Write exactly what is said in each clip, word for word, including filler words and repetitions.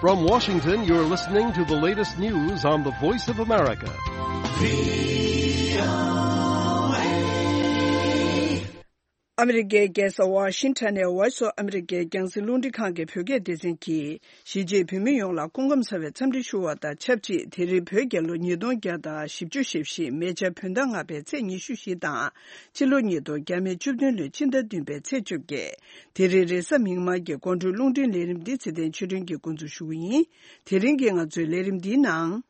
From Washington, you're listening to the latest news on the Voice of America. ཨ་མི་རི་ཀའི་རྒྱལ་ས་ཝ་ཤིང་ཊོན་ནས་Voice of America་རྒྱང་སྲིང་རླུང་འཕྲིན་ཁང་གི་བོད་སྐད་སྡེ་ཚན་གྱིས། གཞིས་བྱེས་བོད་མི་ཡོངས་ལ་སྐུ་ཁམས་བཟང་བའི་འཚམས་འདྲི་ཞུ་བ་དང་ཆབས་ཅིག་དེ་རིང་བོད་རྒྱལ་ལོ་ཉིས་སྟོང་བརྒྱ་དང་བཞི་བཅུ་ཞེ་བཞི་མེ་བྱ་བོད་ཟླ་ལྔ་པའི་ཚེས་ཉི་ཤུ་བཞི་དང་། ཕྱི་ལོ་ཉིས་སྟོང་བརྒྱ་མེད་བཅུ་བདུན་ལོའི་ཕྱི་ཟླ་བདུན་པའི་ཚེས་བཅོ་བརྒྱད། དེ་རིང་རེས་གཟའ་མིག་དམར་གྱི་དགོང་དྲོའི་རླུང་འཕྲིན་ལས་རིམ་འདི་ཚེ་བརྟན་ཆོས་སྒྲོན་གྱིས་འགོ་འཛུགས་ཞུ་གི་ཡིན། དེ་རིང་གི་ང་ཚོའི་ལས་རིམ་འདིའི་ནང་།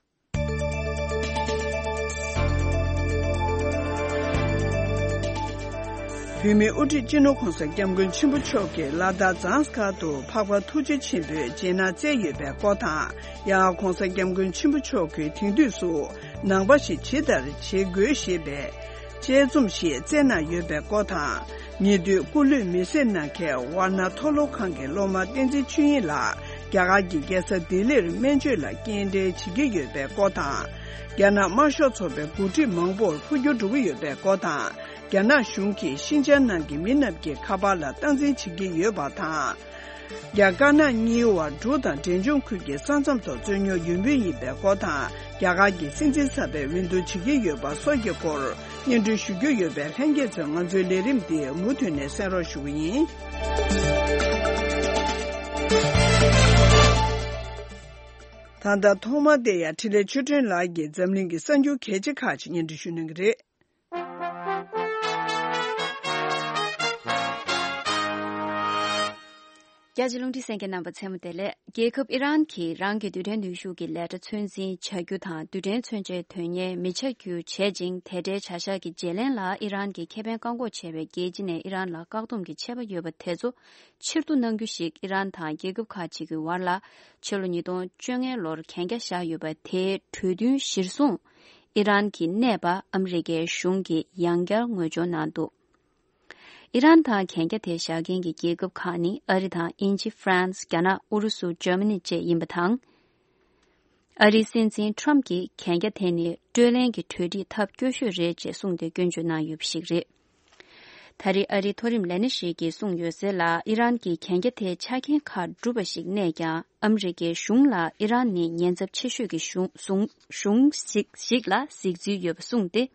བོད་མིའི་དབུ་ཁྲིད་སྤྱི་ནོར་༧གོང་ས་༧སྐྱབས་མགོན་ཆེན་པོ་མཆོག་གིས་ལ་དྭགས་ཛཱན་སི་ཁར་དུ་འཕགས་པ་ཐུགས་རྗེ་ཆེན་པོའི་རྗེས་གནང་སྩལ་ཡོད་པའི་སྐོར་དང་། ཡང་༧གོང་ས་༧སྐྱབས་མགོན་ཆེན་པོ་མཆོག་གིས་དེང་དུས་སུ་ནང་པ་ཞིག་ཇི་ལྟར་བྱེད་དགོས་ཞེས་པའི་དཔྱད་རྩོམ་ཞིག་བསྩལ་གནང་ཡོད་པའི་སྐོར་དང་། ཉེ་དུས་སྐུ་ལུས་མེ་བསྲེགས་གནང་མཁན་ཝཱ་ཎ་མཐོ་སློབ་ཁང་གི་སློབ་མ་བསྟན་འཛིན་ཆོས་དབྱིངས་ལགས་རྒྱ་གར་གྱི་རྒྱལ་ས་ལྡི་ལིར་སྨན་བཅོས་ལ་སྐྱེལ་འདྲེན་བྱེད་ཀྱི་ཡོད་པའི་སྐོར་དང་། རྒྱ་ནག་དམར་ཤོག་ཚོགས་པའི་འགོ་ཁྲིད་མང་པོར་འཕོ་འགྱུར་འགྲོ་གི་ཡོད་པའི་སྐོར་དང་། རྒྱ་ནག་གཞུང་གིས་ཤིན་ཅང་ནང་གི་མི་རྣམས་ཀྱི་ཁ་པར་ལ་སྟངས་འཛིན་བྱེད་ཀྱི་ཡོད་པ་དང་། རྒྱ་དཀར་ནག་གཉིས་དབར་འབྲུག་དང་འབྲས་ལྗོངས་ཁུལ་གྱི་ས་མཚམས་ཐོག་རྩོད་རྙོག་ཡོད་མུས་ཡིན་པའི་སྐོར་དང་། རྒྱ་གར་གྱི་སྲིད་འཛིན་གསར་པའི་འོས་བསྡུ་བྱེད་ཀྱི་ཡོད་པ་སོགས་ཀྱི་སྐོར་སྙན་སྒྲོན་ཞུ་རྒྱུ་ཡོད་པས། ལྷན་རྒྱས་ཚོས་ང་ཚོའི་ལས་རིམ་འདི་མུ་མཐུད་ནས་གསན་རོགས་ཞུ་གི་ཡིན། ད་ལྟ་ཐོག་མར་བལྟས་ཡ་འཕྲིན་ལས་ཆོས་སྒྲོན་ལགས་ཀྱིས་འཛམ་གླིང་གི་གསར་འགྱུར་གལ་ཆེ་ཁག་ཅིག་སྙན་སྒྲོན་ཞུ་གནང་གི་རེད། རྒྱ་ཆེ་རླུང་འཕྲིན་གསན་མཁན་རྣམ་པ་ཚང་མ་བདེ་ལེགས། རྒྱལ་ཁབ་ཨི་རན་གྱིས་རང་གི་རྡུལ་ཕྲན་ནུས་ཤུགས་ཀྱི་ལས་གྲྭ་ཚོད་འཛིན་བྱ་རྒྱུ་དང་། རྡུལ་ཕྲན་མཚོན་ཆའི་དོན་གཉེར་མི་བྱ་རྒྱུ་བྱེད་ཅིང་། དེ་འབྲེལ་བྱ་གཞག་གི་བརྗེ་ལེན་ལ་ཨི་རན་གྱི་ཁེ་ཕན་བཀག་འགོག་བྱས་པའི་རྒྱལ་སྤྱི་ནས་ཨི་རན་ལ་བཀག་སྡོམ་གྱི་ཆད་པ་ཡོད་པ་དེ་ཚོ་ཕྱིར་བསྡུ་གནང་རྒྱུ་ཞིག་ཨི་རན་དང་རྒྱལ་ཁབ་ཁག་ཅིག་གི་བར་ལ་ཕྱི་ལོ་ཉིས་སྟོང་བཅོ་ལྔ་ལོར་གན་རྒྱ་བཞག་ཡོད་པ་དེའི་གྲོས་མཐུན་གཞིར་བཟུང་། ཨི་རན་གྱི་གནས་པ་ཨ་མི་རི་ཀའི་གཞུང་གིས་ཡང་བསྐྱར་ངོས་སྦྱོར་གནང་འདུག་ཨི་རན་དང་གན་རྒྱ་དེ་བཞག་མཁན་གྱི་རྒྱལ་ཁབ་ཁག་ནི་ཨ་རི་དང་དབྱིན་ཇི། ཧྥ་རན་སི། རྒྱ་ནག། ཨུ་རུ་སུ། འཇར་མ་ནི་བཅས་ཡིན་པ་དང་། ཨ་རིའི་སྲིད་འཛིན་ཁྲོམ་གྱིས་གན་རྒྱ་དེ་ནི་སྤྲོད་ལེན་གྱི་གྲོས་འགྲིག་ཐབས་སྐྱོ་ཤོས་རེད་ཅེས་གསུངས་ཏེ་སྐྱོན་བརྗོད་གནང་ཡོད་པ་ཞིག་རེད། ད་རེས་ཨ་རིའི་མཐོ་རིམ་ལས་སྣེ་ཞིག་གིས་གསུངས་ཡོད་ཟེར་ལ། ཨི་རན་གྱིས་གན་རྒྱ་དེའི་ཆ་རྐྱེན་ཁག་གྲུབ་པ་ཞིག་གནས་ཀྱང་། ཨ་མི་རི་ཀའི་གཞུང་ལ་ཨི་རན་ནི་ཉེན་ཚབས་ཆེ་ཤོས་ཀྱི་གཞུང་གཞུང་གཞུང་ཞིག་ཞིག་ལ་གཟིགས་ཚུལ་ཡོད་པ་གསུངས་ཏེ།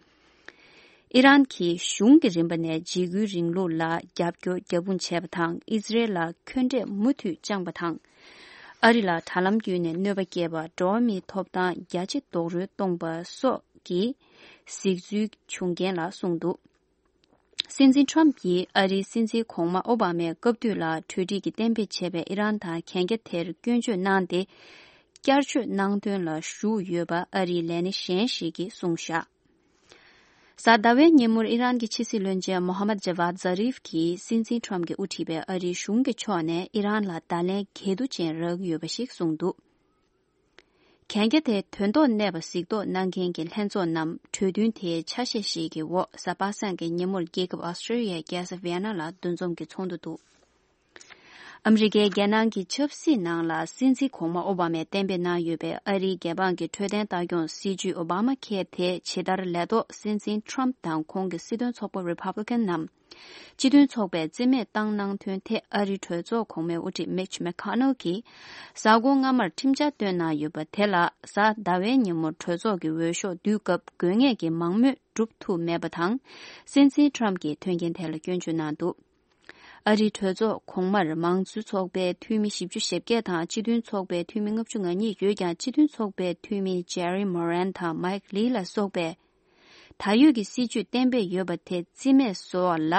ཨི་རན་གྱི་གཞུང་གི་རིམ་པ་ནས་འཇིགས་སྐུལ་རིང་ལུགས་ལ་རྒྱབ་སྐྱོར་རྒྱབ་དཔུང་བྱས་པ་དང་། ཨི་ཟི་རེལ་ལ་འཁོན་འགྲས་མུ་མཐུད་བཅངས་པ་དང་། ཨ་རི་ལ་དྲ་ལམ་བརྒྱུད་ནས་གནོད་པ་བསྐྱལ་བ། འགྲོ་བ་མིའི་ཐོབ་ཐང་རྒྱ་ཆེ་རྡོག་རོལ་གཏོང་པ་སོགས་ཀྱི་གཟིགས་ཚུལ་བྱུང་རྐྱེན་ལ་གསུངས་འདུག་སྲིད་འཛིན་ཁྲོམ་གྱིས་ཨ་རིའི་སྲིད་འཛིན་གོང་མ་ཨོ་བྷ་མའི་སྐབས་དུས་ལ་གྲོས་འགྲིག་གི་གཏན་འབེབས་བྱས་པའི་ཨི་རན་དང་གན་རྒྱ་དེར་སྐྱོན་བརྗོད་གནང་སྟེ། བསྐྱར་བཅོས་གནང་དོན་ལ་ཞུགས་ཡོད་པ་ཨ་རིའི་ལས་སྣེ་གཞན་ཞིག་གིས་གསུངས་བཞག་གཟའ་ཟླ་བའི་ཉིན་མོར་ཨི་རན་གྱི་ཕྱི་སྲིད་བློན་ཆེན་མོ་ཧ་མད་ཇ་ཝཱད་ཛ་རིབ་ཀྱིས་སྲིད་འཛིན་ཁྲོམ་གྱིས་དབུ་ཁྲིད་པའི་ཨ་རིའི་གཞུང་གི་ཕྱོགས་ནས་ཨི་རན་ལ་བརྡ་ལན་འགལ་འདུ་ཅན་རག་གི་ཡོད་པ་ཞིག་གསུངས་འདུག་གན་རྒྱ་དེ་དོན་ཐོག་གནས་པ་གཟིགས་རྟོག་གནང་མཁན་གྱི་ལྷན་ཚོགས་རྣམས་གྲོས་མཐུན་དེའི་ཆ་ཤས་ཤིག་གི་འོག་གཟའ་པ་སངས་ཀྱི་ཉིན་མོར་རྒྱལ་ཁབ་ཨོ་སི་ཀྲི་ཡའི་རྒྱལ་ས་ཝི་ཡ་ན་ལ་འདུ་འཛོམས་ཀྱི་ཚོགས་འདུ་འདུག་ཨ་མི་རི་ཀའི་རྒྱལ་ནང་གི་ཆབ་སྲིད་ནང་ལ་སྲིད་འཛིན་གོང་མ་ཨོ་བྷ་མས་གཏན་འབེབས་གནང་ཡོད་པའི་ཨ་རིའི་རྒྱལ་འབངས་ཀྱི་འཕྲོད་བསྟེན་ལྟ་སྐྱོང་སྲིད་ཇུས་ཨོ་བྷ་མ་ཁེར་དེ་ཇི་ལྟར་ལས་ཐོག་སྲིད་འཛིན་ཁྲོམ་དང་ཁོང་གི་སྲིད་དོན་ཚོགས་པ་རི་པབ་ལི་ཀན་རྣམས་སྤྱི་མཐུན་ཚོགས་པས་རྩིས་མེད་བཏང་གནང་དོན་ཐད་ཨ་རིའི་གྲོས་ཚོགས་གོང་མའི་དབུ་ཁྲིད་མིཆ་མེ་ཁོ་ནལ་གྱིས་གཟའ་འཁོར་སྔ་མར་ཁྲིམས་འཆར་བཏོན་གནང་ཡོད་པ་དེ་ལ་གཟའ་ཟླ་བའི་ཉིན་མོར་གྲོས་ཚོགས་ཀྱི་འོས་ཤོག་བསྡུས་སྐབས་དགོས་ངེས་ཀྱི་མང་མོས་སྒྲུབ་ཐུབ་མེད་པ་དང་། སྲིད་འཛིན་ཁྲོམ་གྱིས་མཐུན་རྐྱེན་དེ་ལ་སྐྱོན་བརྗོད་གནང་འདུག་ཨ་རིའི་གྲོས་ཚོགས་གོང་མར་མང་གཙོའི་ཚོགས་པའི་འཐུས་མི་བཞི་བཅུ་ཞེ་བརྒྱད་དང་སྤྱི་མཐུན་ཚོགས་པའི་འཐུས་མི་ལྔ་བཅུ་ང་གཉིས་ཡོད་ཀྱང་། སྤྱི་མཐུན་ཚོགས་པའི་འཐུས་མི་ཇེ་རི་མོ་རན་དང་མཱིག་ལི་ལ་སོགས་པས་ད་ཡོད་ཀྱི་སྲིད་ཇུས་གཏན་འབེབས་ཡོད་པ་དེ་རྩིས་མེད་བཟོ་བ་ལ་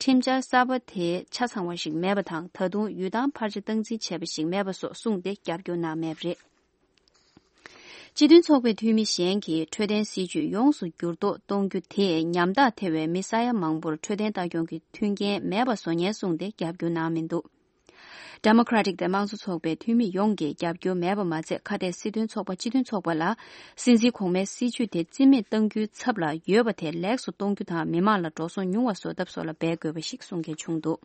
ཁྲིམས་འཆར་གསར་པ་དེ་ཆ་ཚང་བ་ཞིག་མེད་པ་དང་། ད་དུང་ཡུལ་ཐང་ཕར་ཆེར་སྟངས་འཛིན་བྱས་པ་ཞིག་མེད་པ་སོགས་གསུངས་ཏེ་རྒྱབ་སྐྱོར་གནང་མེད་པ་རེད། སྤྱི་མཐུན་ཚོགས་པའི་འཐུས་མི་གཞན་གྱིས་འཕྲོད་བསྟེན་སྲིད་ཇུས་ཡོངས་སུ་འགྱུར་ལྡོག་གཏོང་རྒྱུ་དེས་ཉམ་ཐག་ཐེ་བའི་མི་ས་ཡ་མང་པོར་འཕྲོད་བསྟེན་ལྟ་སྐྱོང་གི་མཐུན་རྐྱེན་མེད་པ་བཟོ་ཉེན་གསུངས་ཏེ་རྒྱབ་སྐྱོར་གནང་མི་འདུག་ཌེ་མོ་ཀྲ་ཏིག་དང་དམངས་གཙོ་ཚོགས་པའི་འཐུས་མི་ཡོངས་ཀྱིས་རྒྱབ་སྐྱོར་མེད་པ་མ་ཚད། ཁ་གཏད་སྲིད་དོན་ཚོགས་པ་སྤྱི་མཐུན་ཚོགས་པ་ལ་སྲིད་འཛིན་གོང་མའི་སྲིད་ཇུས་དེ་རྩིས་མེད་གཏང་རྒྱུའི་ཚབ་ལ་ཡོད་པ་དེ་ལེགས་སུ་གཏོང་རྒྱུ་དང་། མི་མང་ལ་འགྲོ་སོང་ཉུང་བ་བཟོ་ཐབས་སོགས་ལ་འབད་དགོས་པ་ཞིག་གསུང་མཁན་བྱུང་འདུག་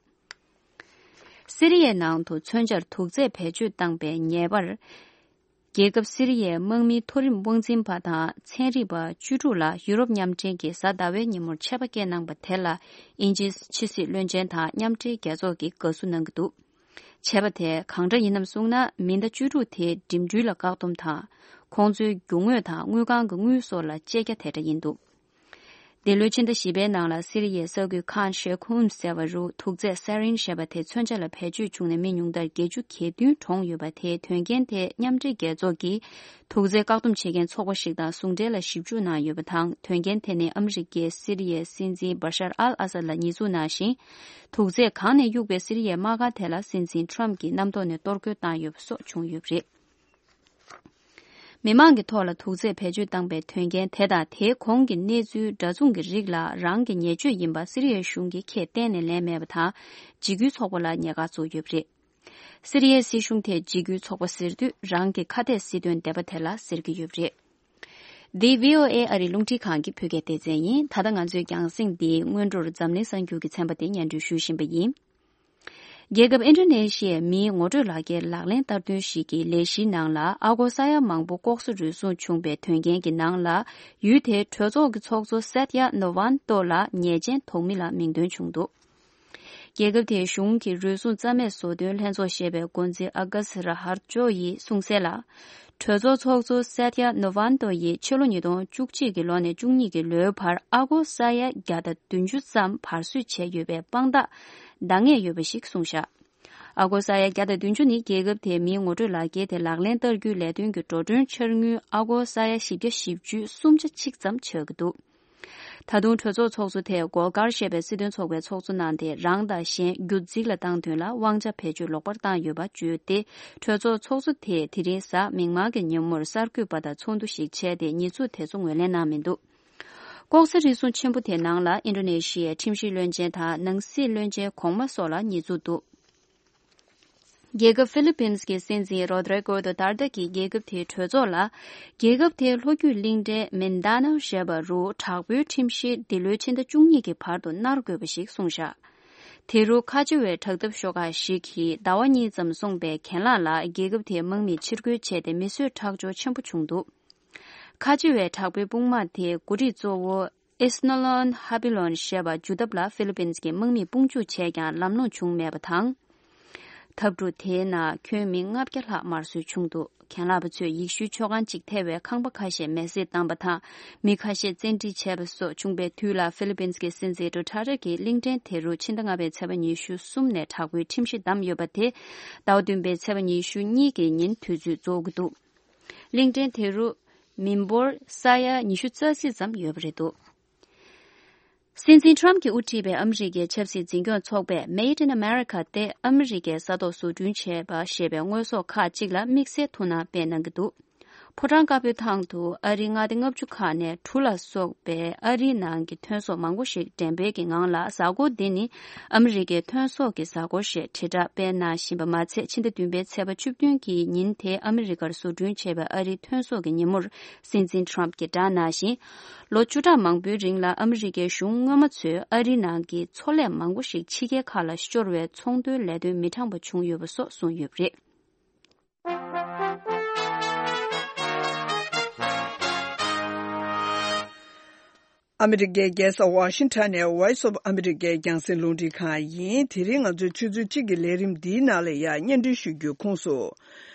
སི་རི་ཡའི་ནང་དུ་མཚོན་ཆར་དུག་རྫས་བེད་སྤྱོད་བཏང་པའི་ཉེས་པར། རྒྱལ་ཁབ་སི་རི་ཡའི་དམག་མིའི་མཐོ་རིམ་དབང་འཛིན་པ་དང་ཚན་རིག་པ་བཅུ་དྲུག་ལ་ཡུ་རོབ་མཉམ་འབྲེལ་གྱིས་གཟའ་ཟླ་བའི་ཉིན་མོར་ཆད་པ་བཀལ་གནང་པ་དེ་ལ་དབྱིན་ཇིའི་ཕྱི་སྲིད་བློན་ཆེན་དང་མཉམ་འབྲེལ་རྒྱལ་ཚོགས་ཀྱིས་དགའ་བསུ་གནང་གི་འདུག་བྱས་པ་དེ་གང་འདྲ་ཡིན་ནམ་གསུངས་ན། མི་ཟླ་བཅུ་དྲུག་དེ་འགྲིམ་འགྲུལ་ལ་བཀག་སྡོམ་དང་། ཁོང་ཚོའི་རྒྱུ་དངོས་དང་དངུལ་ཁང་གི་དངུལ་སོགས་ལ་བཅད་རྒྱ་དེ་འདྲ་ཡིན་འདུག་འདི་ལོའི་ཕྱི་ཟླ་བཞི་པའི་ནང་ལ་སི་རི་ཡའི་ས་ཁུལ་ཁཱན་ཤེ་ཁུམ་ཟེར་བ་རུ་དུག་རྫས་ས་རིན་ཞེས་པ་དེ་མཚོན་ཆ་ལ་བེད་སྤྱོད་བྱུང་ནས་མི་ཉུང་མཐར་བརྒྱད་ཅུ་གྱ་བདུན་གྲོངས་ཡོད་པ་དེའི་དོན་རྐྱེན་དེ་མཉམ་འབྲེལ་རྒྱལ་ཚོགས་ཀྱིས་དུག་རྫས་བཀག་སྡོམ་བྱེད་མཁན་ཚོགས་པ་ཞིག་དང་ཟུང་འབྲེལ་ལ་ཞིབ་འཇུག་གནང་ཡོད་པ་དང་། དོན་རྐྱེན་དེ་ནི་ཨ་མི་རི་ཀས་སི་རི་ཡའི་སྲིད་འཛིན་བྷ་ཤར་ཨལ་ཨ་སད་ལ་ཉེས་འཛུགས་གནང་ཞིང་། དུག་རྫས་གང་ནས་གཡུགས་པའི་སི་རི་ཡའི་དམག་སྒར་དེ་ལ་སྲིད་འཛིན་ཊམ་གྱིས་གནམ་ཐོག་ནས་གཏོར་རྒོལ་བཏང་ཡོད་པ་སོགས་བྱུང་ཡོད་པ་རེད། མི་མང་གི་ཐོག་ལ་དུག་རྫས་བེད་སྤྱོད་བཏང་པའི་དོན་རྐྱེན་དེ་དང་དེའི་གོང་གི་གནས་ཚུལ་འདྲ་མཚུངས་ཀྱི་རིགས་ལ་རང་གི་ཉེས་སྤྱོད་ཡིན་པ་སི་རི་ཡའི་གཞུང་གིས་ཁས་གཏན་ནས་ལེན་མེད་པ་དང་། འཇིགས་སྐུལ་ཚོགས་པ་ལ་ཉེས་ཁ་བཙུགས་ཡོད་པ་རེད། སི་རི་ཡའི་སྲིད་གཞུང་དེས་འཇིགས་སྐུལ་ཚོགས་པ་ཟེར་དུས་རང་གི་ཁ་གཏད་སྲིད་དོན་སྡེ་པ་དེ་ལ་ཟེར་གྱི་ཡོད་པ་རེད། འདི་བྷི་ཨོ་ཨེ་ཨ་རིའི་རླུང་འཕྲིན་ཁང་གི་བོད་སྐད་སྡེ་ཚན་ཡིན། ད་ལྟ་ང་ཚོའི་རྒྱང་སྲིང་འདིའི་སྔོན་འགྲོར་འཛམ་གླིང་གསར་འགྱུར་གྱི་ཚན་པ་དེ་སྙན་སྒྲོན་ཞུ་བཞིན་པ་ཡིན། རྒྱལ་ཁབ་ཨིན་ཌོ་ནེ་ཤི་ཡའི་མིའི་ངོ་སྤྲོད་ལག་འཁྱེར་ལག་ལེན་བསྟར་དོན་ཞིག་གི་ལས་གཞིའི་ནང་ལ་ཨ་སྒོར་ས་ཡ་མང་པོ་ལྐོག་ཟ་རུལ་སུངས་བྱུང་པའི་དོན་རྐྱེན་གྱི་ནང་ལ། ཡུལ་དེའི་གྲོས་ཚོགས་ཀྱི་ཚོགས་གཙོ་སད་ཡ་ནོ་ཝན་ཏོ་ལ་ཉེས་ཅན་དོགས་མི་ལ་མིང་འདོན་བྱུང་འདུག་རྒྱལ་ཁབ་དེའི་གཞུང་གི་རུལ་སུངས་རྩ་མེད་བཟོ་དོན་ལྷན་ཚོགས་ཞེས་པའི་འགོ་འཛིན་ཨ་ག་སི་ར་ཧར་ཅོ་ཡིས་གསུངས་གསལ་ལ། གྲོས་ཚོགས་ཚོགས་གཙོ་སད་ཡ་ནོ་ཝན་ཏོ་ཡིས་ཕྱི་ལོ་ཉིས་སྟོང་བཅུ་གཅིག་གི་ལོ་ནས་བཅུ་གཉིས་ཀྱི་ལོའི་བར་ཨ་སྒོར་ས་ཡ་བརྒྱ་དང་བདུན་ཅུ་ཙམ་བར་གསོད་བྱས་ཡོད་པའི་དཔང་རྟགས་འདང་ངེས་ཡོད་པ་ཞིག་གསུངས་བཞག་ཨ་སྒོར་ས་ཡ་བརྒྱ་དང་བདུན་ཅུ་ནི་རྒྱལ་ཁབ་དེའི་མིའི་ངོ་སྤྲོད་ལག་འཁྱེར་དེ་ལག་ལེན་བསྟར་རྒྱུའི་ལས་དོན་གྱི་འགྲོ་གྲོན་འཆར་དངུལ་ཨ་སྒོར་ས་ཡ་བཞི་བརྒྱ་བཞི་བཅུ་སུམ་ཆ་གཅིག་ཙམ་ཆགས་ཀྱི་འདུག་ད་དུང་གྲོས་ཚོགས་ཚོགས་གཙོ་དེས་གོལ་གར་ཞེས་པའི་སྲིད་དོན་ཚོགས་པའི་ཚོགས་གཙོ་གནང་སྟེ། རང་དང་གཞན་རྒྱུད་འཛིན་ལ་བཏང་དོན་ལ་དབང་ཆ་བེད་སྤྱོད་ལོག་པར་བཏང་ཡོད་པ་བརྗོད་དེ། གྲོས་ཚོགས་ཚོགས་གཙོ་དེས་དེ་རིང་གཟའ་མིག་དམར་གྱི་ཉིན་མོར་གསར་འགོད་པ་དང་ཚོགས་འདུ་ཞིག་བྱས་ཏེ། ཉེས་འཛུགས་དེ་ཚོ་ངོས་ལེན་གནང་མི་འདུག་ལྐོག་ཟ་རུལ་སུངས་ཆེན་པོ་དེའི་ནང་ལ་ཨིན་ཌོ་ནེ་ཤི་ཡའི་ཁྲིམས་ཞིབ་བློན་ཆེན་དང་ནང་སྲིད་བློན་ཆེན་གོང་མ་སོགས་ལ་ཉེས་འཛུགས་འདུག་རྒྱལ་ཁབ་ཧྥི་ལི་པིན་གྱི་སྲིད་འཛིན་རོ་དྲེ་གོ་དོ་ཏར་ཏེ་གྱིས་རྒྱལ་ཁབ་དེའི་གྲོས་ཚོགས་ལ། རྒྱལ་ཁབ་དེའི་ལྷོ་རྒྱུད་གླིང་ཕྲན་མིན་ཌ་ནའོ་ཞེས་པ་རུ་དྲག་པོའི་ཁྲིམས་གཞི་འདི་ལོའི་ཕྱི་ཟླ་བཅུ་གཉིས་ཀྱི་བར་དུ་གནར་དགོས་པ་ཞིག་གསུངས་བཞག་དེ་རུ་ཁ་ཆེ་བའི་དྲག་འཐབ་ཤོག་ཁག་ཞིག་གིས་ཟླ་བ་གཉིས་ཙམ་སོང་པའི་གྱེན་ལངས་ལ། རྒྱལ་ཁབ་དེའི་དམག་མིས་ཕྱིར་རྒོལ་བྱས་ཏེ། མི་གསོད་ཁྲག་སྦྱོར་ཆེན་པོ་བྱུང་འདུག་ཁ་ཆེ་བའི་དྲག་པོའི་དཔུང་དམག་དེའི་འགོ་ཁྲིད་གཙོ་བོ་ཨིས་ནོ་ལོན་ཧ་པི་ལོན་ཞེས་པ་འཇུ་ཐབས་ལ་ཧྥི་ལི་པིན་གྱི་དམག་མིས་དཔུང་འཇུག་བྱས་ཀྱང་ལམ་ལྷོང་བྱུང་མེད་པ་དང་། འཐབ་འཁྲུག་དེའི་ནང་ཁྱོན་མི་ལྔ་བརྒྱ་ལྷག་དམར་གསོད་བྱུང་འདུག་གྱེན་ལངས་པ་ཚོས་ཡེ་ཤུའི་མཆོད་ཁང་གཅིག་ཐེ་བའི་ཁང་པ་ཁ་ཤས་མེ་བསྲེགས་བཏང་པ་དང་། མི་ཁ་ཤས་བཙན་ཁྲིད་བྱས་པ་སོགས་བྱུང་པའི་དུས་ལ། ཧྥི་ལི་པིན་གྱི་སྲིད་འཛིན་ཌུ་ཐར་ཏེ་གྱིས་གླིང་ཕྲན་དེ་རུ་ཕྱི་ཟླ་ལྔ་པའི་ཚེས་པ་ཉི་ཤུ་གསུམ་ནས་དྲག་པོའི་ཁྲིམས་གཞི་བསྡམས་ཡོད་པ་དེ། ཟླ་བ་བདུན་པའི་ཚེས་པ་ཉི་ཤུ་གཉིས་ཀྱི་ཉིན་དུས་ཚོད་རྫོགས་ཀྱི་འདུག་གླིང་ཕྲན་དེ་རུ་མི་འབོར་ས་ཡ་ཉི་ཤུ་རྩ་གཅིག་ཙམ་ཡོད་པ་རེད་འདུག་སྲིད་འཛིན་ཊམ་གྱིས་དབུ་ཁྲིད་པའི་ཨ་མི་རི་ཀའི་ཆབ་སྲིད་འཛིན་སྐྱོང་ཚོགས་པས་Made in America སྟེ་ཨ་མི་རི་ཀའི་ས་ཐོག་བཟོ་སྐྲུན་བྱས་པ་ཞེས་པའི་དངོས་ཟོག་ཁག་ཅིག་ལ་དམིགས་བསལ་ཐུགས་སྣང་སྤེལ་གནང་གི་འདུག་ཕོ་བྲང་དཀར་པོའི་ཐང་དུ་ཨ་རིའི་མངའ་སྡེ་ལྔ་བཅུ་ཁག་ནས་གྲུ་ལ་སོགས་པའི་ཨ་རིའི་ནང་གི་ཐོན་ཟོག་མང་པོ་ཞིག་འགྲེམས་སྤེལ་གྱི་ངང་ལ། གཟའ་འཁོར་འདི་ནི་ཨ་མི་རི་ཀའི་ཐོན་ཟོག་གི་གཟའ་འཁོར་ཞེས་དྲིལ་བསྒྲགས་སྤེལ་གནང་བཞིན་པ་མ་ཚད། ཕྱི་ཟླ་བདུན་པའི་ཚེས་པ་བཅུ་བདུན་གྱི་ཉིན་དེ་ཨ་མི་རི་ཀར་བཟོ་སྐྲུན་བྱས་པའི་ཨ་རིའི་ཐོན་ཟོག་གི་ཉིན་མོར་སྲིད་འཛིན་ཊམ་གྱིས་བསྒྲགས་གནང་ཞིང་། ལོ་བཅུ་ཕྲག་མང་པོའི་རིང་ལ་ཨ་མི་རི་ཀའི་གཞུང་སྔོན་མ་ཚོས་ཨ་རིའི་ནང་གི་མཚོ་ལས་མང་པོ་ཞིག་ཕྱི་རྒྱལ་ཁག་ལ་ཤོར་བའི་ཚོང་དོན་ལས་དོན་མི་དྲང་པ་བྱུང་ཡོད་པ་སོགས་གསུངས་ཡོད་པ་རེད། ཨ་མི་རི་ཀའི་རྒྱལ་ས་ཝ་ཤིང་ཊོན་ནས་Voice of America རྒྱང་སྲིང་རླུང་འཕྲིན་ཁང་ཡིན། དེ་རིང་ང་ཚོའི་ཆུ་ཚོད་གཅིག་གི་ལས་རིམ་འདིའི་ནང་ལ་ཡང་སྙན་སྒྲོན་ཞུ་རྒྱུའི་ཁོངས་སུ།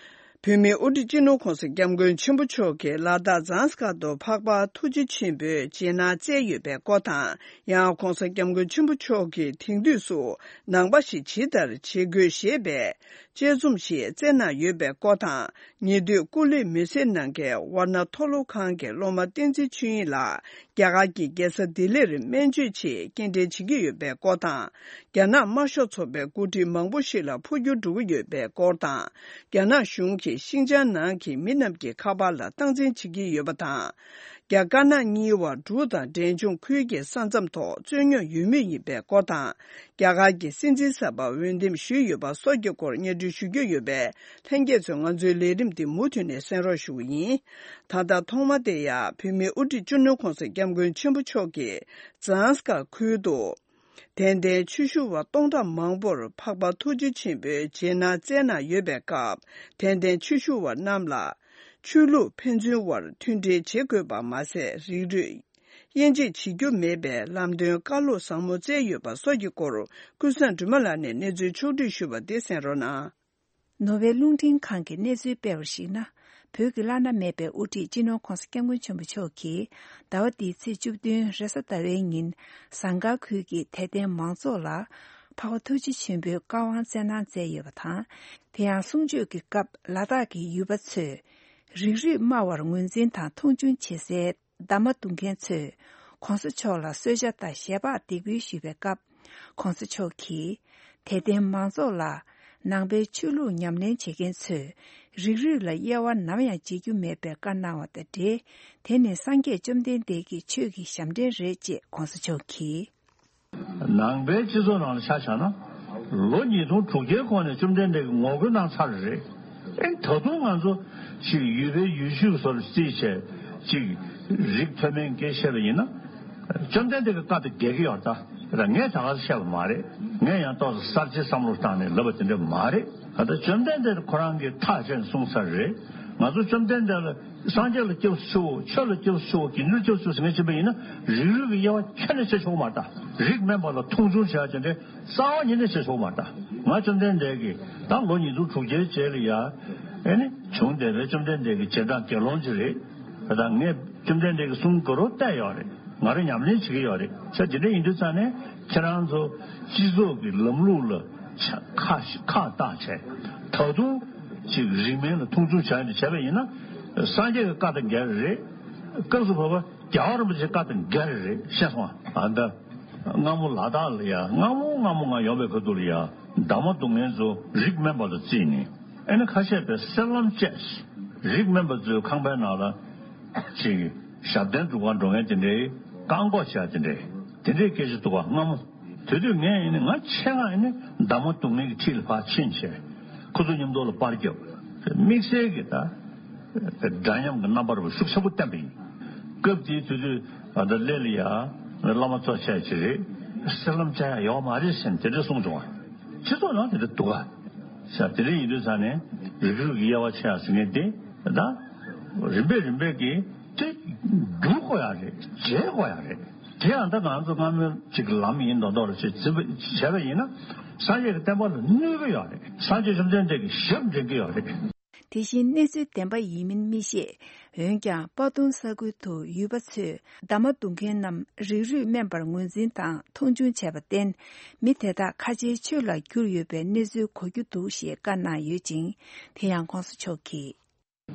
བོད་མིའི་དབུ་ཁྲིད་སྤྱི་ནོར་ྋགོང་ས་ྋསྐྱབས་མགོན་ཆེན་པོ་མཆོག་གིས་ལ་དྭགས་ཛཱམ་སྐར་དུ་འཕགས་པ་ཐུགས་རྗེ་ཆེན་པོའི་རྗེས་གནང་སྩལ་ཡོད་པའི་སྐོར་དང་། ཡང་ྋགོང་ས་ྋསྐྱབས་མགོན་ཆེན་པོ་མཆོག་གིས་དེང་དུས་སུ་ནང་པ་ཞིག་ཇི་ལྟར་བྱེད་དགོས་ཞེས་པའི་དཔྱད་རྩོམ་ཞིག་བསྩལ་གནང་ཡོད་པའི་སྐོར་དང་། ཉེ་དུས་སྐུ་ལུས་མེ་སྲེག་གནང་མཁན་ཝར་ཎ་མཐོ་སློབ་ཁང་གི་སློབ་མ་བསྟན་འཛིན་ཆོས་དབྱིངས་ལགས་རྒྱ་གར་གྱི་རྒྱལ་ས་ལྡི་ལིར་སྨན་བཅོས་ཆེད་སྐྱེལ་འདྲེན་བྱེད་ཀྱི་ཡོད་པའི་སྐོར་དང་། རྒྱ་ནག་དམར་ཤོག་ཚོགས་པའི་འགོ་ཁྲིད་མང་པོ་ཞིག་ལ་འཕོ་འགྱུར་འགྲོ་གི་ཡོད་པའི་སྐོར་དང་། རྒྱ་ནག་གཞུང་གིས་ཤིང་ཅང་ནང་གི་མི་རྣམས་ཀྱི་ཁ་པར་ལ་སྟངས་འཛིན་བྱེད་ཀྱི་ཡོད་པ་དང་། རྒྱ་དཀར་ནག་གཉིས་བར་འབྲུག་དང་འབྲས་ལྗོངས་ཁུལ་གྱི་ས་མཚམས་ཐོག་རྩོད་རྙོག་ཡོད་མུས་ཡིན་པའི་སྐོར་དང་། རྒྱ་གར་གྱི་སྲིད་འཛིན་གསར་པ་འོས་འདེམས་ཞུས་ཡོད་པ་སོགས་ཀྱི་སྐོར་སྙན་སྒྲོན་ཞུ་རྒྱུ་ཡོད་པས། ལྷན་རྒྱས་ཚོས་ང་ཚོའི་ལས་རིམ་འདི་མུ་མཐུད་ནས་གསན་རོགས་ཞུ་བ་ཡིན། ད་ལྟ་ཐོག་མ་དེ་ཡང་བོད་མིའི་དབུ་ཁྲིད་སྤྱི་ནོར་ྋགོང་ས་ྋསྐྱབས་མགོན་ཆེན་པོ་མཆོག་གིས་ཛཱམ་སྐར་ཁུལ་དུ། དད་ལྡན་ཆོས་ཞུ་བ་སྟོང་ཕྲག་མང་པོར་འཕགས་པ་ཐུགས་རྗེ་ཆེན་པོའི་རྗེས་གནང་སྩལ་གནང་ཡོད་པའི་སྐབས། དད་ལྡན་ཆོས་ཞུ་བ་རྣམས་ལ་ཆོས་ལུགས་ཕན་ཚུན་དབར་མཐུན་སྒྲིལ་བྱེད་དགོས་པ་མ་ཟད། རིགས་རུས་ དབྱེ་འབྱེད་བྱེད་རྒྱུ་མེད་པའི་ལམ་སྟོན་བཀའ་སློབ་ཟབ་མོ་སྩལ་ཡོད་པ་སོགས་ཀྱི་སྐོར། ཀུན་བཟང་སྒྲོལ་མ་ལགས་ནས་གནས་ཚུལ་ཕྱོགས་བསྒྲིགས་ཞུས་པ་འདི་གསན་རོགས་གནང་། ནོར་ཝེ་རླུང་འཕྲིན་ཁང་གིས་གནས་ཚུལ་སྤེལ་བར་གཞིགས་ན། བོད་ཀྱི་བླ་ན་མེད་པའི་དབུ་ཁྲིད་སྤྱི་ནོར་༧གོང་ས་༧སྐྱབས་མགོན་ཆེན་པོ་མཆོག་གིས་ཟླ་བ་འདིའི་ཚེས་བཅུ་བདུན་རེས་གཟའ་ཟླ་བའི་ཉིན་ཟངས་དཀར་ཁུལ་གྱི་དད་ལྡན་མང་ཚོགས་ལ་འཕགས་པ་ཐུགས་རྗེ་ཆེན་པོའི་བཀའ་དབང་སྩལ་གནང་མཛད་ཡོད་པ་དང་། དེ་ཡང་གསུང་ཆོས་ཀྱི་སྐབས་ལ་དྭགས་ཀྱི་ཡུལ་པ་ཚོས་རིགས་རུས་སྨྲ་བར་ངོས་འཛིན་དང་མཐོང་ཆུང་བྱེད་སའི་འདབ་མ་རྡུང་མཁན་ཚོས་༧གོང་ས་མཆོག་ལ་གསོལ་ཇ་དང་ཞལ་འབག་འདེགས་འབུལ་ཞུས་པའི་སྐབས། ༧གོང་ས་མཆོག་གིས་དད་ལྡན་མང་ཚོགས་ལ་ནང་པའི་ཆོས་ལུགས་ཉམས་ལེན་བྱེད་མཁན་ཚོས་རིགས་རུས་ལ་དབྱེ་བ་ནམ་ཡང་འབྱེད་རྒྱུ་མེད་པའི་བཀའ་གནང་བ་དང་འབྲེལ། དེ་ནི་སངས་རྒྱས་བཅོམ་ལྡན་འདས་ཀྱི་ཆོས་ཀྱི་ཞབས་འདྲེན་རེད་ཅེས་༧གོང་ས་མཆོག་གིས། ནང་པའི་སྤྱི་ཚོགས་ནང་ལ་ཆ་བཞག་ན། ལོ་ཉིས་སྟོང་དྲུག་བརྒྱའི་གོང་ནས་བཅོམ་ལྡན་འདས་ཀྱིས་ངོ་རྒོལ་གནང་ཚར་རེད། ཨེ་ད་དུང་ང་ཚོ་ཅིག་ཡུལ་པའི་ཡུལ་ཤུལ་སོགས་ལ་རྩིས་བྱས་ཅིག་རིགས་མཐོ་དམན་སྐད་བཤད་པ་ཡིན་ན། བཅོམ་ལྡན་འདས་ཀྱི་བཀའ་དང་འགལ་གྱི་ཡོད་ད། ར་ངས་ད་ག་ཟེ་བཤད་པ་མ་རེད། ངས་ཡང་ཏོག་ཙམ་གསར་བརྗེའི་བསམ་བློ་བཏང་ནས་ལབ་པ་དེ་འདྲ་མ་རེད། ད་ལྟ་བཅོམ་ལྡན་འདས་ཁོ་རང་གིས་ཐག་བཅད་ནས་གསུངས་ཚར་རེད། ང་ཚོ་བཅོམ་ལྡན་འདས་ལ་སངས་རྒྱས་ལ་སྐྱབས་སུ་མཆིའོ། ཆོས་ལ་སྐྱབས་སུ་མཆིའོ། དགེ་འདུན་ལ་སྐྱབས་སུ་མཆིའོ་ཟེར་མཁན་ཕྱིན་པ་ཡིན་ན་རིགས་རུས་ཀྱི་དབྱེ་བ་ཁྱོན་ནས་ཕྱེ་ཆོག་མ་རེད་ད། རིགས་དམན་པ་ལ་མཐོང་ཆུང་བྱེད་ཡ་དེ་འདྲའི་རྩ་བ་ཉིད་ནས་བྱེད་ཆོག་མ་རེད་ད། ང་བཅོམ་ལྡན་འདས་ཀྱིས་ད་ལོ་ཉིས་སྟོང་དྲུག་བརྒྱའི་རྗེས་ལ་ཡ། ཨེ་ནི་བྱུང་བསྡད་པའི་བཅོམ་ལྡན་འདས་ཀྱི་རྗེས་འབྲང་དགེ་སློང་ཅིག་རེད། ད་ངས་བཅོམ་ལྡན་འདས་ཀྱི་གསུང་གོ་རོ་བལྟས་ཡོད་རེད། ང་རང་ཉམས་ལེན་བྱེད་ཀྱི་ཡོད་རེད། ས་དེ་འདྲ་ཡིན་དུས་ཙང་ནས་ཁྱེད་རང་ཚོ་སྤྱི་ཚོགས་ཀྱི་ལམ་ལུགས་ལ་ཆ་ཁ་ཁ་བཏགས་བྱས། ད་དུང་ཅིག་རིགས་དམན་ལ་མཐོང་ཆུང་བྱ་ཡ་འདི་བྱས་པ་ཡིན་ན། སངས་རྒྱས་ཀྱི་བཀའ་དང་འགལ་རེད། སྐབས་སུ་བབ་པ་རྒྱལ་བ་རིན་པོ་ཆེའི་བཀའ་དང་འགལ་རེད། ཤེས་སོང་ཨ། ཨ་ད། སྔ་མོ་ལ་དྭགས་ལ་ཡ་སྔ་མོ་སྔ་མོ་ང་ཡོང་བའི་ཁ་ཐུག་ལ་ཡ་འདབ་མ་རྡུང་མཁན་ཚོ་རིགས་དམན་པ་ལ་བརྩིས་ནས། ཨེ་ནི་ཁ་ཤས་པས་སེར་ལམ་བཅས། རིགས་དམན་པ་ཚོའི་ཁང་པའི་ནང་ལ་ཅིག་ཞབས་བརྟན་སྒྲུབ་ཁང་འགྲོ་མཁན་དེ་འདྲའི་བཀག་འགོག་བྱས་དེ་འདྲའི་དེ་འདྲའི་སྐད་ཆ་འདུག་ག་སྔ་མོ། དེ་དུས་ངས་ཨེ་ནི་ང་ཆེད་མངགས་ཨེ་ནི་འདབ་མ་རྡུང་མཁན་གྱི་འཁྲིས་ལ་ཕར་ཕྱིན་བྱས། ཁོ་ཚོ་མཉམ་དུ་ལ་པར་བརྒྱབ། དམིགས་བསལ་གྱི་ད་འདྲ་མཉམ་གྱི་རྣམ་པ་རུ་ཤུགས་ཆེན་པོ་བསྟན་པ་ཡིན། སྐབས་དེའི་དུས་ཚོད་ད་ལྟ་སླེ་ལ་ཡ་བླ་མ་གཙོ་ཆེ་ཅིག་རེད། སེར་ལམ་བཅའ་ཡ་ཡོད་མ་རེད་ཟེར་ནས་དེ་འདྲ་གསུངས་བྱུང་བ། སྤྱི་ཚོགས་ནང་དེ་འདྲ་འདུག་ག་ས་དེ་འདྲ་ཡིན་དུས་ས་ནས་རིགས་རུས་ཀྱི་དབྱེ་བ་ཕྱེ་ཡ་ཟེར་མཁན་དེ་ད་རིམ་པས་རིམ་པས་ཀྱིས་དེ་བསྒྱུར་དགོས་ཡ་རེད། བརྗེ་དགོས་ཡ་རེད། དེ་ཡང་ད་ང་ཚོ་སྔ་མོའི་ཅིག་ལམ་ཡིན་མདོག་མདོག་ལ་ཅིག་བརྩིས་པ་བྱས་པ་ཡིན་ན་སངས་རྒྱས་ཀྱི་བསྟན་པ་ལ་གནོད་ཀྱི་ཡོད་རེད། སངས་རྒྱས་བཅོམ་ལྡན་འདས་ཀྱི་ཞབས་འདྲེན་གྱི་ཡོད་རེད། དེ་བཞིན་གནས་ཚུལ་བདེན་པ་ཡིན་མིན་མི་ཤེས། འོན་ཀྱང་པ་ཏུང་ས་ཁུལ་དུ་ཡུལ་པ་ཚོས་འདབ་མ་རྡུང་མཁན་རྣམས་རིགས་རུས་དམན་པར་ངོས་འཛིན་དང་མཐོང་ཆུང་བྱས་པར་བརྟེན། མི་དེ་དག་ཁ་ཆེའི་ཆོས་ལ་གྱུར་ཡོད་པའི་གནས་ཚུལ་གོ་རྒྱུ་འདུག་ཞེས་བཀའ་གནང་ཡོད་ཅིང་། དེ་ཡང་གོང་ས་མཆོག་གིས།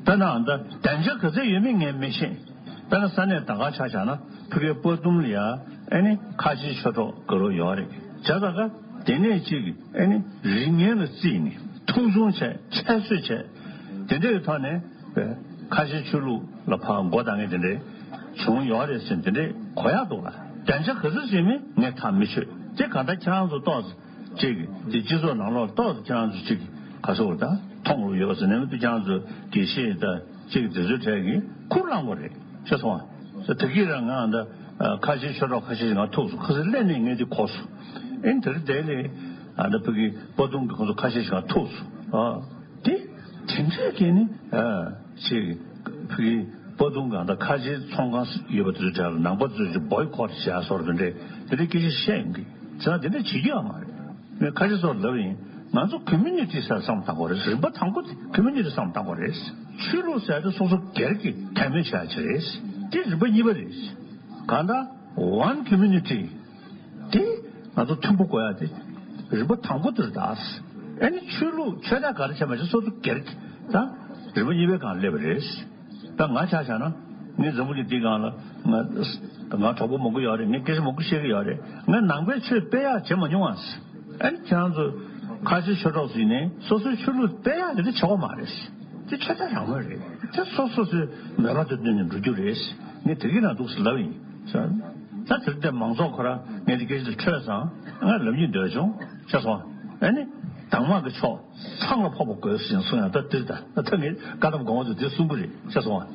དཔེར་ན་ད་བདེ་འཇགས་ག་ཚད་ཡོད་མེད་ངས་མི་ཤེས། དཔེར་ན་ས་གནས་ད་ག་ཆ་བཞག་ན་ཕ་གིའི་པ་ཏུང་ལ་ཡ་ཨེ་ནི་ཁ་ཆེའི་ཆོས་གྲོགས་ག་རུ་ཡོད་རེད། བྱས་ཙང་ཀ་དེ་ནས་ཅིག་ཨེ་ནི་རིགས་ངན་ལ་བརྩིས་ནས་མཐོང་ཆུང་བྱས་ཁྱད་གསོད་བྱས། དེ་འདྲའི་ཐོག་ནས་ཁ་ཆེའི་ཆོས་ལུགས་ལ་ཕར་མགོ་བཏང་མཁན་དེ་འདྲའི་བྱུང་ཡོད་རེད་ཟེར་དེ་འདྲའི་གོ་ཡག་འདུག་ལ། བདེ་འཇགས་ག་ཚོད་ཟིན་མིན་ངས་ཐག་མི་ཆོད། དེ་ག་ད་ཁྱེད་རང་ཚོ་ཏོག་ཙམ་ཅིག་དེ་སྤྱི་ཚོགས་ནང་ལོགས་ཏོག་ཙམ་ཁྱེད་རང་ཚོ་ཅིག་ག་ཚོད་ད་མཐོང་རུ་ཡོད་ཟེར་ནས་མི་འདུག་ཁྱེད་རང་ཚོ་དགེ་བཤེས་ད་ཅིག་དེ་ཚོའི་གྲས་ཀྱིས་ཁུར་བླངས་པ་རེད་ཤེས་སོང་ཨ། ད་གིན་རང་ང་ད་ཁ་ཆེའི་ཆོས་གྲོགས་ཁ་ཤས་ཤིག་ང་ཐུག་སོང་། ཁ་སང་སླེབས་ནས་ངས་དེ་གོ་སོང་། ཨེ་དེ་རིང་དེ་ལས་ཨ་ད་ཕ་གི་པ་ཏུང་གི་ཁོང་ཚོ་ཁ་ཤས་ཤིག་ང་ཐུག་སོང་ཨ། དེ་དེ་འདྲས་ཀྱི་ནི་ཨ་ཅིག་ཕ་གི་པ་ཏུང་གང་ད་ཁ་ཆེའི་ཚོང་ཁང་ཡོད་པ་དེ་ཚོའི་གྲས་ལ་ནང་པ་ཚོས་ཅིག་བོའི་ཁོ་ཊི་བྱས་སོར་དེ་འདྲས་དེ་འདྲས་སྐད་ཆ་བཤད་ཡོང་གི་ཚེ་ན་དེ་འདྲས་བྱེད་རྒྱུ་ཡང་མ་རེད། ངས་ཁ་ཆེ་ཚོར་ལབ་ཡིན། ང་ཚོ་ཀོ་མུ་ནི་ཊི་ཟེར་བསམ་བཏང་དགོས་རེད། རིམ་པ་དང་པོ་དེ་ཀོ་མུ་ནི་ཊི་བསམ་བཏང་དགོས་རེད། ཆོས་ལུགས་ཟེར་དེ་སོ་སོ་སྒེར་གྱི་དད་མོས་བྱ་ཡ་ཅིག་རེད། དེ་རིམ་པ་གཉིས་པ་རེད། གང་ལྟར་ཝན་ཀོ་མུ་ནི་ཊི་དེ་ང་ཚོ་མཐུན་པོ་དགོས་ཡ་དེ་རིམ་པ་དང་པོ་དེ་རེད་ད། ཨ་ནི་ཆོས་ལུགས་ཆོས་དད་ག་རེ་བྱས་མ་བྱས་སོ་སོ་སྒེར་གྱི་ད་རིམ་པ་གཉིས་པའི་སྒང་སླེབས་པ་རེད། ད་ང་ཆ་བཞག་ན་ངས་འཛམ་བུ་གླིང་འདིའི་སྒང་ལ་ང་ང་གྲོགས་པོ་མང་པོ་ཡོད་རེད། ངས་སྐད་ཆ་མང་པོ་བཤད་ཀྱི་ཡོད་རེད། ངས་ནང་པའི་ཆོས་སྤེལ་ཡག་བྱེད་མ་མྱོང་ཨ། ཨ་ནི་ཁྱེད་རང་ཚོ་ཁ་ཆེ་ཆོས་གྲོགས་ཟིན་ནས་སོ་སོའི་ཆོས་ལུགས་སྤེལ་ཡག་དེ་འདྲ་བྱེད་དགོས་མ་རེད། དེ་ཆོས་དད་རང་མོས་རེད། དེ་སོ་སོ་སོའི་མོས་པ་དེ་བཏོན་ནས་འགྲོ་རྒྱུ་རེད། ངས་དེ་གི་ནང་འདུག་ཟེར་ལབ་ཡིན། ད་དེར་བརྟེན་མང་ཚོགས་ཁོ་རང་ངས་དེ་སྐད་ཆ་དེ་ཐོས་ཙང་ང་ལབ་སྙིང་འདོད་བྱུང་ཤེས་སོང་། ཨ་ནི་དྭངས་མ་གི་ཕྱོགས་ཚང་ལ་ཕོག་པ་དགོས་ཟེར་གསུང་ཡང་ད་དེར་ད་ད་ངས་བཀའ་གདམས་དགོངས་པ་ཚོ་དེ་གསུང་གི་རེད་ཤེས་སོང་།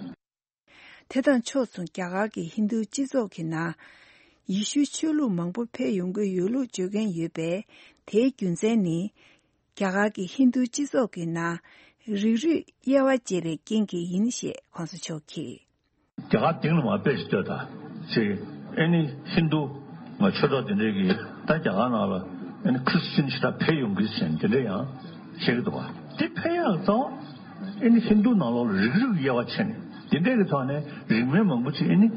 དེ་དང་ཕྱོགས་མཚུངས་རྒྱ་གར་གྱི་ཧིན་རྡུ་སྤྱི་ཚོགས་ཀྱི་ནང་ཡེ་ཤུའི་ཆོས་ལུགས་མང་པོ་ཕེབས་ཡོང་གི་ཡོད་ལུགས་བརྗོད་མཁན་ཡོད་པས། དེའི་རྒྱུ་མཚན་ནི་རྒྱ་གར་གྱི་ཧིན་རྡུ་སྤྱི་ཚོགས་ཀྱི་ནང་རིགས་རུས་དབྱེ་བ་འབྱེད་པའི་རྐྱེན་གྱིས་ཡིན་ཞེས་གོང་ས་མཆོག་གིས། རྒྱ་གར་སྟེང་ལ་མར་དཔེ་ཞིག་ལྟོས་དང་ ཅེས་ཨེ་ནི་ཧིན་རྡུ་ང་ཆོས་གྲོགས་དེ་འདྲས་ཀྱིས་ད་རྒྱ་གར་ནང་ལ་ཨེ་ནི་ཁྲི་སི་ཅན་ཞེ་དྲག་འཕེལ་ཡོང་གི་ཟེར་དེ་འདྲས་ཡང་བཤད་ཀྱི་འདུག་བ། དེ་འཕེལ་ཡག་ཙང་ཨེ་ནི་ཧིན་རྡུ་ནང་ལོགས་ལ་རིགས་རུས་དབྱེ་བ་ཕྱེ་ནས་དེ་འདྲས་ཀྱི་ཐོག་ནས་རིགས་སྨོན་མང་པོ་ཅིག་ཨེ་ནི་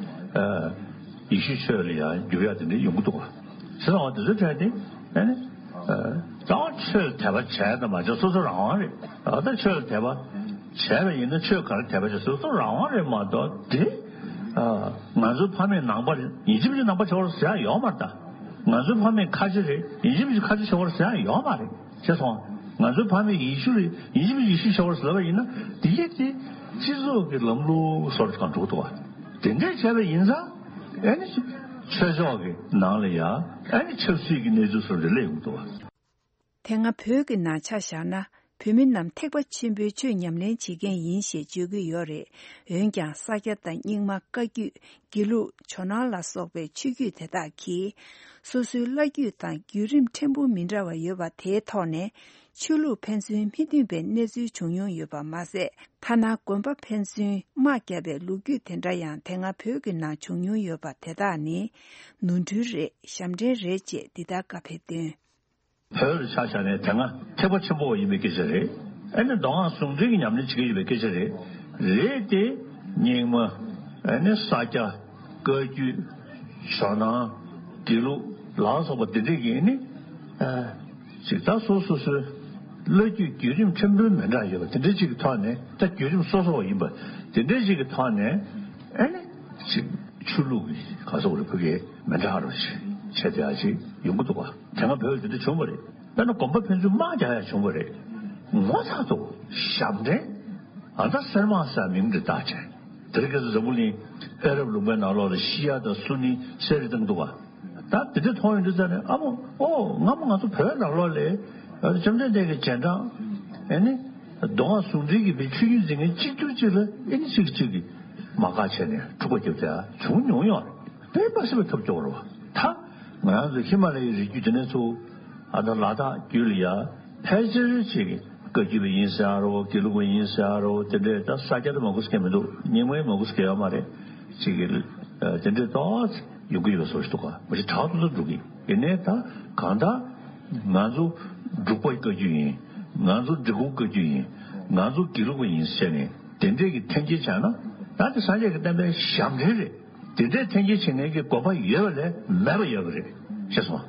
ཡེ་ཤུའི་ཆོས་ལ་ཡང་འགྱུར་ཡག་དེ་འདྲས་ཡོང་གི་འདུག་བ། ཟེར་བ་དེ་ཚོའི་གྲས་དེ་ཨེ་ནི། ད་ཆོས་དད་པ་བྱས་དང་མ་བྱས་སོ་སོ་རང་དབང་རེད། ད་ཆོས་དད་པ་བྱས་པ་ཡིན་ན་ཆོས་ག་རེ་དད་པ་བྱས་སོ་སོ་རང་དབང་རེད་མ་གཏོགས་དེ། ང་ཚོའི་ཕ་མེས་ནང་པ་རེད་ཡིན་གཅིག་མིན་གཅིག་ནང་པ་ཆགས་པ་རེད་ཟེར་ཡག་ཡོད་མ་རེད་ད། ང་ཚོའི་ཕ་མེས་ཁ་ཆེ་རེད་ཡིན་གཅིག་མིན་གཅིག་ཁ་ཆེ་ཆགས་པ་རེད་ཟེར་ཡག་ཡོད་མ་རེད་ཤེས་སོང་། ང་ཚོའི་ཕ་མེས་ཡེ་ཤུ་རེད་ཡིན་གཅིག་མིན་གཅིག་ཡེ་ཤུ་ཆགས་པ་རེད་ཟེར་བ་ཡིན་ན་དེ་གས་དེ་སྤྱི་ཚོགས་ཀྱི་ལམ་ལུགས་སོར་གང་འགྲོ་འདུག་བ། དེ་འདྲས་བྱས་པ་ཡིན་ཙང་ཨེ་ནི་ཆོས་ཕྱོགས་ཀྱི་ནང་ལ་ཡང་ཨེ་ནི་ཆབ་སྲིད་ཀྱི་གནས་ཚུལ་སོར་རེ་སླེབས་ཡོང་འདུག་བ། དེ་སྔ་བོད་ཀྱི་ནང་ཆ་བཞག་ན་བོད་མི་རྣམས་ཐེག་པ་ཆེན་པོའི་ཆོས་ཉམས་ལེན་བྱེད་མཁན་ཡིན་ཞེས་བརྗོད་ཀྱི་ཡོད་རེད། འོན་ཀྱང་ས་སྐྱ་དང་རྙིང་མ་བཀའ་བརྒྱུད་དགེ་ལུགས་ཇོ་ནང་ལ་སོགས་པའི་ཆོས་བརྒྱུད་དེ་དག་གིས་སོ་སོའི་བླ་བརྒྱུད་དང་བརྒྱུད་རིམ་ཕྲན་བུ་མི་འདྲ་བ་ཡོད་པ་དེའི་ཐོག་ནས་ཆོས་ལུགས་ཕན་ཚུན་མི་མཐུན་པའི་གནས་ཚུལ་བྱུང་མྱོང་ཡོད་པ་མ་ཟད། ཐ་ན་དགོན་པ་ཕན་ཚུན་དམག་བརྒྱབ་པའི་ལོ་རྒྱུས་དེ་འདྲ་ཡང་དེ་སྔ་བོད་ཀྱི་ནང་བྱུང་མྱོང་ཡོད་པ་དེ་དག་ནི་ནོར་འཁྲུལ་རེད་ཞབས་འདྲེན་རེད་ཅེས་འདི་ལྟར་བཀའ་ཕེབས་དོན། བོད་ལ་ཆ་བཞག་ནས་དེ་སྔ་ཐེག་པ་ཆེན་པོ་བ་ཡིན་པའི་སྐད་ཆ་རེད། ཨ་ནི་མདོ་སྔགས་ཟུང་འབྲེལ་གྱི་ཉམས་ལེན་བྱེད་ཀྱི་ཡོད་པའི་སྐད་ཆ་རེད། རེད་དེ། རྙིང་མ། ཨ་ནི་ས་སྐྱ། བཀའ་བརྒྱུད། ཇོ་ནང་། དགེ་ལུགས་ལ་སོགས་པ་འདི་འདྲས་ཀྱིས་ནི། ཨ། ཅིག་ད་སོ་སོ་སོའི་བླ་བརྒྱུད་བརྒྱུད་རིམ་ཕྲན་བུ་མི་འདྲ་ཡོད་པ་དེ་འདྲས་ཅིག་གི་ཐོག་ནས་ད་བརྒྱུད་རིམ་སོ་སོ་བ་ཡིན་པ་དེ་འདྲས་ཅིག་གི་ཐོག་ནས་ཨ་ནི་ཅིག་ཆོས་ལུགས་ཀྱི་ག་སོགས་རེ་ཕུག་གི་མི་འདྲ་རོ་ཞིག་བྱས་ཏེ་ཨ་ཅིག་ཡོང་གི་འདུག་བ། དེ་སྔ་བོད་དེ་འདྲ་བྱུང་བ་རེད། དཔེར་ན་དགོན་པ་ཕན་ཚུན་དམག་རྒྱག་ཡ་བྱུང་བ་རེད། ངོ་ཚ་འདུག་ཞབས་འདྲེན། ཨ་ད་གསེར་དམག་ཟེར་མིང་འདི་བཏགས་བྱས། དེ་རིང་ཁ་སང་འཛམ་བུ་གླིང་ཨ་རབ་ལུང་པའི་ནང་ལོགས་ལ་ཤི་ཡ་དང་སུ་ནི་གསེར་རེ་བཏང་འདུག་བ། ད་དེ་འདྲ་མཐོང་ཡོང་དུས་ཙ་ནས་ཨ་མོ་ཨོ་སྔ་མོ་ང་ཚོ་བོད་ནང་ལོགས་ལ་བཅོམ་ལྡན་འདས་ཀྱི་རྗེས་འབྲང་ཨེ་ནི་མདོ་སྔགས་ཟུང་འབྲེལ་གྱི་བའི་ཆོས་བརྒྱུད་འཛིན་མཁན་གཅིག་གྱུར་གཅིག་ལ་ཨེ་ནི་གཅིག་གཅིག་གིས་དམག་ཁ་བྱས་ནས་འཁྲུག་པ་བརྒྱབ་བསྡད་བྱུང་མྱོང་ཡོད་རེད། དཔེ་མ་སྲིད་པའི་ཐབས་སྐྱོ་བོ་རེད་བ། ད་ང་རང་ཚོ་ཧི་མ་ལ་ཡའི་རི་རྒྱུད་དེ་ནས་ཚུར་ཨ་ད་ལ་དྭགས་རྒྱུད་ལ་ཡ་ཕལ་ཆེར་ཅིག་བཀའ་བརྒྱུད་པ་ཡིན་ཟེར་ཡ་རོ་དགེ་ལུགས་པ་ཡིན་ཟེར་ཡ་རོ་དེ་འདྲས་ད་ས་སྐྱ་དེ་མང་པོ་ཟེར་མཁན་མི་འདུག་རྙིང་མ་ཡང་མང་པོ་ཟེར་མཁན་ཡོད་མ་རེད། ཅིག་གི་དེ་འདྲས་ཏོག་ཙམ་ཡོང་གི་ཡོད་པའི་བཟོ་ཞིག་འདུག་ག་མ་གཞི་དྲག་ཏུ་ཏུ་འགྲོ་གི་ཡིན་ནའི་ད་གང་ལྟར་ང་ཚོ་འབྲུག་པ་བཀའ་བརྒྱུད་ཡིན། ང་ཚོ་འབྲི་གུང་བཀའ་བརྒྱུད་ཡིན། ང་ཚོ་དགེ་ལུགས་པ་ཡིན་ཟེར་ནས་དེ་འདྲས་ཀྱི་འཐེན་འཁྱེར་བྱས་ན་ད་དེ་སངས་རྒྱས་ཀྱི་བསྟན་པའི་ཞབས་འདྲེན་རེད། དེ་འདྲའི་འཐེན་འཁྱེར་བྱེད་མཁན་གྱི་དགོན་པ་ཡོད་པ་ལས་མེད་པ་ཡོད་པ་རེད་ཤེས་སོང་།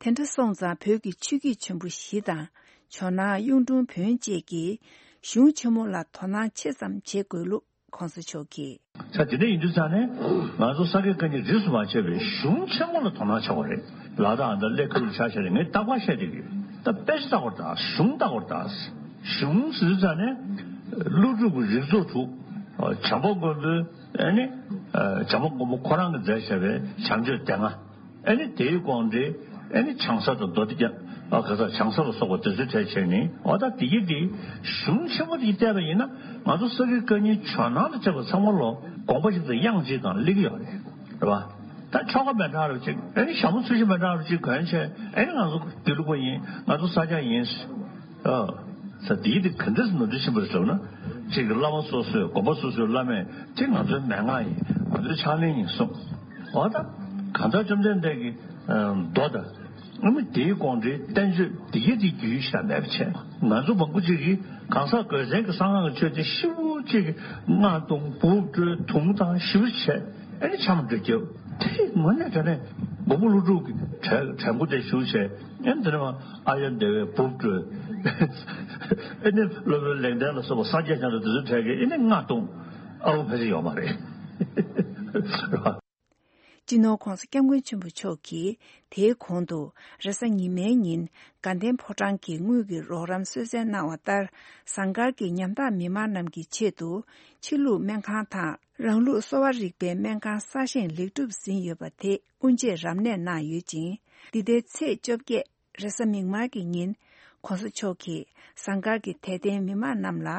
དེ་འདྲ་སོང་ཙང་བོད་ཀྱི་ཆོས་བརྒྱུད་ཆེན་པོ་བཞི་དང་ཇོ་ནང་གཡུང་དྲུང་བོན་བཅས་ཀྱིས་གཞུང་ཆེན་མོ་ལ་དོ་སྣང་ཆེ་ཙམ་བྱེད་དགོས་ལུགས་གོང་ས་མཆོག་གིས། ས་དེ་འདྲ་ཡིན་དུས་ཙང་ནས་ང་ཚོ་ས་དགེ་བཀའ་རྙིང་རིས་སུ་མ་ཆད་པའི་གཞུང་ཆེན་མོ་ལ་དོ་སྣང་བྱ་དགོས་རེད། ལ་དྭགས་འདི་ཀླད་ཁུལ་ཆ་བཞག་ནས་ངས་རྟག་པར་བཤད་བསྡད་ཀྱི་ཡོད། ད་དཔེ་ཆ་ལྟ་དགོས་རེད་ད་གཞུང་ལྟ་དགོས་རེད་ད། གཞུང་ཟེར་དུས་ཙང་ནས་ཀླུ་སྒྲུབ་ཀྱི་རིགས་ཚོགས་དྲུག་བྱམས་པ་མགོན་པོའི་ཨ་ནི། བྱམས་པ་མགོན་པོ་ཁོ་རང་གིས་མཛད་བྱ་བའི་བྱམས་ཆོས་སྡེ་ལྔ། ཨ་ནི་དེའི་དགོངས་འགྲེལ། ཨ་ནི་བྱང་ས་དང་མདོ་སྡེ་རྒྱ། ཨ་ག་ས་བྱང་ས་ལ་སོགས་པ་དེ་ཚོའི་གྲས་བྱས་ནས་འོ་ད་དེ་གི་དེ་གཞུང་ཆེན་མོ་དེ་བལྟས་པ་ཡིན་ན་ང་ཚོ་ས་དགེ་བཀའ་རྙིང་ཇོ་ནང་དང་བཅས་པ་ཚང་མ་ལོ་དགོངས་པ་ཞིག་དང་དབྱངས་གཅིག་དང་སླེབས་ཀྱི་ཡོད་རེད། རེད་བ། ད་ཆོ་ག་མི་འདྲ་བ་ཅིག་ཨ་ནི་ཞྭ་མོ་ཚོས་གཞི་མི་འདྲ་བ་ཅིག་གོན་བྱས་ཨ་ནི་ང་ཚོ་དགེ་ལུགས་པ་ཡིན་ང་ཚོ་ས་སྐྱ་ཡིན། ཨ། ས་དེའི་དེ་ག་འདྲས་ནོར་འཁྲུལ་ཕྱིན་པ་རེད་ཟེར་ན། གཅིག་གི་བླ་མ་སོ་སོའི་དགོན་པ་སོ་སོའི་བླ་མས་དེ་ང་ཚོའི་མན་ངག་ཡིན་ང་ཚོའི་ཕྱག་ལེན་ཡིན་གསུངས། འོ་ད་གང་ལྟར་བཅོམ་ལྡན་འདས་ཀྱི་མདོ་དང་ཨ་ནི་དེའི་དགོངས་འགྲེལ་བསྟན་བཅོས་དེ་གའི་དེ་རྒྱུས་ཤ་མེད་པ་བྱས་ང་ཚོ་མང་པོ་ཅིག་གིས་གང་ཟག་དགོས་མཚན་གྱི་གསང་སྔགས་ཀྱི་ཆོས་དེ་ཞིབ་པོ་ཅིག་གིས་སྔགས་བཏུང་འབུབ་དཀྲོལ་དུང་བཏང་ཞིབ་པོ་བྱས། ཨེ་ནི་འཆམ་འགྲོ་རྒྱབ། དེ་དངོས་གནས་དྲང་གནས་མགོན་པོ་ཀླུ་སྒྲུབ་ཀྱི་དྲན་དྲན་པོ་དེ་ཞུགས་བྱས། ཨེ་ནི་དེ་ནས་མ་ཨཱརྱ་དེ་བས་འབུབ་སྤྲོད། ཨེ་ནི་སློབ་དཔོན་ལེགས་ལྡན་ལ་སོགས་པ་སངས་རྒྱས་བྱང་ཆུབ་དེ་ཚོའི་གྲས་ཀྱིས་ཨེ་ནི་ལྔ་གཏོང་ཨ་བོ་ཕལ་ཆེར་ཡོད་མ་རེད། སྤྱི་ནོར་༧གོང་ས་༧སྐྱབས་མགོན་ཆེན་པོ་མཆོག་གིས་དེའི་གོང་དུ་རེས་གཟའ་ཉི་མའི་ཉིན་དགའ་ལྡན་ཕོ་བྲང་གི་དངུལ་གྱི་རོགས་རམ་གསོལ་སྩལ་གནང་བ་ལྟར་ཟངས་དཀར་གྱི་ཉམ་ཐག་མི་མང་རྣམས་ཀྱི་ཆེད་དུ་ཕྱི་ལུགས་སྨན་ཁང་དང་། རང་ལུགས་གསོ་བ་རིག་པའི་སྨན་ཁང་གསར་བཞེངས་ལེགས་གྲུབ་ཟིན་ཡོད་པ་དེ་དབུ་འབྱེད་རབ་གནས་གནང་ཡོད་ཅིང་། འདི་ཟླའི་ཚེས་བཅོ་བརྒྱད་རེས་གཟའ་མིག་དམར་གྱི་ཉིན་༧གོང་ས་མཆོག་གིས་ཟངས་དཀར་གྱི་དད་ལྡན་མི་མང་རྣམས་ལ་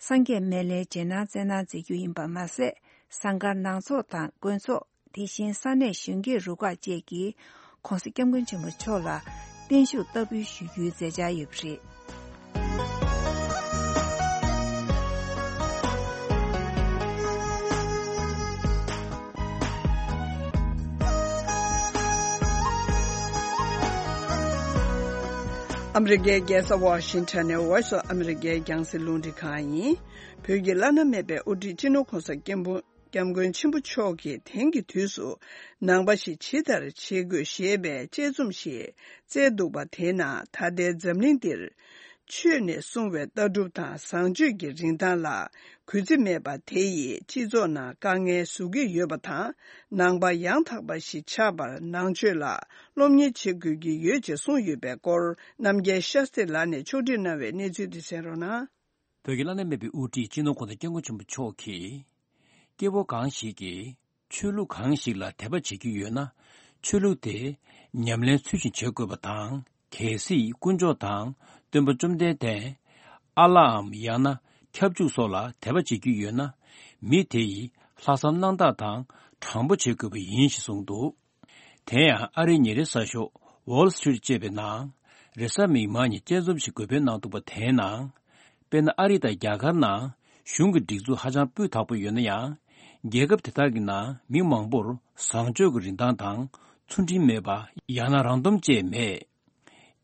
སངས་རྒྱས་སྨན་བླའི་རྗེས་གནང་སྩལ་གནང་མཛད་རྒྱུ་ཡིན་པ་མ་ཟད། ཟངས་དཀར་ནང་ཚོགས་དང་དགོན་ཚོགས། དེ་བཞིན་ས་གནས་གཞོན་སྐྱེས་རུ་ཁག་བཅས་ཀྱིས་༧གོང་ས་༧སྐྱབས་མགོན་ཆེན་པོ་མཆོག་ལ་བརྟན་བཞུགས་བསྟར་འབུལ་ཞུ་རྒྱུའི་མཛད་འཆར་ཡོད་པ་རེད། ཨ་མི་རི་ཀའི་རྒྱལ་ས་ཝ་ཤིང་ཊོན་ནས་Voice of America་རྒྱང་སྲིང་རླུང་འཕྲིན་ཁང་ཡིན། བོད་ཀྱི་བླ་ན་མེད་པའི་དབུ་ཁྲིད་སྤྱི་ནོར་གོང་ས་སྐྱབས་མགོན་སྐྱབས་མགོན་ཆེན་པོ་མཆོག་གིས་དེང་གི་དུས་སུ་ནང་པ་ཞིག་ཇི་ལྟར་བྱེད་དགོས་ཞེས་པའི་དཔྱད་རྩོམ་ཞིག་བསྩལ་འདུག་པ། དེས་ན་ད་ལྟའི་འཛམ་གླིང་འདིར་ཆོས་ནས་གསུངས་པའི་ལྟ་གྲུབ་དང་བཟང་སྤྱོད་ཀྱི་རིན་ཐང་ལ་གུས་བརྩི་མེད་པ་དེ་ཡིས་སྤྱི་ཚོགས་ནང་དཀའ་ངལ་བཟོ་གི་ཡོད་པ་དང་། ནང་པ་ཡང་དག་པ་ཞིག་ཆགས་པར་ནང་ཆོས་ལ་སློབ་གཉེར་བྱེད་དགོས་ཀྱི་ཡོད་ཅེས་གསུངས་ཡོད་པའི་སྐོར། རྣམ་རྒྱལ་ཤཱསྟྲི་ལགས་ནས་ཕྱོགས་སྒྲིག་གནང་བའི་གནས་ཚུལ་འདི་གསན་རོགས་གནང་། བོད་ཀྱི་བླ་ན་མེད་པའི་དབུ་ཁྲིད་སྤྱི་ནོར་གོང་ས་སྐྱབས་མགོན་ཆེན་པོ་མཆོག་གིས། སྐྱེ་བོ་གང་ཞིག་གིས་ཆོས་ལུགས་གང་ཞིག་ལ་དད་པ་བྱེད་ཀྱི་ཡོད་ན། ཆོས་ལུགས་དེ་ཉམས་ལེན་ཚུལ་བཞིན་བྱེད་དགོས་པ་དང་། གལ་སྲིད་དཀོན་མཆོག་དང་སྟོན་པ་བཅོམ་ལྡན་འདས། ཨ་ལའམ་ཡང་ན་ཁྱབ་འཇུག་སོགས་ལ་དད་པ་བྱེད་ཀྱི་ཡོད་ན། མི་དེ་ཡིས་ལྷག་བསམ་རྣམ་དག་དང་དྲང་པོ་བྱེད་དགོས་པ་ཡིན་ཞེས་གསུངས་འདུག། དེ་ཡང་ཨ་རིའི་ཉིན་རེའི་གསར་ཤོག་Wall Street་ཅེས་པའི་ནང་རེས་གཟའ་མིག་དམར་ཉིན་དཔྱད་རྩོམ་ཞིག་འགོད་སྤེལ་གནང་འདུག་པ། དེའི་ནང་། དཔེར་ན་ཨ་རི་དང་རྒྱ་གར་ནང་གཞུང་གི་སྒྲིག་འཛུགས་ཧ་ཅང་སྤུས་དག་པོ་ཡོད་ན་ཡང་། རྒྱལ་ཁབ་དེ་དག་གི་ནང་མི་མང་པོར་བཟང་སྤྱོད་ཀྱི་རིན་ཐང་དང་ཚུལ་ཁྲིམས་མེད་པ། ཡང་ན་རང་འདོམས་བཅས་མེད།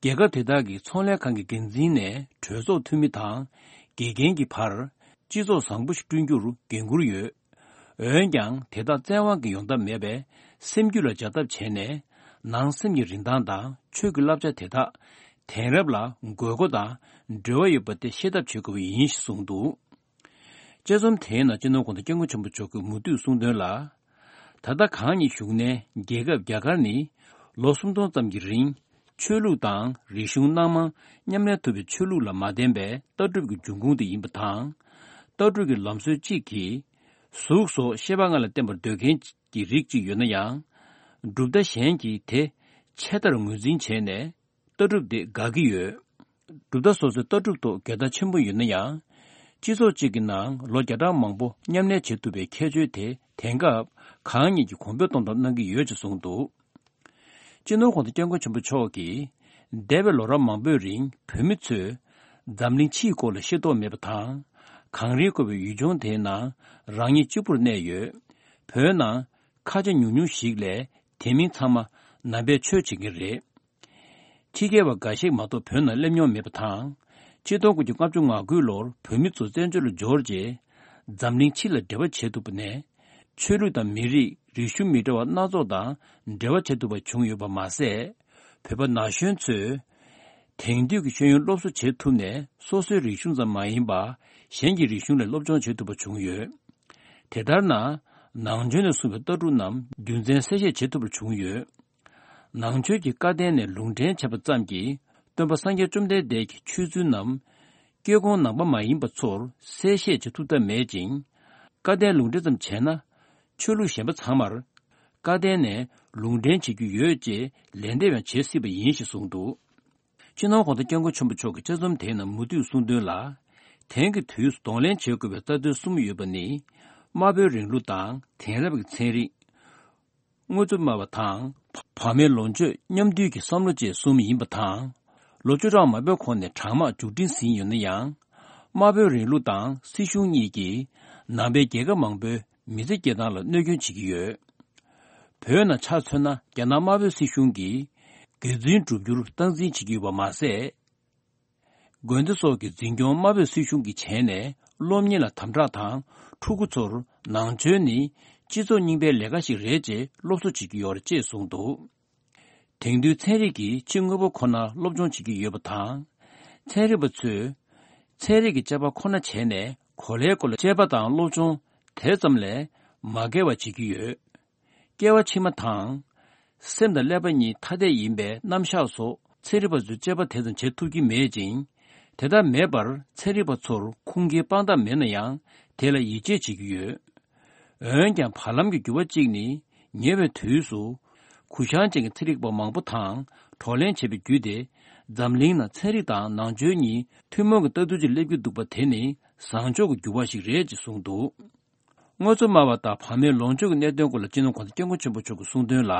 རྒྱལ་ཁབ་དེ་དག་གི་ཚོང་ལས་ཁང་གི་འགན་འཛིན་ནས་གྲོས་ཚོགས་འཐུས་མི་དང་དགེ་རྒན་གྱི་བར་སྤྱི་ཚོགས་བཟང་པོ་ཞིག་བསྐྲུན་རྒྱུར་འགན་འཁུར་ཡོད། འོན་ཀྱང་དེ་དག་བཙན་དབང་གིས་ཡོང་ཐབས་མེད་པས། སེམས་རྒྱུད་ལ་སྦྱར་ཐབས་བྱས་ནས་ནང་སེམས་ཀྱི་རིན་ཐང་དང་ཆོས་ཀྱི་བསླབ་བྱ་དེ་དག་དེང་རབས་ལ་དགོས་མཁོ་དང་འབྲེལ་བ་ཡོད་པ་དེ་ཤེས་ཐབས་བྱེད་དགོས་པ་ཡིན་ཞེས་གསུངས་འདུག། དཔྱད་རྩོམ་དེའི་ནང་སྤྱི་ནོར་གོང་ས་སྐྱབས་མགོན་ཆེན་པོ་མཆོག་གིས་མུ་མཐུད་གསུངས་དོན་ལ། ད་ལྟ་གང་ཉིད་བཞུགས་གནས་རྒྱལ་ཁབ་རྒྱ་གར་ནི་ལོ་སུམ་སྟོང་ཙམ་གྱི་རིང་ཆོས་ལུགས་དང་རིག་གཞུང་སྣ་མང་མཉམ་གནས་ཐུབ་པའི་ཆོས་ལུགས་ལ་མ་བརྟེན་པའི་ལྟ་གྲུབ་ཀྱི་འབྱུང་ཁུངས་དེ་ཡིན་པ་དང་། ལྟ་གྲུབ་ཀྱི་ལམ་སྲོལ་གཅིག་གིས་གཟུགས་སོགས་ཤེས་པ་ལྔ་ལ་བརྟེན་པར་འདོད་མཁན་གྱི་རིགས་གཅིག་ཡོད་ན་ཡང་། གྲུབ་མཐའ་གཞན་གྱིས་དེ་ཆད་ལྟར་ངོས་འཛིན་བྱས་ནས། ལྟ་གྲུབ་དེ་དགག་གི་ཡོད། གྲུབ་མཐའ་སོ་སོའི་ལྟ་གྲུབ་ཐོག་འགལ་ཟླ་ཆེན་པོ་ཡོད་ན་ཡང་། སྤྱི་ཚོགས་གཅིག་གི་ནང་ལོ་བརྒྱ་ཕྲག་མང་པོ་མཉམ་གནས་བྱེད་ཐུབ་པའི་ཁྱད་ཆོས་དེ་དེང་སྐབས་གང་ཉིད་ཀྱིས་གོང་འཕེལ་གཏོང་ཐབས་གནང་གི་ཡོད་ཅེས་གསུངས་འདུག། སྤྱི་ནོར་གོང་ས་སྐྱབས་མགོན་ཆེན་པོ་མཆོག་གིས། འདས་པའི་ལོ་རབས་མང་པོའི་རིང་བོད་མི་ཚོས་འཛམ་གླིང་ཕྱིའི་སྐོར་ལ་ཤེས་རྟོགས་མེད་པ་དང་། གངས་རིའི་བསྐོར་བའི་ཡུལ་ལྗོངས་དེའི་ནང་རང་ཉིད་གཅིག་པུར་གནས་ཡོད། བོད་ནང་ཁ་ཆེ་ཉུང་ཉུང་ཞིག་ལས་དེ་མིན་ཚང་མ་ནང་པའི་ཆོས་བྱེད་མཁན་རེད། ཕྱི་རྒྱལ་བ་འགའ་ཞིག་མ་གཏོགས་བོད་ནང་སླེབས་མྱོང་མེད་པ་དང་། ཆིག་སྟོང་དགུ་བརྒྱ་ལྔ་བཅུ་ང་དགུ་ལོར་བོད་མི་ཚོ་བཙན་བྱོལ་ལ་འབྱོར་རྗེས། འཛམ་གླིང་ཕྱི་ལ་འབྲེལ་བ་བྱེད་ཐུབ་པ་ནས། ཆོས་ལུགས་དང་མི་རིགས་རིག་གཞུང་མི་འདྲ་བ་སྣ་ཚོགས་དང་འབྲེལ་བ་བྱེད་ཐུབ་པ་བྱུང་ཡོད་པ་མ་ཟད། བོད་པ་ན་གཞོན་ཚོས་དེང་དུས་ཀྱི་ཤེས་ཡོན་སློབ་གསོ་བྱེད་ཐུབ་ནས། སོ་སོའི་རིག་གཞུང་ཙམ་མ་ཡིན་པར་གཞན་གྱི་རིག་གཞུང་ལ་སློབ་སྦྱོང་བྱེད་ཐུབ་པ་བྱུང་ཡོད། དེ་ལྟར་ན། ནང་ཆོས་ནས་གསུངས་པའི་ལྟ་གྲུབ་རྣམས་རྒྱུ་མཚན་གསལ་བཤད་བྱེད་ཐུབ་པ་བྱུང་ཡོད། ནང་ཆོས་ཀྱི་བཀའ་བསྟན་ནས་ལུང་འདྲེན་བྱས་པ་ཙམ་གྱིས་སྟོན་པ་སངས་རྒྱས་བཅོམ་ལྡན་འདས་ཀྱི་ཆོས་ཚུལ་རྣམས་སྐྱེ་ཁུངས་ནང་པ་མ་ཡིན་པ་ཚོར་གསལ་བཤད་བྱེད་ཐུབ་ཐབས་མེད་ཅིང་། བཀའ་བསྟན་ལུང་འདྲེན་ཙམ་བྱས་ན། ཆོས་ལུགས་གཞན་པ་ཚང་མར་བཀའ་བསྟན་ནས་ལུང་འདྲེན་བྱེད་རྒྱུ་ཡོད་ཅེས་ལན་འདེབས་ཡང་བྱེད་སྲིད་པ་ཡིན་ཞེས་གསུངས་འདུག། སྤྱི་ནོར་གོང་ས་སྐྱབས་མགོན་ཆེན་པོ་མཆོག་གིས་དཔྱད་རྩོམ་དེའི་ནང་མུ་མཐུད་གསུངས་དོན་ལ། དེང་གི་དུས་སུ་གདོང་ལེན་བྱེད་དགོས་པའི་རྩ་དོན་གསུམ་ཡོད་པ་ནི། དམར་པོའི་རིང་ལུགས་དང་དེང་རབས་ཀྱི་ཚན་རིག་དངོས་གཙོ་སྨྲ་བ་དང་། བག་མེད་ལོངས་སྤྱོད་མཉམ་འདུས་ཀྱི་བསམ་བློ་བཅས་གསུམ་ཡིན་པ་དང་། ལོ་བཅུ་གྲངས་མང་པོའི་གོང་ནས་གྲངས་མང་མཇུག་སྒྲིལ་ཟིན་ཡོད་ན་ཡང་། དམར་པོའི་རིང་ལུགས་དང་སྲིད་གཞུང་གཉིས་ཀྱིས་ནང་པའི་རྒྱལ་ཁབ་མང་པོའི་མི་ཚེ་སྐྱེལ་སྟངས་ལ་གནོད་སྐྱོན་བྱེད་ཀྱི་ཡོད། བོད་ནང་ཆ་མཚོན་ན། རྒྱ་ནག་དམར་པོའི་སྲིད་གཞུང་གིས་དགེ་རྫུན་བསྒྲུབ་རྒྱུར་སྟངས་འཛིན་བྱེད་ཀྱི་ཡོད་པ་མ་ཟད། དགོན་སྡེ་སོགས་ཀྱི་འཛིན་སྐྱོང་དམར་པོའི་སྲིད་གཞུང་གིས་བྱས་ནས། སློབ་གཉེར་ལ་དམ་དྲག་དང་། ཕྲུ་གུ་ཚོར་ནང་ཆོས་ནི་སྤྱི་ཚོགས་རྙིང་པའི་ལས་ཀ་ཞིག་རེད་ཅེས་སློབ་གསོ་བྱེད་ཀྱི་ཡོད་རེད་ཅེས་གསུངས་འདུག། དེང་དུས་ཚན་རིག་གིས་ཕྱི་དངོས་པོ་ཁོ་ན་སློབ་སྦྱོང་བྱེད་ཀྱི་ཡོད་པ་དང་། ཚན་རིག་པ་ཚོས་ཚན་རིག་གི་དཔྱད་པ་ཁོ་ན་བྱས་ནས། གོ་ལའི་སྐོར་ལ་དཔྱད་པ་དང་སློབ་སྦྱོང་དེ་ཙམ་ལས་མ་བརྒལ་བ་བྱེད་ཀྱི་ཡོད། སྐྱེ་བ་ཕྱི་མ་དང་། སེམས་དང་ཀླད་པ་གཉིས་ཐ་དད་ཡིན་པའི་རྣམ་གཞག་སོགས་ཚན་རིག་པ་ཚོས་དཔྱད་པ་དེ་ཙམ་བྱེད་ཐུབ་ཀྱི་མེད་ཅིང་། དེ་ལྟར་མེད་པར་ཚན་རིག་པ་ཚོར་ཁུངས་སྐྱེལ་དཔང་རྟགས་མེད་ན་ཡང་། དེ་ལ་ཡིད་ཆེས་བྱེད་ཀྱི་ཡོད། འོན་ཀྱང་། བར་ལམ་གྱི་འགྱུར་བ་གཅིག་ནི། ཉེ་བའི་དུས་སུ་གུ་བཤངས་ཅན་གྱི་ཚན་རིག་པ་མང་པོ་དང་གྲོགས་ལེན་བྱས་པའི་བརྒྱུད་དེ། འཛམ་གླིང་ནང་ཚན་རིག་དང་ནང་ཆོས་གཉིས་ཐུན་མོང་གི་ལྟ་ཚུལ་གཅིག་སླེབས་ཀྱི་འདུག་པ་དེ་ནི་བཟང་ཕྱོགས་ཀྱི་འགྱུར་བ་ཞིག་རེད་ཅེས་གསུངས་འདུག། དངོས་གཙོ་སྨྲ་བ་དང་བག་མེད་ལོངས་སྤྱོད་ཀྱི་གནད་དོན་སྐོར་ལ་སྤྱི་ནོར་གོང་ས་སྐྱབས་མགོན་ཆེན་པོ་མཆོག་གིས་གསུངས་དོན་ལ།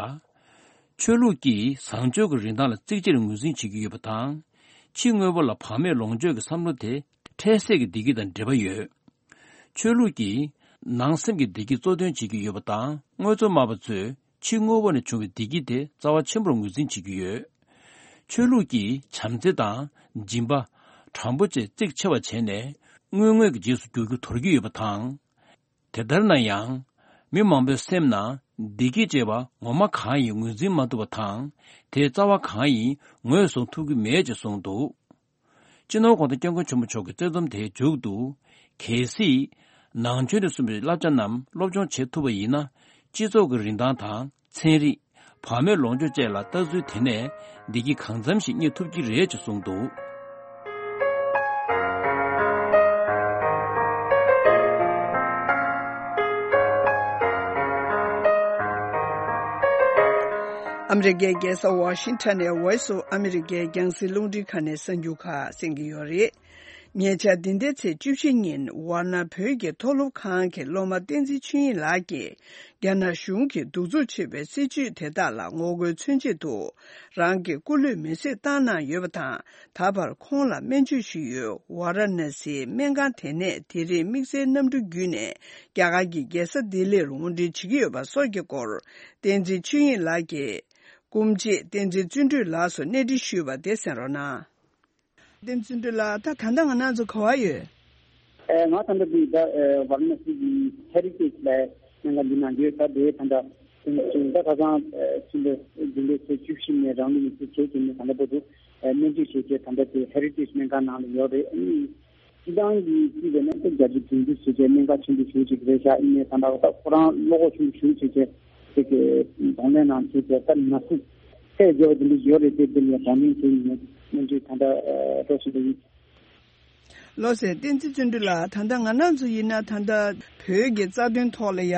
ཆོས་ལུགས་ཀྱིས་བཟང་སྤྱོད་ཀྱི་རིན་ཐང་ལ་གཙིགས་ཆེར་ངོས་འཛིན་བྱེད་ཀྱི་ཡོད་པ་དང་། ཕྱི་དངོས་པོ་ལ་བག་མེད་ལོངས་སྤྱོད་ཀྱི་བསམ་བློ་དེ་འཕྲལ་སེལ་གྱི་བདེ་སྐྱིད་དང་འབྲེལ་བ་ཡོད། ཆོས་ལུགས་ཀྱིས་ནང་སེམས་ཀྱི་བདེ་སྐྱིད་གཙོ་དོན་བྱེད་ཀྱི་ཡོད་པ་དང་། དངོས་གཙོ་སྨྲ་བ་ཚོས་ཕྱི་དངོས་པོ་ནས་བྱུང་བའི་བདེ་སྐྱིད་དེ་རྩ་བ་ཆེན་པོར་ངོས་འཛིན་བྱེད་ཀྱི་ཡོད། ཆོས་ལུགས་ཀྱི་བྱམས་བརྩེ་དང་སྦྱིན་པ། དྲང་པོ་བཅས་གཙིགས་ཆེ་བ་བྱས་ནས་དངོས་དངོས་ཀྱི་རྗེས་སུ་འགྱུར་རྒྱུ་དོར་གྱི་ཡོད་པ་དང་། དེ་ལྟར་ན་ཡང་། མི་མང་པོའི་སེམས་ནང་བདེ་སྐྱིད་ཅེས་པ་ངོ་མ་གང་ཡིན་ངོས་འཛིན་མ་ཐུབ་པ་དང་། དེའི་རྩ་བ་གང་ཡིན་ངོས་བཟུང་ཐུབ་ཀྱི་མེད་ཅེས་གསུངས་འདུག། སྤྱི་ནོར་༸གོང་ས་༸སྐྱབས་མགོན་ཆེན་པོ་མཆོག་གི་བརྩེ་འཛོམས་དེའི་མཇུག་ཏུ། གལ་སྲིད། ནང་ཆོས་དང་མཐུན་པའི་བསླབ་བྱ་རྣམས་སློབ་སྦྱོང་བྱེད་ཐུབ་པ་ཡིན་ན། སྤྱི་ཚོགས་ཀྱི་རིན་ཐང་དང་ཚན་རིག་བར་མའི་ལོངས་སྤྱོད་བཅས་ལ་ལྟ་ཚུལ་དེ་ནས་བདེ་སྐྱིད་གང་འཚམ་ཞིག་རྙེད་ཐུབ་ཀྱི་རེད་ཅེས་གསུངས་འདུག། ཨ་མི་རི་ཀའི་རྒྱལ་ས་ཝ་ཤིང་ཊོན་ནས་Voice of America རྒྱང་སྲིང་རླུང་འཕྲིན་ཁང་ནས་གསར་འགྱུར་ཁག་གསན་གྱི་ཡོད་རེད། ཉེ་ཆར་འདི་ཟླའི་ཚེས་བཅུ་བཞི་ཉིན་ཝཱ་ཎ་བོད་ཀྱི་མཐོ་སློབ་ཁང་གི་སློབ་མ་བསྟན་འཛིན་ཆོས་དབྱིངས་ལགས་ཀྱིས་རྒྱ་ནག་གཞུང་གིས་གདུག་རྩུབ་ཆེ་བའི་སྲིད་བྱུས་དེ་དག་ལ་ངོ་རྒོལ་མཚོན་ཆེད་དུ། རང་གི་སྐུ་ལུས་མེ་བསྲེགས་བཏང་གནང་ཡོད་པ་དང་། ད་བར་ཁོང་ལ་སྨན་བཅོས་ཞུས་ཡོད། ཝཱ་ར་ཎ་སིའི་སྨན་ཁང་དེ་ནས་དེ་རིང་དམིགས་བསལ་གནམ་གྲུ་བརྒྱུད་ནས་རྒྱ་གར་གྱི་རྒྱལ་ས་ལྡི་ལིར་འོར་འདྲེན་བྱེད་ཀྱི་ཡོད་པ་སོགས་ཀྱི་སྐོར། བསྟན་འཛིན་ཆོས་དབྱིངས་ལགས་ཀྱིས་སྐུ་མཆེད་བསྟན་འཛིན་བརྩོན་འགྲུས་ལགས་སུ་གནས་འདྲི་ཞུས་པ་དེ་གསན་རོགས་གནང་། བསྟན་འཛིན་བརྩོན་འགྲུས་ལགས། ད་ད་ལྟ་ང་རང་ཚོ་ག་པར་ཡོད། ཨེ། ང་ད་ལྟ་འདི་ད་ཨེ་ཝཱ་ར་ཎ་སི་གི་ཧེ་རི་ཊེཇ་ལ་སྨན་ཁང་འདི་ནང་ཡོད། ད་དེ་ད་ལྟ་ད་ཁ་སང་ཨེ་ཕྱི་ཟླ་འདི་ལོའི་ཚེས་བཅུ་བཞི་ནས་རང་ལུས་མེ་བསྲེགས་བྱས་བྱས་ནས་ད་ལྟ་བར་དུ་ཨེ་སྨན་བཅོས་བྱས་བྱས་ད་ལྟ་དེ་ཧེ་རི་ཊེཇ་སྨན་ཁང་ནང་ལ་ཡོད་རེད། ཨ་ནི་སྤྱི་བཏང་གི་སྤྱི་ཟེར་ན་ད་བརྒྱ་ཆ་དྲུག་ཅུ་བྱས་བྱས་སྨན་ཁང་ཆེན་པོ་ཞེ་ཅིག་རེད་ཤག། ཡིན་ནའི་ད་ལྟ་ད་ཁོ་རང་བློ་ཁོག་ཆེན་པོ་ཞེ་བྱས་བྱས་ཅིག་གི་གདོང་ལེན་གནང་བྱས་བྱས་ད་ན་ཚུགས་ཚད་བརྗེ་བ་དེ་འདྲ་ཡོད་རེད་དེ། དེ་ལ་གདོང་ལེན་བྱས་ནས་སྨན་བཅོས་ད་ལྟ་ཨེ་སྤྲོ་བཞིན་པ་ཡིན། ལགས་སོ། བསྟན་འཛིན་བརྩོན་འགྲུས་ལགས། ད་ལྟ་ང་རང་ཚོ་ཡིན་ན་ད་ལྟ་བོད་ཀྱི་རྩ་དོན་ཐོག་ལ་ཡ་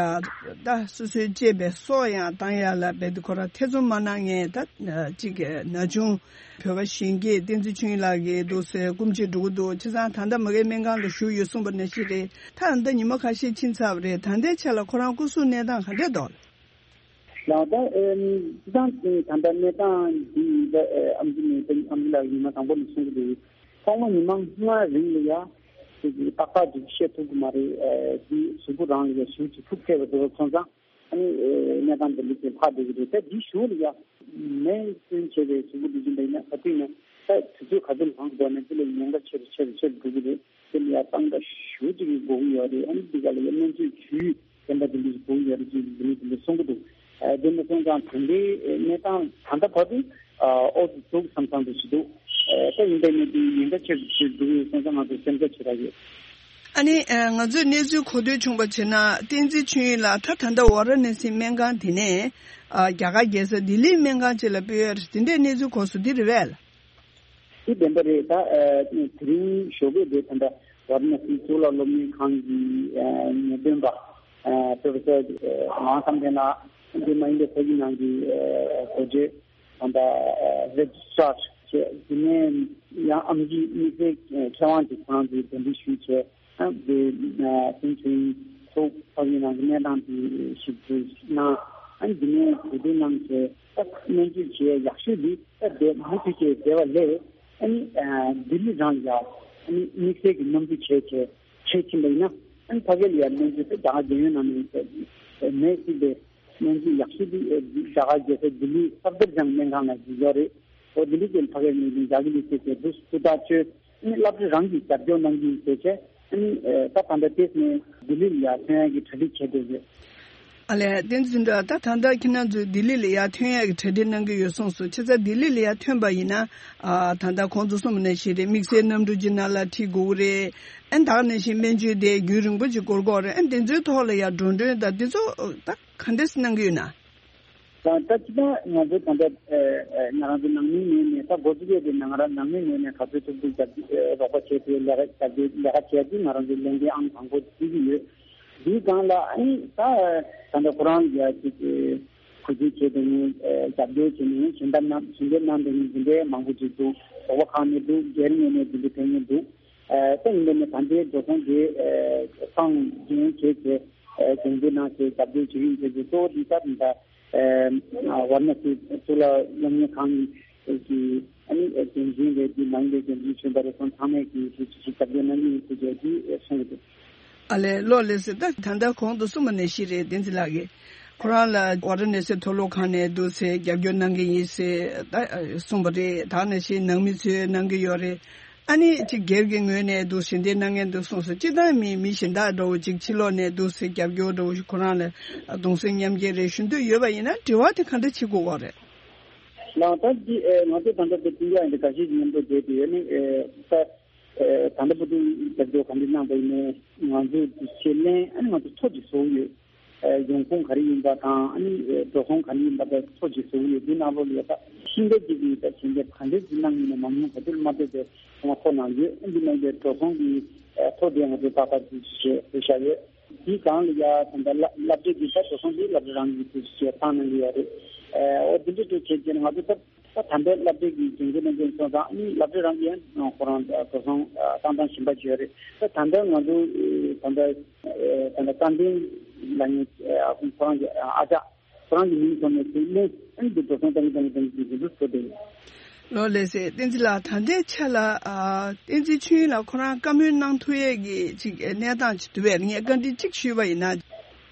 ད་སོ་སོའི་གཅེས་པའི་སྲོག་ཡང་བཏང་ཡ་ལ་རྦད་དེ་ཁོ་རང་ཐེ་ཚོམ་མ་གནང་མཁན་ད་གཅིག་གི་ན་ཆུང་བོད་པ་གཞོན་སྐྱེས་བསྟན་འཛིན་ཆོས་དབྱིངས་ལགས་ཀྱི་འདུག་སེ་སྐུ་མཆེད་འགྲོ་གི་འདུག། བྱས་ཙང་ད་ལྟ་མ་གིའི་སྨན་ཁང་དུ་བཞུགས་ཡོད་གསུངས་པ་ནང་བཞིན་རེད། ད་ད་ལྟ་ཉི་མ་ཁ་ཤས་ཕྱིན་ཚར་བ་རེད། ད་ལྟའི་ཆ་ལ་ཁོ་རང་སྐུ་གཟུགས་གནས་སྟངས་ག་འདྲས་འདུག། ལགས། ད་ཨེམ་སྤྱི་བཏང་ད་ལྟ་གནས་སྟངས་འདི་ཡིན་ད་ཨེ་ཨམ་ཆི་ནས་ད་ཨམ་ཆི་ལགས་ཉི་མ་དང་པོ་ནས་གསུང་གི་འདུག། ཐོག་མ་ཉི་མ་ལྔ་རིང་ལ་ཡ་ཅིག་ཏག་ཏག་ཅིག་བཤད་ཐུབ་ཀྱི་མ་རེད། ཨེ་འདི་གཟུགས་པོ་རང་ལ་ཡ་ཞེ་ཅིག་ཐུག་ཐལ་བ་འདུག་སོང་ཙང་ཨ་ནི་ཨེ་གནས་སྟངས་འདི་འདྲ་ཅིག་ལྷག་བསྡད་ཀྱི་རེད། ད་འདི་གཞུག་ལ་ཡ་མེ་སྐྱོན་བྱས་པའི་གཟུགས་པོ་འདི་བཞིན་པ་ཡིན་ན་ག་དུས་ན་ད་དུས་ཚོད་ག་ཚོད་ལངས་འགྲོ་ནས་འདི་ལ་ཉེན་ཁ་ཆེ་རུ་ཆེ་རུ་ཆེ་རུ་འགྲོ་གི་རེད། དེ་ལ་ཡང་གཙང་སྦྲ་ཞེ་ཅིག་གི་དགོས་ཀྱི་ཡོད་རེད། ཨ་ནི་འདི་ག་ལ་ཡང་སྨན་བཅོས་ཇུས་བསྟན་པ་དེ་འདྲ་ཞིག་དགོས་ཀྱི་ཡོད་རེད་ཅེས་འདི་ནས་དེ་འདྲ་གསུང་གི་འདུག། ཨ་དེ་འདྲ་སོང་ཙང་ད་ལྟའི་གནས་སྟངས་ད་ལྟ་བར་དུ་ཨ་ཨོ་ཙི་འདུག་བསམ་བསམ་དུ་ཞིག་འདུག། ཨ་ད་ཡིན་པའི་ནི་དེ་ཉེན་ཁ་ཆེ་རུ་ཆེ་རུ་འགྲོ་གི་ཡོད་སོང་ཙང་ང་ཚོ་སེམས་ཁྲལ་བྱེད་ར་ཡོད། ཨ་ནི་ཨ་ང་ཚོས་གནས་ཚུལ་གོ་ཐོས་བྱུང་བ་བྱས་ན་བསྟན་འཛིན་ཆོས་དབྱིངས་ལགས་ད་ད་ལྟ་ཝཱ་ར་ཎ་སི་སྨན་ཁང་དེ་ནས་ཨ་རྒྱ་གར་རྒྱལ་ས་ལྡི་ལིའི་སྨན་ཁང་ཅིག་ལ་སྤོས་ཡ་རེད། དེ་འདྲའི་གནས་ཚུལ་གོ་སོང་། འདི་རེད་པས། དེ་བདེན་པ་རེད། ད་ཨ་དེ་རིང་ཞོགས་པའི་དེ་ད་ལྟ་ཝཱ་ར་ཎ་སི་གཙུག་ལག་སློབ་གཉེར་ཁང་གི་ཨ་ངེས་སྟོན་པ་ཨ་པྲོ་ཕེ་སར་ཨ་ཝང་བསམ་གཏན་ལགས། དེ་མ་ཡིན་པའི་ཕ་གི་ནང་གི་ཨ་གོ་སྒྲིག་ད་ལྟ་ཨ་རེ་ཇི་སི་ཊར་བྱས། དེ་ནས་ཡང་ཨམ་ཆི་དམིགས་བསལ་མཁས་དབང་ཅིག་ཁོ་རང་ཚོས་གདན་འདྲེན་ཞུས་བྱས། ཨ་དེ་ཨ་དེང་ཚོའི་ཚོགས་ཕ་གི་ནང་གི་གནས་སྟངས་དེ་ཞིབ་འཚོལ་གནང་། ཨ་དེ་ནས་གོ་སྒྲིག་གནང་བྱས། ད་སྨན་བཅོས་བྱེད་ཡག་ཤོས་འདི་ད་དེ་མུ་མཐུད་བྱས་བསྡད་པ་ལས། ཨ་ནི་ཨ་ལྡི་ལི་རང་ལ་ཡ་ཨ་ནི་དམིགས་བསལ་གྱི་མཉམ་འཛུགས་བྱས་བྱས་བྱེད་ཕྱིན་པ་ཡིན་ན། ཨ་ནི་ཕ་གི་ལ་ཡ་སྨན་བཅོས་དེ་རྒྱ་གར་རྒྱལ་ཡོངས་ནང་ནས་མེད་སྲིད་པའི་སྨན་བཅོས་ཡག་ཤོས་འདི་རྒྱ་གར་རྒྱལ་ས་ལྡི་ལི་སབ་དར་ཇང་སྨན་ཁང་ལ་ཡོད་རེད། འོ་ལྡི་ལི་དེ་ཕ་གིའི་ངོས་ནས་རྒྱ་གི་ལུགས་སྲོལ་བྱས་འདུག་སེ་ཐུགས་ཐག་ཆོད། ཨ་ནི་སློབ་གྲྭ་རང་གིས་རྒྱབ་སྐྱོར་གནང་གི་ཡིན་ཟེར་བྱས། ཨ་ནི་ཨེ་ད་ད་ལྟ་ཏེས་ནས་ལྡི་ལི་ལ་ཡར་ཐོན་ཡག་གི་གྲ་སྒྲིག་བྱས་བསྡད་ཡོད། ཨ་ལས། བསྟན་འཛིན་ལགས། ད་ད་ལྟ་ཁྱེད་རང་ཚོས་ལྡི་ལི་ལ་ཡར་ཐོན་ཡག་གི་གྲ་སྒྲིག་གནང་གི་ཡོད་གསུངས་སོང་། བྱས་ཙང་ལྡི་ལི་ལ་ཡར་ཐོན་པ་ཡིན་ན། ཨ་ད་ལྟ་ཁོང་ཚོ་གསུངས་པ་ནང་བཞིན་རེད། དམིགས་བསལ་གནམ་གྲུ་ཅིག་ནང་ལ་ཁྲིད་དགོས་ཀྱི་རེད། ཨ་ནི་ད་ག་ནང་བཞིན་སྨན་བཅོས་དེ་རྒྱུན་རིང་པོ་ཅིག་འགོར་གྱི་ཡོད་རེད། ཨ་ནི་དེ་ཚོའི་ཐོག་ལ་ཡར་འགྲོ་གྲོན་དང་དེ་ཚོ་ད་ག་འདྲས་གནང་གི་ཡོད་ན། ད་ལྟ་སྤྱི་བཏང་ང་ཚོ་ད་ལྟ་ཨ་ཨ་ང་རང་ཚོ་ནང་མིའི་ངོས་ནས་ད་འགོ་འཛུགས་ཡས་དེ་ནང་ར་ནང་མིའི་ངོས་ནས་ག་ཚོད་ཐུབ་ཐུབ་རྒྱབ་ཨ་རོགས་པ་བྱས་ཏེ་ལས་ཀ་རྒྱབ་ལས་ཀ་བྱས་ཏེ་ང་རང་ཚོ་ལས་འགན་ཨང་དང་པོ་བརྩི་གི་ཡོད། འདིའི་སྒང་ལ་ཨ་ནི་ད་ད་ལྟ་ཁོ་རང་ཡ་ཅིག་གུས་བརྩི་བྱས་དེ་ནས་ཨ་རྒྱབ་སྐྱོར་བྱས་ནས་ཞལ་འདེབས་གནང་ཞལ་འདེབས་གནང་དེ་ནས་འདི་འདྲའི་མང་པོ་ཅིག་འདུག། རོགས་པ་ཁག་ནས་འདུག། སྒེར་ངོས་ནས་འདི་འདྲ་ཕན་ངེས་འདུག། ཨ་ད་ཡིན་པ་ནི་ད་ལྟའི་འགྲོ་སོང་དེ་ཨ་སང་རྒྱུན་བྱས་བྱས་ཨ་གྱོང་གུད་གནང་བྱས་རྒྱབ་སྐྱོར་བྱེད་ཀྱི་ཡིན་ཟེར་གྱི་གཙོ་བོ་འདི་ལྟར་ད། ཨ་ཝཱ་ར་ཎ་སི་གཙུག་ལག་སློབ་གཉེར་ཁང་གི་ཨ་ནི་འགན་འཛིན་རེད། འདི་མ་ཡིན་པའི་འགན་འཛིན་གཞོན་པ་རེད། ཁོང་ཚང་མས་ཀྱིས་ཞུ་ཞུ་ཞུ་རྒྱབ་སྐྱོར་གནང་གི་ཡིན་ཟེར་རྒྱུ་གསུངས་ཡོད། ཨ་ལས། ལགས་སོ། ད་ད་ལྟ་གོང་དུ་གསུངས་པ་ནང་བཞིན་རེད། བསྟན་འཛིན་ལགས་ཀྱིས། ཁོ་རང་ལ་ཝཱ་ར་ཎ་སི་མཐོ་སློབ་ཁང་ནས་འདུག་སེ་རྒྱབ་སྐྱོར་གནང་གི་ཡིན་ཟེར་ད་གསུངས་པ་རེད། ད་ནང་བཞིན་ནང་མི་ཚོས་གནང་གི་ཡོད་རེད། ཨ་ནི་ཅིག་སྒེར་གྱི་ངོས་ནས་འདུག་ཞལ་འདེབས་གནང་མཁན་འདུག་གསུངས་སོང་། སྤྱིར་བཏང་མི་མི་གཞན་དག་འདྲ་བོ་ཅིག་ཕྱི་ལོགས་ནས་འདུག་སེ་རྒྱབ་སྐྱོར་འདྲ་བོ་ཞིག་ཁོ་རང་ལ་གདུང་སེམས་མཉམ་སྐྱེད་རེ་ཞུ་འདོད་ཡོད་པ་ཡིན་ན་འབྲེལ་བ་དེ་ག་འདྲ་བྱེད་དགོས་པ་རེད། ལགས་ད་འདི་ཨེ་ང་ཚོ་ད་ལྟ་དེ་སྤུན་ཀྱག་ཡིན་དེ་འགའ་ཤས་ཀྱི་མཉམ་དུ་བསྡད་དེ་ཡོད་ནི་ཨེ་ད་ཨེ་ད་ལྟ་བུ་དུ་རྒྱབ་སྐྱོར་ག་འདྲ་གནང་པ་ཡིན་ནའི་ང་ཚོ་དེ་ཆེད་ལན་ཨ་ནི་ང་ཚོ་ཐོ་ཅིག་བཟོ་གི་ཡོད། ཨེ་ཡོང་ཁུངས་ག་རེ་ཡིན་པ་དང་ཨ་ནི་ཨེ་འགྲོ་སོང་ག་རེ་ཡིན་པ་དང་ཐོ་ཅིག་བཟོ་གི་ཡོད། འདི་ནང་ལོགས་ལ་ད་ཤིང་རྟ་ཅིག་གིས་ད་ཞིང་རྟ་ག་འདྲ་ཅིག་གནང་ཡིན་ན་མང་ཉུང་ག་ཚོད་མ་ཐོས་པའི་ང་ཐོ་ནང་ཡོད། ཨ་འདི་ནང་ལ་འགྲོ་སོང་གི་ཨེ་ཐོ་དེ་ང་ཚོ་ཏག་ཏག་ཅིག་བྱས་བཞག་ཡོད། དེའི་སྒང་ལ་ཡ་ད་ལྟ་སློབ་སློབ་གྲྭའི་གི་ད་འགྲོ་སོང་དེ་སློབ་གྲྭ་རང་གི་དུ་བྱས་བཏང་གནང་གི་ཡོད་རེད། ཨོ་དེ་འདྲ་དུ་བྱས་རྗེས་ང་ཚོ་ད་ད་ད་ལྟའི་སློབ་གྲྭའི་གི་དགེ་རྒན་ནང་ཚན་སོང་ཙང་ཨ་ནི་སློབ་གྲྭ་རང་གི་ཡང་ཁོ་རང་འགྲོ་སོང་བཏང་སྟངས་གཞན་པ་ཅིག་ཡོད་རེད། ད་ད་ལྟ་ང་ཚོ་ད་ལྟ་ད་ལྟ་བཀའ་འདྲེན་ལ་ངས་ཁོ་རང་གི་ཨ་ཅག་ཁོ་རང་གི་མིང་ཐོག་ནས་དེ་གླེང་ཨ་ནི་འདི་འགྲོ་སོང་བཏང་གི་བཏང་གི་བཏང་གི་འདི་འདུག་ཟེར་དེ། ལོ་ལགས་སེ་བསྟན་འཛིན་ལགས། ད་ལྟའི་ཆ་ལ་ཨ་བསྟན་འཛིན་ཆོས་དབྱིངས་ལགས་ཁོ་རང་བཀའ་མོལ་གནང་ཐུབ་ཡས་ཀྱི་ཅིག་གནས་སྟངས་ཅིག་འདུག་པས། ངས་བཀའ་འདྲི་གཅིག་ཞུས་པ་ཡིན་ན། ད་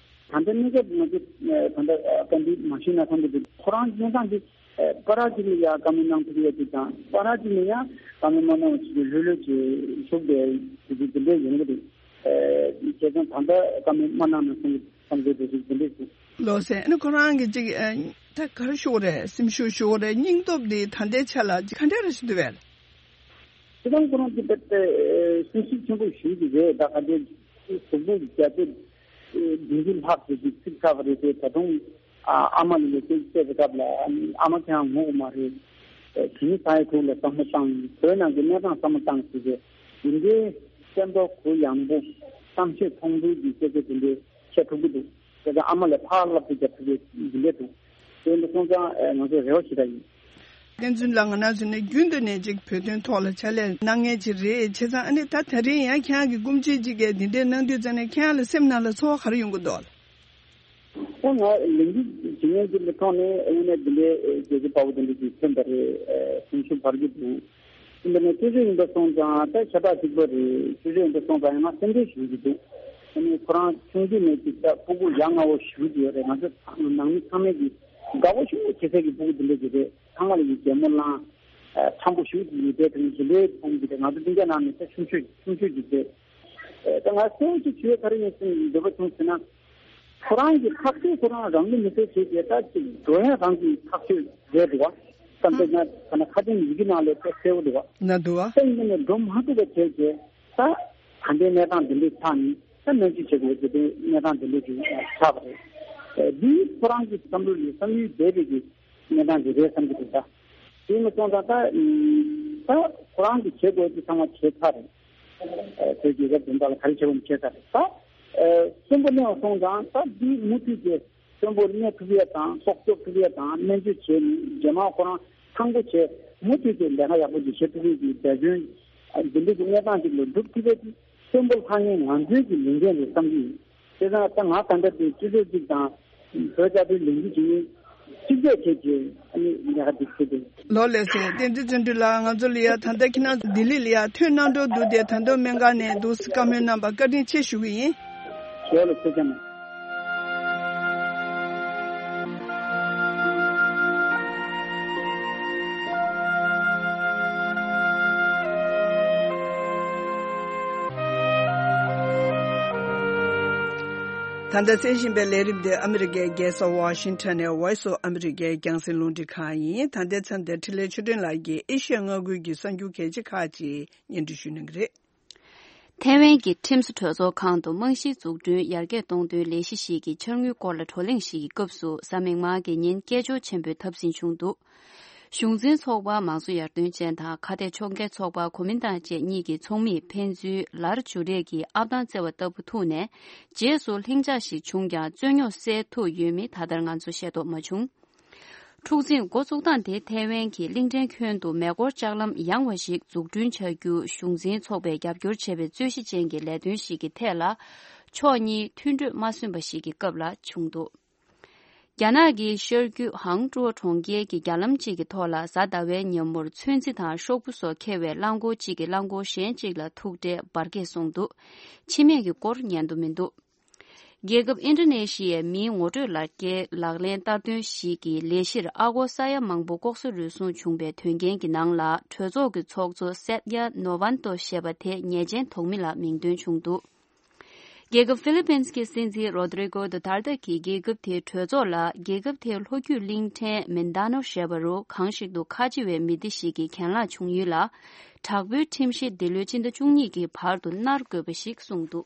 ལྟ་གནས་སྐབས་ང་ཚོ་ད་ལྟ་བཀའ་འདྲི་མ་ཞུས་ན་བསམ་གྱི་འདུག་ཁོ་རང་གནས་སྟངས་འདི་པ་ར་ཅིག་ལ་ཡ་བཀའ་མོལ་གནང་ཐུབ་ཡས་ཅིག་དང་པ་ར་ཅིག་ལ་ཡ་བཀའ་མོལ་མ་གནང་བ་ཅིག་ལྷོད་ལྷོད་ཅིག་བཞུགས་པའི་དེ་འདྲའི་ཡོང་གི་འདུག་བྱས་ཙང་ད་ལྟ་བཀའ་མོལ་མ་གནང་ན་བསམ་གྱི་བསམ་གྱི་འདུག་ཅིག་དེ་འདྲས་ཅིག་ལོ་ཟེར་ཨ་ནི་ཁོ་རང་གི་ཅིག་ཨ་ད་ག་རེ་ཞུ་དགོས་རེད། སེམས་ཤུགས་ཞུ་དགོས་རེད། སྙིང་སྟོབས་འདི་ད་ལྟའི་ཆ་ལ་ཅིག་ག་འདྲ་རེ་ཞིག་འདུག་པས། ཁྱེད་རང་ཁོ་རང་གི་པད་སེམས་ཤུགས་ཆེན་པོ་ཞུ་གི་རེད། ད་ག་འདྲའི་གཟུགས་པོ་རྒྱ་ཆེ་བདུན་ཅུ་ལྷག་ཙམ་ཅིག་ཚིག་ཚ་བ་རེད་དེ་ད་དུང་ཨ་ཨ་མ་ལ་ཡོད་ཚད་བཤད་པའི་སྐབས་ལ་ཨ་ནི་ཨ་མ་ཁྱེད་རང་ངུ་གི་མ་རེད། དེ་ནི་ས་ཡ་དྲུག་ལ་བསམ་བློ་བཏང་བོད་ནང་གི་གནས་སྟངས་བསམ་བློ་བཏང་ཟེར་ཏེ་འདི་འདྲའི་སེམས་ཚོར་གུ་ཡངས་པོ་བསམ་ཤེས་ཚོགས་འདུ་གི་སྐད་ཆ་དེ་འདྲའི། བཤད་ཐུབ་ཀྱི་འདུག་དེ་ཚོ་ཨ་མ་ལ་ཕར་བསླབ་བྱ་རྒྱབ་ཐུབ་ཀྱི་འདི་འདྲས་འདུག་དེ་འདྲ་སོང་ཙང་ཨེ་ང་ཚོ་རེ་བ་ཞིག་ད་ཡིན། བསྟན་འཛིན་ལགས་ང་རང་ཚོ་ནི་རྒྱུན་དུ་ནས་ཅིག་བོད་དོན་ཐོག་ལ་ཕྱག་ལས་གནང་མཁན་ཅིག་རེད། བྱས་ཙང་ཨ་ནི་ད་དེ་རིང་ཡང་ཁྱེད་རང་གི་སྐུ་མཆེད་ཅིག་གིས་འདི་འདྲས་གནང་དུས་ཙམ་ནས་ཁྱེད་རང་ལ་སེམས་ནང་ལ་ཚོར་བ་ག་རེ་ཡོང་གི་འདུག་ད་ང་ལས་འགུལ་བྱེད་མཁན་ཅིག་ལ་ཐོག་ནས་དངོས་གནས་འདི་འདྲའི་རྒྱལ་གཅེས་དཔའ་བོ་དེ་འདྲ་ཅིག་ཐོན་པ་རེད། སེམས་ཤུགས་འཕར་གྱི་འདུག་འདི་ནས་སྤྱི་ཚོགས་ཡིན་པ་སོང་ཙང་ད་ཁྱད་པར་གཅིག་པ་རེད། སྤྱི་ཚོགས་ཡིན་པ་སོང་ཙང་ཡང་ན་སེམས་ཁྲལ་ཞུ་གི་འདུག་ཨ་ནི་ཁོ་རང་ཆུང་དུས་ནས་ཅིག་ད་སྤུ་གུ་ཡ་ང་བོ་ཞུ་གི་ཡོད་རེད། ང་ཚོ་ནང་མི་ཚང་མས་ཀྱི་དགའ་བོ་ཞུ་བྱེད་ས་ཀྱི་སྤུ་གུ་འདི་འདྲ་ཅིག་རེད། ཚང་མ་ལ་ཡི་གད་མོ་བླངས་ཁྲམ་པོ་ཞུ་གི་ཡོད་པའི་དོན་ཞི་ལོའི་ཕུང་གི་རེད། ང་ཚོ་སྤུན་ཀྱག་ནང་ནས་ད་ཆུང་ཤོས་ཆུང་ཤོས་ཅིག་རེད། ད་ང་གསལ་བོ་ཅིག་ཞུ་ཡ་ག་རེ་ཡིན་ཟེར་འདོད་པ་བྱུང་ཟེར་ན། ཁོ་རང་གི་ཐག་གཅོད་ཁོ་རང་རང་ལུས་མེ་སྲེག་བྱས་ཏེ་ད་ཅིག་འགྲོ་ཡ་རང་གི་ཐག་གཅོད་རེད་འདུག་བ། བསམ་ཚུལ་ང་ཐ་ན་ཁ་ཏོན་ཡི་གེ་ནང་ལ་ད་གསལ་བོ་འདུག་བ། ན་འདུག་བ། ད་ཡིན་ནའི་འགྲོ་མ་ཐུབ་པ་བྱས་རྗེས་ད་ད་ལྟའི་གནས་སྟངས་འདི་འདྲའི་ཆགས་ནས་ད་སྨན་བཅོས་བྱེད་དགོས་ཀྱི་དེ་གནས་སྟངས་འདི་འདྲའི་ཅིག་ཆགས་པ་རེད། འདི་ཁོ་རང་གི་བསམ་བློ་ལ་བསམ་ཡུལ་འདས་པའི་གི་གནས་སྟངས་ཅིག་རེད་བསམ་གྱི་འདུག་ད་དེ་མ་སོང་ཙང་ད་ད་ཁོ་རང་གི་བྱེད་དགོས་ཀྱི་ཚང་མ་བྱས་ཚར་རེད། བོད་རྒྱལ་ཁབ་དོན་དག་ལ་ག་རེ་བྱེད་དགོས་ན་བྱས་ཚར་རེད། ད་གསོན་པོ་གནས་པ་སོང་ཙང་ད་འདི་མུ་མཐུད་དེ་གསོན་པོར་གནས་ཐུབ་ཡས་དང་སྲོག་སྐྱོབ་ཐུབ་ཡས་དང་སྨན་བཅོས་བྱས་ནས་རྗེས་མ་ཁོ་རང་ཐང་པོ་བྱས་མུ་མཐུད་དེ་ལས་ཀ་ཡག་པོ་ཅིག་བྱེད་ཐུབ་ཡས་ཀྱི་འབད་བརྩོན་འདི་འདྲ་གི་གནས་སྟངས་ཅིག་ལ་འགྲུབ་ཐུབ་ཡས་ཀྱི་གསོན་པོ་ལྷང་ངེ་ང་ཚོའི་གི་ལས་འགན་རེད་བསམ་གྱི་ཡིན། དེ་ཙང་ད་ང་ད་ལྟ་དེ་སྤྱི་ཚོགས་གཅིག་དང་བོད་རྩ་དོན་ལས་འགུལ་བྱེད་མཁན་གཅིག་སྒྲིལ་བྱས་ཏེ་ཨ་ནི་ལས་ཀ་འདི་བྱེད་དེ། ལོ་ལེགས་སེ་བསྟན་འཛིན་བརྩོན་འགྲུས་ལགས། ང་ཚོ་ལ་ཡ་ད་ལྟ་ཁྱེད་རང་ལྡི་ལི་ལ་ཡ་ཐོན་གནང་འགྲོ་འདུག་དེ་ད་དུང་སྨན་ཁང་ནས་འདུག་བཀའ་མོལ་གནང་བར་བཀའ་དྲིན་ཆེ་ཞུ་གི་ཡིན། ལོ་ལེགས་སེ་ཅན། ད་ལྟ་གསན་བཞིན་པའི་ལས་རིམ་འདི་ཨ་མི་རི་ཀའི་རྒྱལ་ས་ཝ་ཤིང་ཊོན་ནས་Voice of America་རྒྱང་སྲིང་རླུང་འཕྲིན་ཁང་ཡིན། ད་ལྟའི་མཚམས་འདིར་འཕྲིན་ལས་ཆོས་སྒྲོན་ལགས་ཀྱིས་ཨེ་ཤི་ཡ་མངའ་ཁུལ་གྱི་གསར་འགྱུར་གལ་ཆེ་ཁག་ཅིག་སྙན་སྒྲོན་ཞུ་གནང་གི་རེད། ཐའེ་ཝན་གྱི་ཁྲིམས་བཟོ་གྲོས་ཚོགས་ཁང་དུ་རྨང་གཞིའི་འཛུགས་སྐྲུན་ཡར་རྒྱས་གཏོང་དོན་ལས་གཞི་ཞིག་གི་འཆར་དངུལ་སྐོར་ལ་བགྲོ་གླེང་ཞིག་གི་སྐབས་སུ་གཟའ་མིག་དམར་གྱི་ཉིན་སྐད་ཅོར་ཆེན་པོས་འཐབ་ཟིན་བྱུང་འདུག་གཞུང་འཛིན་ཚོགས་པ་མང་གཙོ་ཡར་ཐོན་ཅན་དང་ཁ་གཏད་གཅོག་མཁན་ཚོགས་པ་གོ་མིན་ཏང་བཅས་གཉིས་ཀྱི་ཚོགས་མིས་ཕན་ཚུན་ལར་འཇུ་རེས་ཀྱིས་ཨབ་ཐང་རྩེ་བ་ལྟ་བུ་ཐུག་ནས་རྗེས་སུ་ལྷིང་འཇགས་ཤིག་བྱུང་ཀྱང་རྩོད་རྙོག་སེལ་ཐུབ་ཡོད་མེད་ད་ལྟར་ང་ཚོ་ཤེས་རྟོགས་མ་བྱུང་། འཁྲུག་འཛིང་འགོ་བཙུགས་སྟངས་དེ་ཐའེ་ཝན་གྱི་གླིང་ཕྲན་ཁྱོན་དུ་མེ་འཁོར་ལྕགས་ལམ་ཡངས་པ་ཞིག་འཛུགས་སྐྲུན་བྱ་རྒྱུ་གཞུང་འཛིན་ཚོགས་པས་རྒྱབ་སྐྱོར་བྱས་པའི་རྩོད་གཞི་ཅན་གྱི་ལས་དོན་ཞིག་གི་ཐད་ལ་ཕྱོགས་གཉིས་མཐུན་གྲོས་མ་སོན་པ་ཞིག་གི་སྐབས་ལ་བྱུང་འདུག་རྒྱ་ནག་གི་ཤར་རྒྱུད་ཧང་ཀྲོའུ་གྲོང་ཁྱེར་གྱི་རྒྱ་ལམ་གཅིག་གི་ཐོག་ལ་གཟའ་ཟླ་བའི་ཉིན་མོར་ཚོན་རྩི་དང་ཤོག་བུ་སོགས་འཁྱེར་བའི་རླངས་འཁོར་གཅིག་གིས་རླངས་འཁོར་གཞན་གཅིག་ལ་ཐུག་འཕྲད་འབར་གས་སོང་འདུག་འཆི་རྨས་ཀྱི་སྐོར་ཉན་དུ་མི་འདུག་རྒྱལ་ཁབ་ཨིན་ཌོ་ནེ་ཤི་ཡའི་མིའི་ངོ་སྤྲོད་ལག་འཁྱེར་ལག་ལེན་བསྟར་དོན་ཞིག་གི་ལས་གཞིར་ཨ་སྒོར་ས་ཡ་མང་པོ་ལྐོག་ཟ་རུལ་སུངས་བྱུང་པའི་དོན་རྐྱེན་གྱི་ནང་ལ། གྲོས་ཚོགས་ཀྱི་ཚོགས་གཙོ་སེད་ཡ་ནོ་ཝན་ཏོ་ཞེས་པ་དེ་ཉེས་ཅན་དོགས་མི་ལ་མིང་འདོན་བྱུང་འདུག་རྒྱལ་ཁབ་ཧྥི་ལི་པིན་གྱི་སྲིད་འཛིན་རོ་དྲི་གོ་དུ་ཐར་ཏེ་གིས་རྒྱལ་ཁབ་དེའི་གྲོས་ཚོགས་ལ་རྒྱལ་ཁབ་དེའི་ལྷོ་རྒྱུད་གླིང་ཕྲན་མིན་ད་ནོ་ཞེས་པ་རུ་གང་ཞིག་ཏུ་ཁ་ཆེ་བའི་མི་སྡེ་ཞིག་གི་གྱེན་ལངས་བྱུང་ཡུལ་ལ། དྲག་པོའི་ཁྲིམས་གཞི་འདི་ལོའི་སྤྱི་ཟླ་བཅུ་གཉིས་ཀྱི་བར་དུ་གནར་དགོས་པ་ཞིག་གསུངས་འདུག་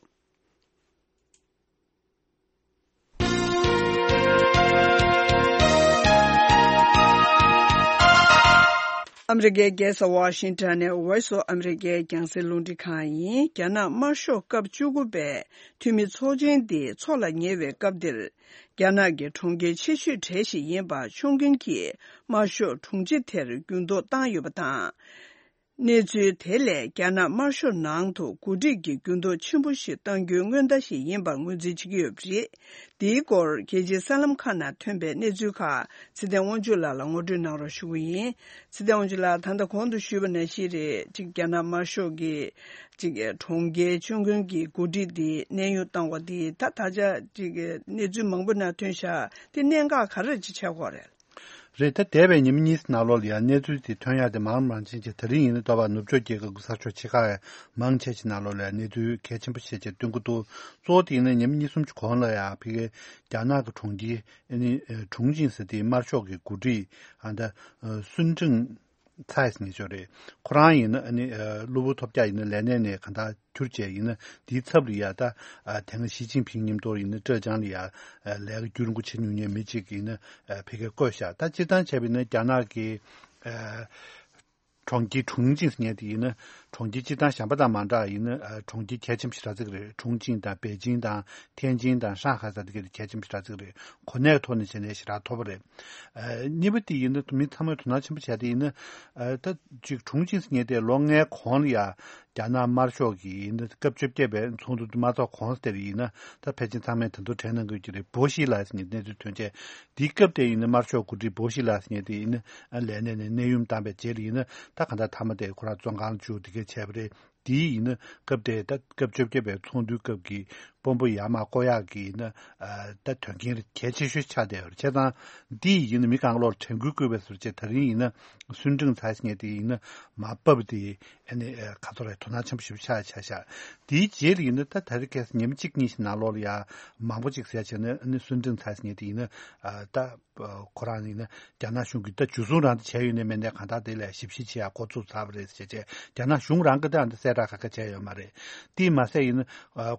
ཨ་མི་རི་ཀའི་རྒྱལ་ས་ཝ་ཤིང་ཊོན་ནས་Voice of America རྒྱང་སྲིང་རླུང་འཕྲིན་ཁང་ཡིན། རྒྱ་ནག་དམར་ཤོག་སྐབས་བཅུ་དགུ་པའི་འཐུས་མི་ཚོགས་ཆེན་འདི་འཚོགས་ལ་ཉེ་བའི་སྐབས་འདིར། རྒྱ་ནག་གི་གྲོང་ཁྱེར་ཆེ་ཤོས་གྲས་ཤིག་ཡིན་པ་ཆོང་ཁུན་གྱིས་དམར་ཤོག་དྲུང་ཆེ་དེར་འགྱུར་ལྡོག་བཏང་ཡོད་པ་དང་། གནས་ཚུལ་དེ་ལས་རྒྱ་ནག་དམར་ཤོག་ནང་དུ་འགོ་ཁྲིད་ཀྱི་འགྱུར་ལྡོག་ཆེན་པོ་ཞིག་གཏང་རྒྱུའི་སྔོན་བརྡ་ཞིག་ཡིན་པར་ངོས་འཛིན་བྱེད་ཀྱི་ཡོད་པ་རེད། འདིའི་སྐོར་རྒྱལ་སྤྱིའི་གསར་ལམ་ཁག་ནང་ཐོན་པའི་གནས་ཚུལ་ཁག་ཚེ་བརྟན་དབང་ཕྱུག་ལགས་ལ་ངོ་སྤྲོད་གནང་རོགས་ཞུ་གི་ཡིན། ཚེ་བརྟན་དབང་ཕྱུག་ལགས། ད་ལྟ་གོང་དུ་ཞུས་པ་ནང་བཞིན་རེད། གཅིག་རྒྱ་ནག་དམར་ཤོག་གི་གཅིག་གྲོང་ཁྱེར་ཆོང་ཁུན་གྱི་འགོ་ཁྲིད་འདི་གནས་དབྱུང་བཏང་བ་འདི་ད་ད་ཆ་གཅིག་གནས་ཚུལ་མང་པོ་ནང་ཐོན་ཤག་འདི་གནད་འགག་ག་རེ་ཅིག་ཆགས་ཀྱི་ཡོད་རེད། རེད། ད་འདས་པའི་ཉི་མ་གཉིས་ནང་ལོགས་ལ་ཡང་གནས་ཚུལ་དེ་ཐོན་ཡག་དེ་མང་མང་ཕྱིན་རྗེས། ད་རིང་ཡིན་ན་ལྟོ་བ་ནུབ་ཕྱོགས་རྒྱལ་ཁབ་ཀྱི་ས་ཕྱོགས་ཕྱེད་ཀ་མང་ཆེ་ཞིག་ནང་ལོགས་ལ་ཡང་གནས་ཚུལ་གལ་ཆེན་པོ་ཤས་ཆེ་སྟོན་གྱི་འདུག་གཙོ་བོ་དེ་ཡིན་ན་ཉི་མ་གཉིས་གསུམ་གྱི་གོང་ལ་ཡང་ཕ་གིའི་རྒྱ་ནག་གི་གྲོང་ཁྱེར་ཨ་ནི་ཁྲུང་ཆིང་ཟེར་དེའི་དམར་ཤོག་གི་འགོ་ཁྲིད་ཨ་ད་སུན་ཀྲིང་ཚའེ་ཟེར་མཁན་ཅིག་ཡོད་རེད། ཁོ་རང་ཡིན་ན་ཨ་ནི་གློ་བུར་ཐོལ་རྒྱག་ཡིན་ན་ལས་གནས་ནས་གང་ལྟར་གྱུར་བྱས་ཡིན་ན། དེའི་ཚབ་ལ་ཡ་ད་ཨ་དེ་སྔ་ཞི་ཅིན་ཕིང་མཉམ་དུ་ཡིན་ན་ཀྲེ་ཅང་ལ་ཡ་ཨ་ལས་ཀ་རྒྱུན་རིང་པོ་བྱེད་མྱོང་མཁན་མི་གཅིག་ཡིན་ན་ཨ་ཕ་གིར་བསྐོས་ཤག་ད་སྤྱིར་བཏང་བྱས་པ་ཡིན་ན་རྒྱ་ནག་གི་ཨ་གྲོང་ཁྱེར་ཁྲུང་ཆིང་ཟེར་མཁན་དེ་ཡིན་ན་གྲོང་ཁྱེར་སྤྱིར་བཏང་གཞན་པ་དང་མ་འདྲ་ཡིན་ན་ཨ་གྲོང་ཁྱེར་གལ་ཆེན་པོ་ཞེ་དྲག་ཅིག་རེད། ཁྲུང་ཆིང་དང་པེ་ཅིང་དང་ཐེན་ཅིན་དང་ཧྲང་ཧའེ་ས་དེ་ག་དེ་གལ་ཆེན་པོ་ཞེ་དྲག་ཅིག་རེད། གོ་གནས་ཐོག་ནས་བྱས་ནས་ཞེ་དྲག་མཐོ་པོ་རེད། ཨ་གཉིས་པ་དེ་ཡིན་ན་མི་ཚང་མས་དོ་སྣང་ཆེན་པོ་བྱས་དེ་ཡིན་ན་ཨ་ད་ཅིག་ཁྲུང་ཆིང་ཟེར་མཁན་དེ་ལོ་ལྔའི་གོང་ལ་ཡ་རྒྱ་ནག་དམར་ཤོག་གི་ཡིན་ན་སྐབས་བཅོ་བརྒྱད་པའི་ཚོགས་འདུ་དུ་མ་ཚོགས་གོང་དེར་ཡིན་ན་ད་ཕལ་ཆེར་ཚང་མས་ད་དུང་དྲན་གནང་དགོས་ཀྱི་རེད། པོ་ཤི་ལགས་ཟེར་མཁན་གནས་ཚུལ་ཐོན་རྗེས་དེའི་སྐབས་དེ་ཡིན་ན་དམར་ཤོག་འགོ་ཁྲིད་པོ་ཤི་ལགས་ཟེར་མཁན་དེ་ཡིན་ན་ལས་གནས་ནས་གནས་དབྱུང་བཏང་པའི་རྗེས་ལ་ཡིན་ན་ད་གང་ལྟར་མཐའ་མ་དེ་ཁོ་རང་བཙོན་ཁང་ལ་བཅུག་དེ་གས་བྱས་པ་རེད། དེའི་ཡིན་ན་སྐབས་དེ་ད་སྐབས་བཅོ་བརྒྱད་པའི་ཚོགས་འདུའི་སྐབས་ཀྱི་དཔོན་པོ་ཡར་མར་བསྐོ་ཡག་གི་ཡིན་ན་ད་དོན་རྐྱེན་གལ་ཆེ་ཤོས་ཆགས་བསྡད་ཡོད་རེད། བྱས་ཙང་འདི་ཡིན་ན་མི་གང་ག་ལོར་དྲན་སྐུལ་བསྐུལ་བའི་ཟུར་བཅད་ད་རིང་ཡིན་ན་སུན་ཀྲིང་ཚའེ་ཟེར་མཁན་དེ་ཡིན་ན་མར་བབས་དེ་ཨ་ནི་ཁ་ཐོར་རེ་དོ་སྣང་ཆེན་པོ་ཞེ་པོ་ཆགས་ཆགས་ཤག་དེའི་རྗེས་ལ་ཡིན་ན་ད་ད་རེས་ཁ་སང་ཉིན་གཅིག་གཉིས་ཤིག་ནང་ལོགས་ལ་ཡ་མང་པོ་ཅིག་ཟེར་བྱས་ན་ཨ་ནི་སུན་ཀྲིང་ཚའེ་ཟེར་མཁན་དེ་ཡིན་ན་ད། ཁོ་རང་ཡིན་ན་རྒྱ་ནག་གཞུང་གིས་ད་འཇུ་བཟུང་རང་ད་བྱས་ཡོད་ནའི་མེད་ནའི་གང་ལྟར་དེ་ལ་ཞིབ་བཤེར་བྱེད་ཡག་འགོ་བཙུགས་ཚར་བ་རེད་ཟེར་བྱས་རྒྱ་ནག་གཞུང་རང་གིས་ད་ཨ་འདི་གསལ་བསྒྲགས་ག་ག་བྱས་ཡོད་མ་རེད། དེས་མ་ཟད་ཡིན་ན་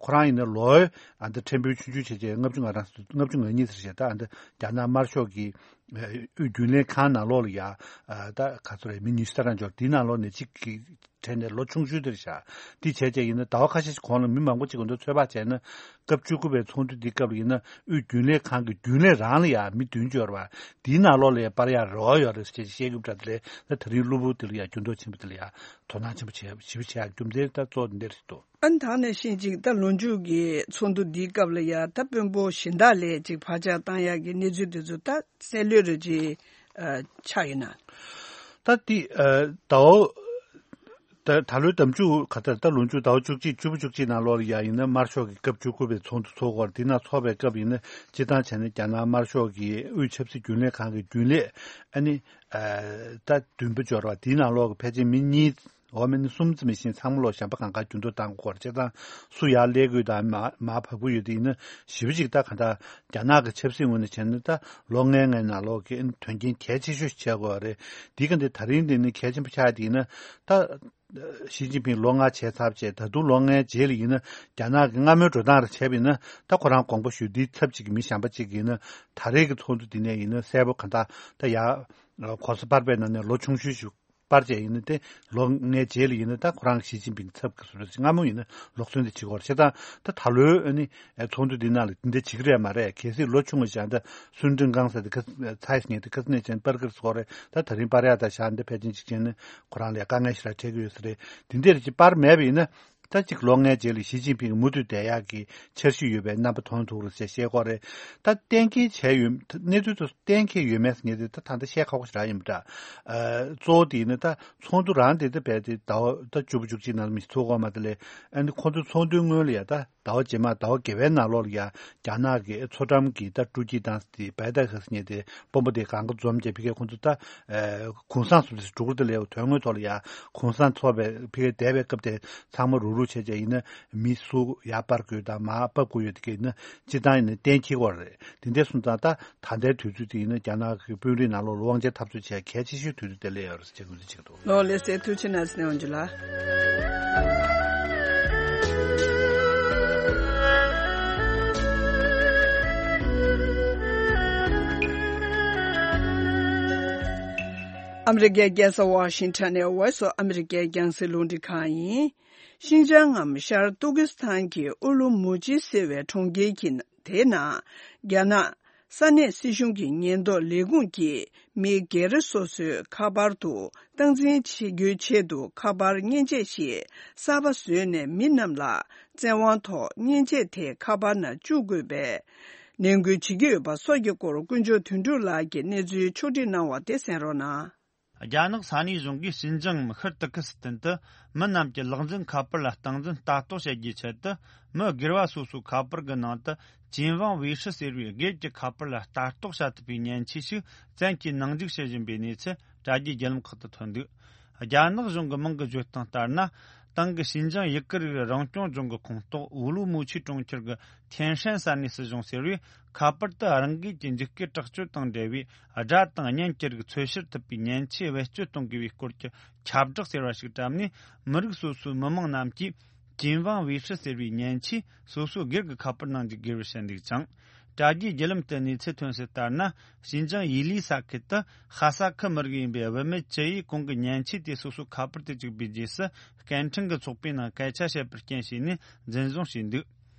ཁོ་རང་ཡིན་ན་ལོ་ཨ་འདི་ཕྲན་བུ་ཆུང་ཆུང་བྱས་བྱས་ལྔ་བཅུ་ང་རང་ལྔ་བཅུ་ང་གཉིས་ཟེར་བྱས་ད་ཨ་འདི་རྒྱ་ནག་དམར་ཤོག་གི་དབུས་རྒྱུན་ལས་ཁང་ནང་ལོགས་ལ་ཡ་ད་ག་ཚོད་རེད་མི་ཉི་ཤུ་ལྷག་འབྱོར་དེའི་ནང་ལོགས་ནས་གཅིག་གི་གྲས་ནས་ལོ་ཆུང་ཤོས་དེ་རེད་ཤག་དེ་བྱས་བྱས་ཡིན་ན་ཟླ་བ་ཁ་ཤས་ཤིག་གོང་ལ་མི་མང་པོ་ཅིག་གི་འདུག་ཚོད་དཔག་བྱས་ན་སྐབས་བཅུ་དགུ་པའི་ཚོགས་འདུ་འདིའི་སྐབས་ལ་ཡིན་ན་དབུས་རྒྱུན་ལས་ཁང་གི་རྒྱུན་ལས་རང་ལ་ཡང་མི་བདུན་འབྱོར་བ་དེའི་ནང་ལོགས་ལ་ཡང་སྤར་ཡག་རེ་བ་ཡོད་རེད་ཟེར་བྱས་བཤད་རྒྱུ་འདྲ་དེ་ལས་ད་ད་རིང་གློ་བུར་དེ་ལ་ཡང་འགྱུར་ལྡོག་ཆེན་པོ་དེ་ལ་ཡང་དོ་སྣང་ཆེན་པོ་བྱས་ཞིབ་བྱེད་ཡག་རྒྱུ་མཚན་ད་གཙོ་བོ་འདི་འདྲ་ཞིག་འདུག་ཨ་ནི་ད་ནང་བཞིན་ཅིག་ད་ལོ་མཇུག་གི་ཚོགས་འདུ་འདིའི་སྐབས་ལ་ཡང་ད་དཔོན་པོ་གཞན་དག་ལ་ཅིག་བག་ཆགས་བཏང་ཡག་གི་གནས་ཚུལ་དེ་ཚོ་ད་གསལ་ལོས་རེ་ཅིག་ཆགས་ཡོད་ན། ད་དེ་ད་འོ། ད་ད་ལོའི་ཟླ་མཇུག་ག་ད་ད་ལོ་མཇུག་ཟླ་བ་བཅུ་གཅིག་བཅུ་པོ་བཅུ་གཅིག་ནང་ལོགས་ལ་ཡ་ཡིན་ན་དམར་ཤོག་གི་སྐབས་བཅུ་དགུ་པའི་ཚོགས་འདུ་ཚོགས་སྐོར་དེ་ནང་ཚོགས་པའི་སྐབས་ཡིན་ན་སྤྱིར་བཏང་བྱས་ན་རྒྱ་ནག་དམར་ཤོག་གི་དབུས་ཆབ་སྲིད་རྒྱུན་ལས་ཁང་གི་རྒྱུན་ལས་ཨ་ནི་ད་བདུན་པ་འབྱོར་བ་དེའི་ནང་ལོགས་ཀྱི་ཕལ་ཆེར་མི་གཉིས་འོ་མི་ནི་གསུམ་ཙམ་མི་ཤིང་ཚང་མ་ལོ་གཞན་པ་གང་ག་འགྱུར་ལྡོག་བཏང་དགོས་སྐོར་བྱས་ཙང་སུ་ཡར་སླེབས་དགོས་དང་མ་མར་བབས་དགོས་ཡོད་དེ་ཡིན་ན་ཞེ་པོ་ཅིག་ད་ག་ད་རྒྱ་ནག་གི་ཆབ་སྲིད་ངོས་ནས་བྱས་ན་ད་ལོ་ལྔའི་ནང་ལོགས་ཀྱི་དོན་རྐྱེན་གལ་ཆེ་ཤོས་ཤིག་བྱས་དགོས་པ་རེད། འདི་ག་འདི་ད་རིང་འདི་ནི་གལ་ཆེན་པོ་ཆགས་དེ་ཡིན་ན་ད། ཞི་ཅིན་ཕིང་ལོ་ལྔ་བྱས་ཚར་བྱས་ད་དུང་ལོ་ལྔའི་རྗེས་ལ་ཡིན་ན་རྒྱ་ནག་གི་སྔ་མོའི་འགྲོ་སྟངས་རེ་བྱས་པ་ཡིན་ན་ད་ཁོ་རང་དགོངས་པ་ཞུ་འདིའི་ཚབ་ཅིག་གི་མི་གཞན་པ་ཅིག་ཡིན་ན་ད་རེས་ཀྱི་ཚོགས་འདུ་འདི་ནས་ཡིན་ན་གསལ་པོ་ག་འདྲ་ད་ཡ་གོང་ས་སྤར་པའི་ནང་ནས་ལོ་ཆུང་ཤོས་ཤིག་སྤར་བྱས་ཡིན་ན་དེ་ལོ་ལྔའི་རྗེས་ལ་ཡིན་ན་ད་ཁོ་རང་གི་ཞི་ཅིན་ཕིང་ཚབ་ཀྱི་བཟོ་འདྲ་ཅིག་སྔ་མོ་ཡིན་ན་ལོག་སོན་དེ་བྱེད་དགོས་རེད་བྱས་ཙང་ད་ད་ལོའི་ཨ་ནི་ཚོགས་འདུ་འདི་ནང་ལ་འདི་འདྲ་བྱེད་ཀྱི་རེད་མ་རེད། གལ་སྲིད་ལོ་ཆུང་བ་ཞིག་ད་སུན་ཀྲིང་ཀང་ཟེར་དེ་ཁ་ཚའི་ཉེ་དེ་ཁ་སྣེ་ཅན་སྤར་ཀིར་སྐོར་རེད། ད་ད་རིང་སྤར་ཡག་ད་ཤག་འདི་ཕལ་ཆེར་གཅིག་བྱས་ན་ཁོ་རང་ལ་དཀའ་ངལ་ཞིག་ལ་འཕྲད་ཀྱི་ཡོད་ས་རེད། དེ་འདྲ་ཅིག་སྤར་མེད་པ་ཡིན་ན་ ད་ཅིག་ལོ་ལྔའི་རྗེས་ལ་ཞི་ཅིན་ཕིང་གིས་མུ་མཐུད་བསྡད་ཡག་གི་འཆར་གཞི་ཡོད་པའི་རྣམ་པ་མཐོང་ཐུབ་རེད་ཟེར་བཤད་ཀྱི་ཡོད་རེད། ད་གཏན་འཁེལ་བྱས་ཡོད། གནས་ཚུལ་དེ་གཏན་འཁེལ་ཡོད་མེད་ཟེར་མཁན་དེ་ད་ད་ལྟ་བཤད་ཁག་པོ་ཞེ་དྲག་ཡིན་པ་འདྲ། ཨ། གཙོ་བོ་དེ་ཡིན་ན་ད་ཚོགས་འདུ་རང་དེ་ད་རྦད་དེ་ཟླ་བ་ད་བཅུ་པ་བཅུ་གཅིག་ནང་ལ་མི་ཚོགས་ཀྱི་ཡོད་མ་རེད་ལས། ཨ་ནི་ཁོང་ཚོའི་ཚོགས་འདུའི་སྔོན་ལ་ཡ་ད་ཟླ་བ་རྗེས་མ་ཟླ་བ་བརྒྱད་པའི་ནང་ལོགས་ལ་ཡ་རྒྱ་ནག་གི་མཚོ་འགྲམ་གྱི་ད་ཀྲུའུ་ཅི་ཏང་ཟེར་དེ་བྷའི་ཏ་ཧེ་ཟེར་མཁན་དེ་དཔོན་པོ་དེ་གང་ག་འཛོམས་བྱས་ཕ་གིར་ཁོང་ཚོ་ད་ཨ་གུང་སེང་བཟོ་འདྲ་ཞིག་འགྲོ་གི་རེད་དེ་ལས། དོན་དངོས་ཐོག་ལ་ཡ་གུང་སེང་ཚོགས་པའི་ཕ་གིར་བསྡད་པའི་སྐབས་དེ་ཚང་མ་རུག་རུག་བྱས་བྱས་ཡིན་ན་མི་སུ་ཡར་སྤར་དགོས་དང་མར་ཕབ་དགོས་ཡོད་དེ་གས་ཡིན་ན་སྤྱིར་བཏང་ཡིན་ན་གཏན་འཁེལ་གྱི་ཡོད་རེད། དེ་འདྲ་སོང་ཙང་ད་ད་ལྟའི་དུས་ཚོད་དེ་ཡིན་ན་རྒྱ་ནག་གི་དཔོན་རིགས་ནང་ལོགས་ལ་དབང་ཆ་འཐབ་རྩོད་བྱེད་གལ་ཆེ་ཤོས་དུས་ཚོད་དེ་སླེབས་ཡོད་རེད་ཅེས་ངོས་འཛིན་བྱེད་ཀྱི་འདུག། ལོ་ལེགས་སེ་ཐུགས་རྗེ་གནང་ཟིན་འོང་ཇུ་ལ། ཨ་མི་རི་ཀའི་རྒྱལ་ས་ཝ་ཤིང་ཊོན་ནས་Voice of America རྒྱང་སྲིང་རླུང་འཕྲིན་ཁང་ཡིན། ཤིན་ཅང་ངམ་ཤར་ཏུར་ཀི་སི་ཐན་གྱི་ཨུ་ལུ་མུ་ཆི་ཟེར་བའི་གྲོང་ཁྱེར་གྱི་དེའི་ནང་རྒྱ་ནག་ས་གནས་སྲིད་གཞུང་གི་ཉེན་རྟོག་ལས་ཁུངས་ཀྱིས་མི་སྒེར་སོ་སོའི་ཁ་པར་དུ་སྟངས་འཛིན་བྱེད་རྒྱུའི་ཆེད་དུ་ཁ་པར་མཉེན་ཆས་ཤིག་གསར་པ་བཟོས་ནས་མི་རྣམས་ལ་བཙན་དབང་ཐོག་མཉེན་ཆས་དེ་ཁ་པར་ནང་བཅུག་དགོས་པའི་ནན་སྐུལ་བྱེད་ཀྱི་ཡོད་པ་སོགས་ཀྱི་སྐོར་དཀོན་མཆོག་དོན་གྲུབ་ལགས་ཀྱིས་གནས་ཚུལ་ཕྱོགས་བསྒྲིགས་གནང་བ་དེ་གསན་རོགས་གནང་། རྒྱ་ནག་ས་གནས་གཞུང་གིས་ཤིན་ཅང་ངམ་ཤར་ཏུར་ཀི་སི་ཐན་དུ་མི་རྣམས་ཀྱི་ལག་འཛིན་ཁ་པར་ལ་སྟངས་འཛིན་ལྟ་རྟོག་བྱེད་རྒྱུའི་ཆེད་དུ། མི་སྒེར་བ་སོ་སོའི་ཁ་པར་གྱི་ནང་དུ་ཅིན་ཝང་ཝེ་ཧྲི་ཟེར་བའི་སྒེར་གྱི་ཁ་པར་ལ་ལྟ་རྟོག་བྱ་ཐུབ་པའི་མཉེན་ཆས་ཤིག་བཙན་གྱིས་ནང་འཇུག་བྱེད་བཞིན་པའི་གནས་ཚུལ་དྲ་རྒྱའི་བརྒྱུད་ལམ་ཁག་ཏུ་ཐོན་འདུག། རྒྱ་ནག་གཞུང་གི་མིང་གི་བརྗོད་སྟངས་ལྟར་ན། ཏང་གི་ཤིན་ཅང་ཡུ་གུར་རིགས་རང་སྐྱོང་ལྗོངས་ཀྱི་ཁོངས་གཏོགས་ཝུ་ལུ་མུ་ཆི་གྲོང་ཁྱེར་གྱི་ཐེན་ཧྲན་ས་གནས་སྲིད་གཞུང་ཟེར་བས། ཁ་པར་དུ་རང་འགུལ་གྱིས་འཇིགས་སྐུལ་དྲག་སྤྱོད་དང་འབྲེལ་བའི་སྒྲ་དང་བརྙན་གྱི་རིགས་འཚོལ་བཤེར་ཐུབ་པའི་མཉེན་ཆས་བེད་སྤྱོད་གཏོང་དགོས་པའི་སྐོར་གྱི་ཁྱབ་བསྒྲགས་ཟེར་བ་ཞིག་བཀྲམ་ནས། མི་རིགས་སོ་སོའི་མི་དམངས་རྣམས་ཀྱིས་ཅིན་ཝང་ཝེ་ཧྲི་ཟེར་བའི་མཉེན་ཆས་སོ་སོའི་སྒེར་གྱི་ཁ་པར་ནང་འཇུག་དགོས་པར་བཤད་འདུག་ཅིང་། དྲ་རྒྱའི་བརྒྱུད་ལམ་དུ་གནས་ཚུལ་ཐོན་གསལ་ལྟར་ན། ཤིན་ཅང་ཡི་ལི་ས་ཁུལ་དུ་ཧ་ས་ཁུལ་མི་རིགས་ཡིན་པའི་བུད་མེད་བཅུ་ཡིས་གོང་གི་མཉེན་ཆས་དེ་སོ་སོའི་ཁ་པར་དུ་བཅུག་པའི་རྗེས་སུ། སྐད་འཕྲིན་གྱི་ཚོགས་པའི་ནང་སྐད་ཆ་བཤད་པར་རྐྱེན་བྱས་ནས་འཛིན་བཟུང་བྱས་འདུག།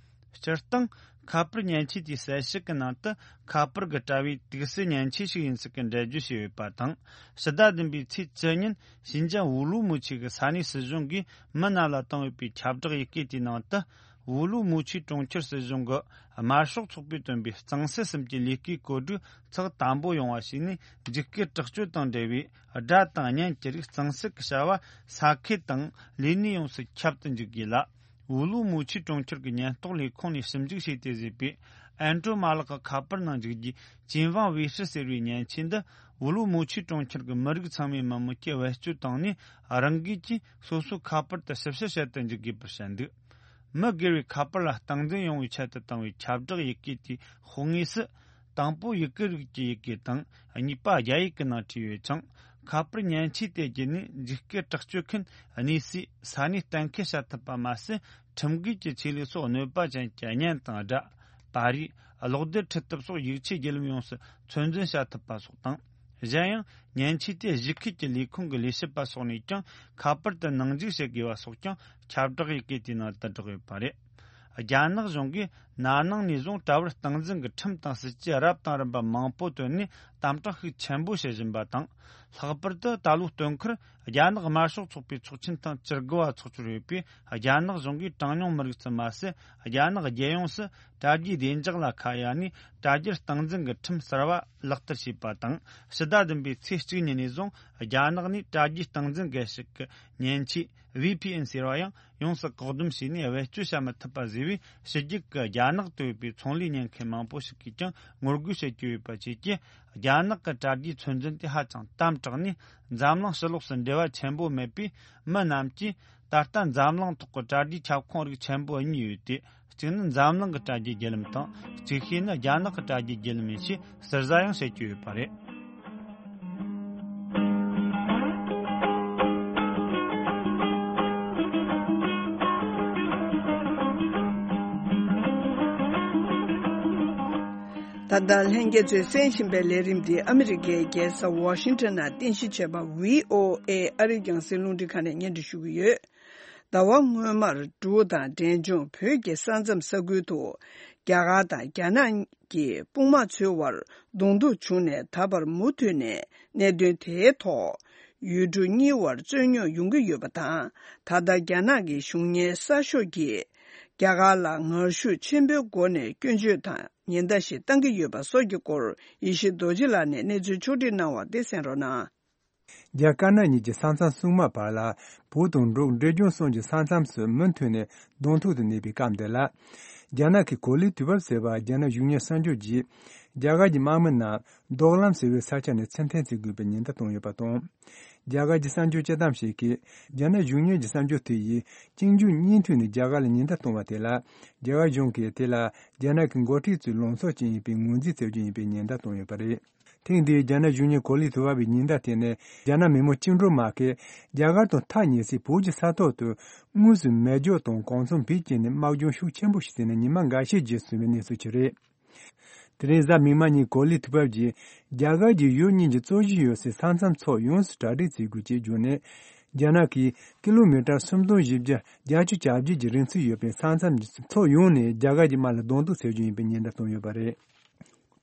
སྤྱིར་བཏང་། ཁ་པར་མཉེན་ཆས་དེའི་གསལ་བཤད་ཀྱི་ནང་དུ། ཁ་པར་གྱི་དྲ་བའི་དུག་སེལ་མཉེན་ཆས་ཤིག་ཡིན་ཚུལ་གྱི་འགྲེལ་བརྗོད་བྱས་ཡོད་པ་དང་། ཕྱི་ཟླ་བདུན་པའི་ཚེས་བཅུ་ཉིན་ཤིན་ཅང་ཝུ་ལུ་མུ་ཆི་གི་ས་གནས་སྲིད་གཞུང་གིས་མི་རྣམས་ལ་བཏང་ཡོད་པའི་ཁྱབ་བསྒྲགས་ཡི་གེ་དེའི་ནང་དུ། ཝུ་ལུ་མུ་ཆི་གྲོང་ཁྱེར་སྲིད་གཞུང་གི་དམར་ཤོག་ཚོགས་པས་བཏོན་པའི་གཙང་སེལ་གསུམ་གྱི་ལས་ཀའི་བཀོད་སྒྲིག་ཚགས་དམ་པོ་ཡོང་བ་བྱས་ནས། འཇིགས་སྐུལ་དྲག་སྤྱོད་དང་འབྲེལ་བའི་སྒྲ་དང་བརྙན་གྱི་རིགས་གཙང་སེལ་གྱི་བྱ་བ་ས་ཁུལ་དང་ལས་གནས་ཡོངས་སུ་ཁྱབ་ཏུ་འཇུག་དགོས་ལ། ཝུ་ལུ་མུ་ཆི་གྲོང་ཁྱེར་གྱི་ཉེན་རྟོག་ལས་ཁུངས་ནས་ཞིབ་འཇུག་བྱས་ཏེ་བཟོས་པའི་ཨན་ཀྲོ་མ་ལག་གི་ཁ་པར་ནང་འཇུག་རྒྱུའི་ཅིན་ཝང་ཝེ་ཧྲི་ཟེར་བའི་མཉེན་ཆས་འདི། ཝུ་ལུ་མུ་ཆི་གྲོང་ཁྱེར་གྱི་མི་རིགས་ཚང་མས་མི་མོས་ཀྱིས་བེད་སྤྱོད་བཏང་ནས། རང་འགུལ་གྱིས་སོ་སོའི་ཁ་པར་དུ་ཞིབ་བཤེར་བྱེད་དུ་འཇུག་དགོས་པར་བཤད་འདུག། མི་སྒེར་བའི་ཁ་པར་ལ་སྟངས་འཛིན་ཡོང་བའི་ཆེད་དུ་བཏང་བའི་ཁྱབ་བསྒྲགས་ཡི་གེ་དེའི་ཤོག་ངོས་སུ། དང་པོ་ཡུ་གུར་རིགས་ཀྱི་ཡི་གེ་དང་། གཉིས་པ་རྒྱ་ཡིག་གི་ནང་བྲིས་ཡོད་ཅིང་། ཁ་པར་མཉེན་ཆས་དེ་བརྒྱུད་ནས་འཇིགས་སྐུལ་དྲག་སྤྱོད་མཁན་གནས་སའི་ས་གནས་གཏན་འཁེལ་བྱ་ཐུབ་པ་མ་ཟད། ཁྲིམས་འགལ་གྱི་ཆེད་ལས་སོགས་གནོད་པ་ཅན་གྱི་བརྙན་དང་སྒྲ། པར་རིས། གློག་རྡུལ་འཕྲུལ་དེབ་སོགས་ཡིག་ཆའི་བརྒྱུད་ལམ་ཡོངས་སུ་ཚོད་འཛིན་བྱ་ཐུབ་པ་སོགས་དང་། གཞན་ཡང་། མཉེན་ཆས་དེ་གཞི་ཁུལ་གྱི་ལས་ཁུངས་ཀྱི་ལས་བྱེད་པ་སོགས་ནས་ཀྱང་ཁ་པར་དུ་ནང་འཇུག་བྱེད་དགོས་པ་སོགས་ཀྱང་ཁྱབ་བསྒྲགས་ཡི་གེ་དེའི་ནང་དུ་བསྒྲགས་ཡོད་པ་རེད། རྒྱ་ནག་གཞུང་གིས་ན་ནིང་ནས་བཟུང་དྲ་བར་སྟངས་འཛིན་གྱི་ཁྲིམས་དང་སྲིད་ཇུས་རབ་དང་རིམ་པ་མང་པོ་བཏོན་ནས་དམ་དྲག་ཤུགས་ཆེན་པོ་བྱེད་བཞིན་པ་དང་། ལྷག་པར་དུ་ད་ལོའི་སྟོན་ཁར་རྒྱ་ནག་དམར་ཤོག་ཚོགས་པའི་ཚོགས་ཆེན་ཐེངས་བཅུ་དགུ་བ་འཚོགས་འཆར་ཡོད་པས། རྒྱ་ནག་གཞུང་གིས་གྲངས་ཉུང་མི་རིགས་ཙམ་མ་ཟད། རྒྱ་ནག་རྒྱལ་ཡོངས་སུ་དྲ་རྒྱའི་བདེ་འཇགས་ལ་ཁ་གཡར་ནས། དྲ་རྒྱར་སྟངས་འཛིན་གྱི་ཁྲིམས་གསར་བ་ལག་བསྟར་བྱས་པ་དང་། ཕྱི་ཟླ་བདུན་པའི་ཚེས་གཅིག་ཉིན་ནས་བཟུང་རྒྱ་ནག་ནས་དྲ་རྒྱའི་སྟངས་འཛིན་སྒེར་ཞིག་གི་མཉེན་ཆས་ཝི་ཕི་ཨེན་ཟེར་བ་ཡང་ཡོངས་སུ་བཀག་སྡོམ་བྱས་ནས་བེད་སྤྱོད་བྱ་མི་ཐུབ་པ་བཟོས་པས། ཕྱི་རྒྱལ་གྱི་རྒྱ་ནག་ཏུ་ཡོད་པའི་ཚོང་ལས་གཉེར་མཁན་མང་པོ་ཞིག་གིས་ཀྱང་ངོ་རྒོལ་བྱེད་ཀྱི་ཡོད་པ་བཅས་ཀྱིས། རྒྱ་ནག་གི་དྲ་རྒྱའི་ཚོད་འཛིན་དེ་ཧ་ཅང་དམ་དྲག་ནས། འཛམ་གླིང་ཕྱི་ལོགས་སུ་འབྲེལ་བ་ཆེན་པོ་མེད་པས། མི་རྣམས་ཀྱིས་ད་ལྟ་འཛམ་གླིང་ཐོག་གི་དྲ་རྒྱའི་ཁྱབ་ཁོངས་རིགས་ཆེན་པོ་གཉིས་ཡོད་དེ། གཅིག་ནི་འཛམ་གླིང་གི་དྲ་རྒྱའི་བརྒྱུད་ལམ་དང་། ཅིག་ཤོས་ནི་རྒྱ་ནག་གི་དྲ་རྒྱའི་བརྒྱུད་ལམ་ཡིན་ཞེས་ཟུར་ཟ་ཡང་བྱེད་ཀྱི་ཡོད་པ་རེད། ད་ལྟ་ལྷན་རྒྱས་ཚོས་གསན་བཞིན་པའི་ལས་རིམ་འདི་ཨ་མི་རི་ཀའི་རྒྱལ་ས་ཝ་ཤིང་ཊོན་ནང་རྟེན་གཞི་བྱས་པ་བྷི་ཨོ་ཨེ་ཨ་རིའི་རྒྱང་སྲིང་རླུང་འཕྲིན་ཁང་ནས་སྙན་སྒྲོན་ཞུ་གི་ཡོད། ཟླ་བ་སྔོན་མར་འབྲུག་དང་འབྲས་ལྗོངས་བོད་ཀྱི་ས་མཚམས་ས་ཁུལ་དུ་རྒྱ་གར་དང་རྒྱ་ནག་གི་དཔུང་དམག་ཚོའི་བར་གདོང་ཐུག་བྱུང་ནས། ད་བར་མུ་མཐུད་ནས་གནད་དོན་དེའི་ཐོག་ ཡུལ་གྲུ་གཉིས་བར་རྩོད་རྙོག་ཡོང་གི་ཡོད་པ་དང་། ད་ལྟ་རྒྱ་ནག་གི་གཞུང་གཉེར་གསར་ཤོག་གིས་རྒྱ་གར་ལ་ངར་ཤུགས་ཆེན་པོའི་སྒོ་ནས་སྐྱོན་བརྗོད་དང་ཉེན་བརྡ་ཞིག་བཏང་གི་ཡོད་པ་སོགས་ཀྱི་སྐོར། ཡེ་ཤེས་རྡོ་རྗེ་ལགས་ནས་གནས་ཚུལ་ཕྱོགས་སྒྲིག་གནང་བ་དེ་གསན་རོགས་གནང་། རྒྱ་དཀར་ནག་གཉིས་ཀྱི་ས་མཚམས་སྲུང་དམག་བར་ལ་བོད་དང་འབྲུག་འབྲས་ལྗོངས་གསུམ་གྱི་ས་མཚམས་སུ་མུ་མཐུད་ནས་གདོང་ཐུག་ཏུ་གནས་པའི་སྐབས་འདི་ལ། རྒྱ་ནག་གི་གོ་ལའི་དུས་བབ་ཟེར་བ་རྒྱ་ནག་གཞུང་གཉེར་གསར་འགྱུར་གྱིས། རྒྱ་གར་གྱི་དམག་མི་རྣམས་རྡོག་ལམ་ཟེར་བའི་ས་ཆ་ནས་ཚུར་འཐེན་བྱེད་དགོས་པའི་ཉེན་བརྡ་བཏང་ཡོད་པ་དང་། རྒྱ་གར་གྱི་གསར་འགྱུར་དཔྱད་གཏམ་ཞིག་གིས། རྒྱ་ནག་གཞུང་གཉེར་གྱི་གསར་འགྱུར་དེ་ཡིས་གཅིག་མཇུག་གཉིས་མཐུད་ནས་རྒྱ་གར་ལ་ཉེན་བརྡ་བཏང་བ་དེ་ལ། རྒྱ་གར་གཞུང་གིས་དེ་ལ་རྒྱ་ནག་གི་འགོ་ཁྲིད་ཚོའི་ལངས་ཕྱོགས་ཅིག་ཡིན་པའི་ངོས་འཛིན་བྱ་རྒྱུ་ཡིན་པའི་ཉེན་བརྡ་བཏང་ཡོད་པ་རེད། ཐེངས་འདིའི་རྒྱ་ནག་གཞུང་གཉེར་གོ་ལའི་དུས་བབ་པའི་ཉེན་བརྡ་དེ་ནི། རྒྱ་ནག་མི་དམངས་བཅིངས་འགྲོལ་དམག་གིས་རྒྱ་གར་དང་ཐག་ཉེ་སའི་བོད་ཀྱི་ས་ཐོག་ཏུ་དངོས་སུ་མེ་སྒྱོགས་དང་གོ་མཚོན་བེད་སྤྱད་ནས་དམག་སྦྱོང་ཤུགས་ཆེན་པོ་ཞིག་བྱས་ནས་ཉི་མ་འགའ་ཤས་རྗེས་སུ་སོན་པའི་གནས་ཚུལ་ཞིག་རེད། དེ་རིང་གཟའ་མིག་དམར་ཉིན་གོ་ལའི་དུས་བབ་ཀྱིས་རྒྱ་གར་གྱི་ཡུལ་གཉིས་ཀྱི་རྩོད་གཞི་ཡོད་སའི་ས་མཚམས་ཕྱོགས་ཡོངས་སུ་གྲ་སྒྲིག་བྱེད་དགོས་ཅེས་བརྗོད་ནས། རྒྱ་ནག་གིས་ཀི་ལོ་མི་ཊར་སུམ་སྟོང་བཞི་བརྒྱ་བརྒྱད་ཅུ་གྱ་བརྒྱད་ཀྱི་རིང་ཚད་ཡོད་པའི་ས་མཚམས་ཀྱི་ཕྱོགས་ཡོངས་ནས་རྒྱ་གར་གྱི་དམག་ལ་གདོང་གཏུག་བྱེད་རྒྱུ་ཡིན་པའི་ཉེན་བརྡ་བཏང་ཡོད་པ་རེད།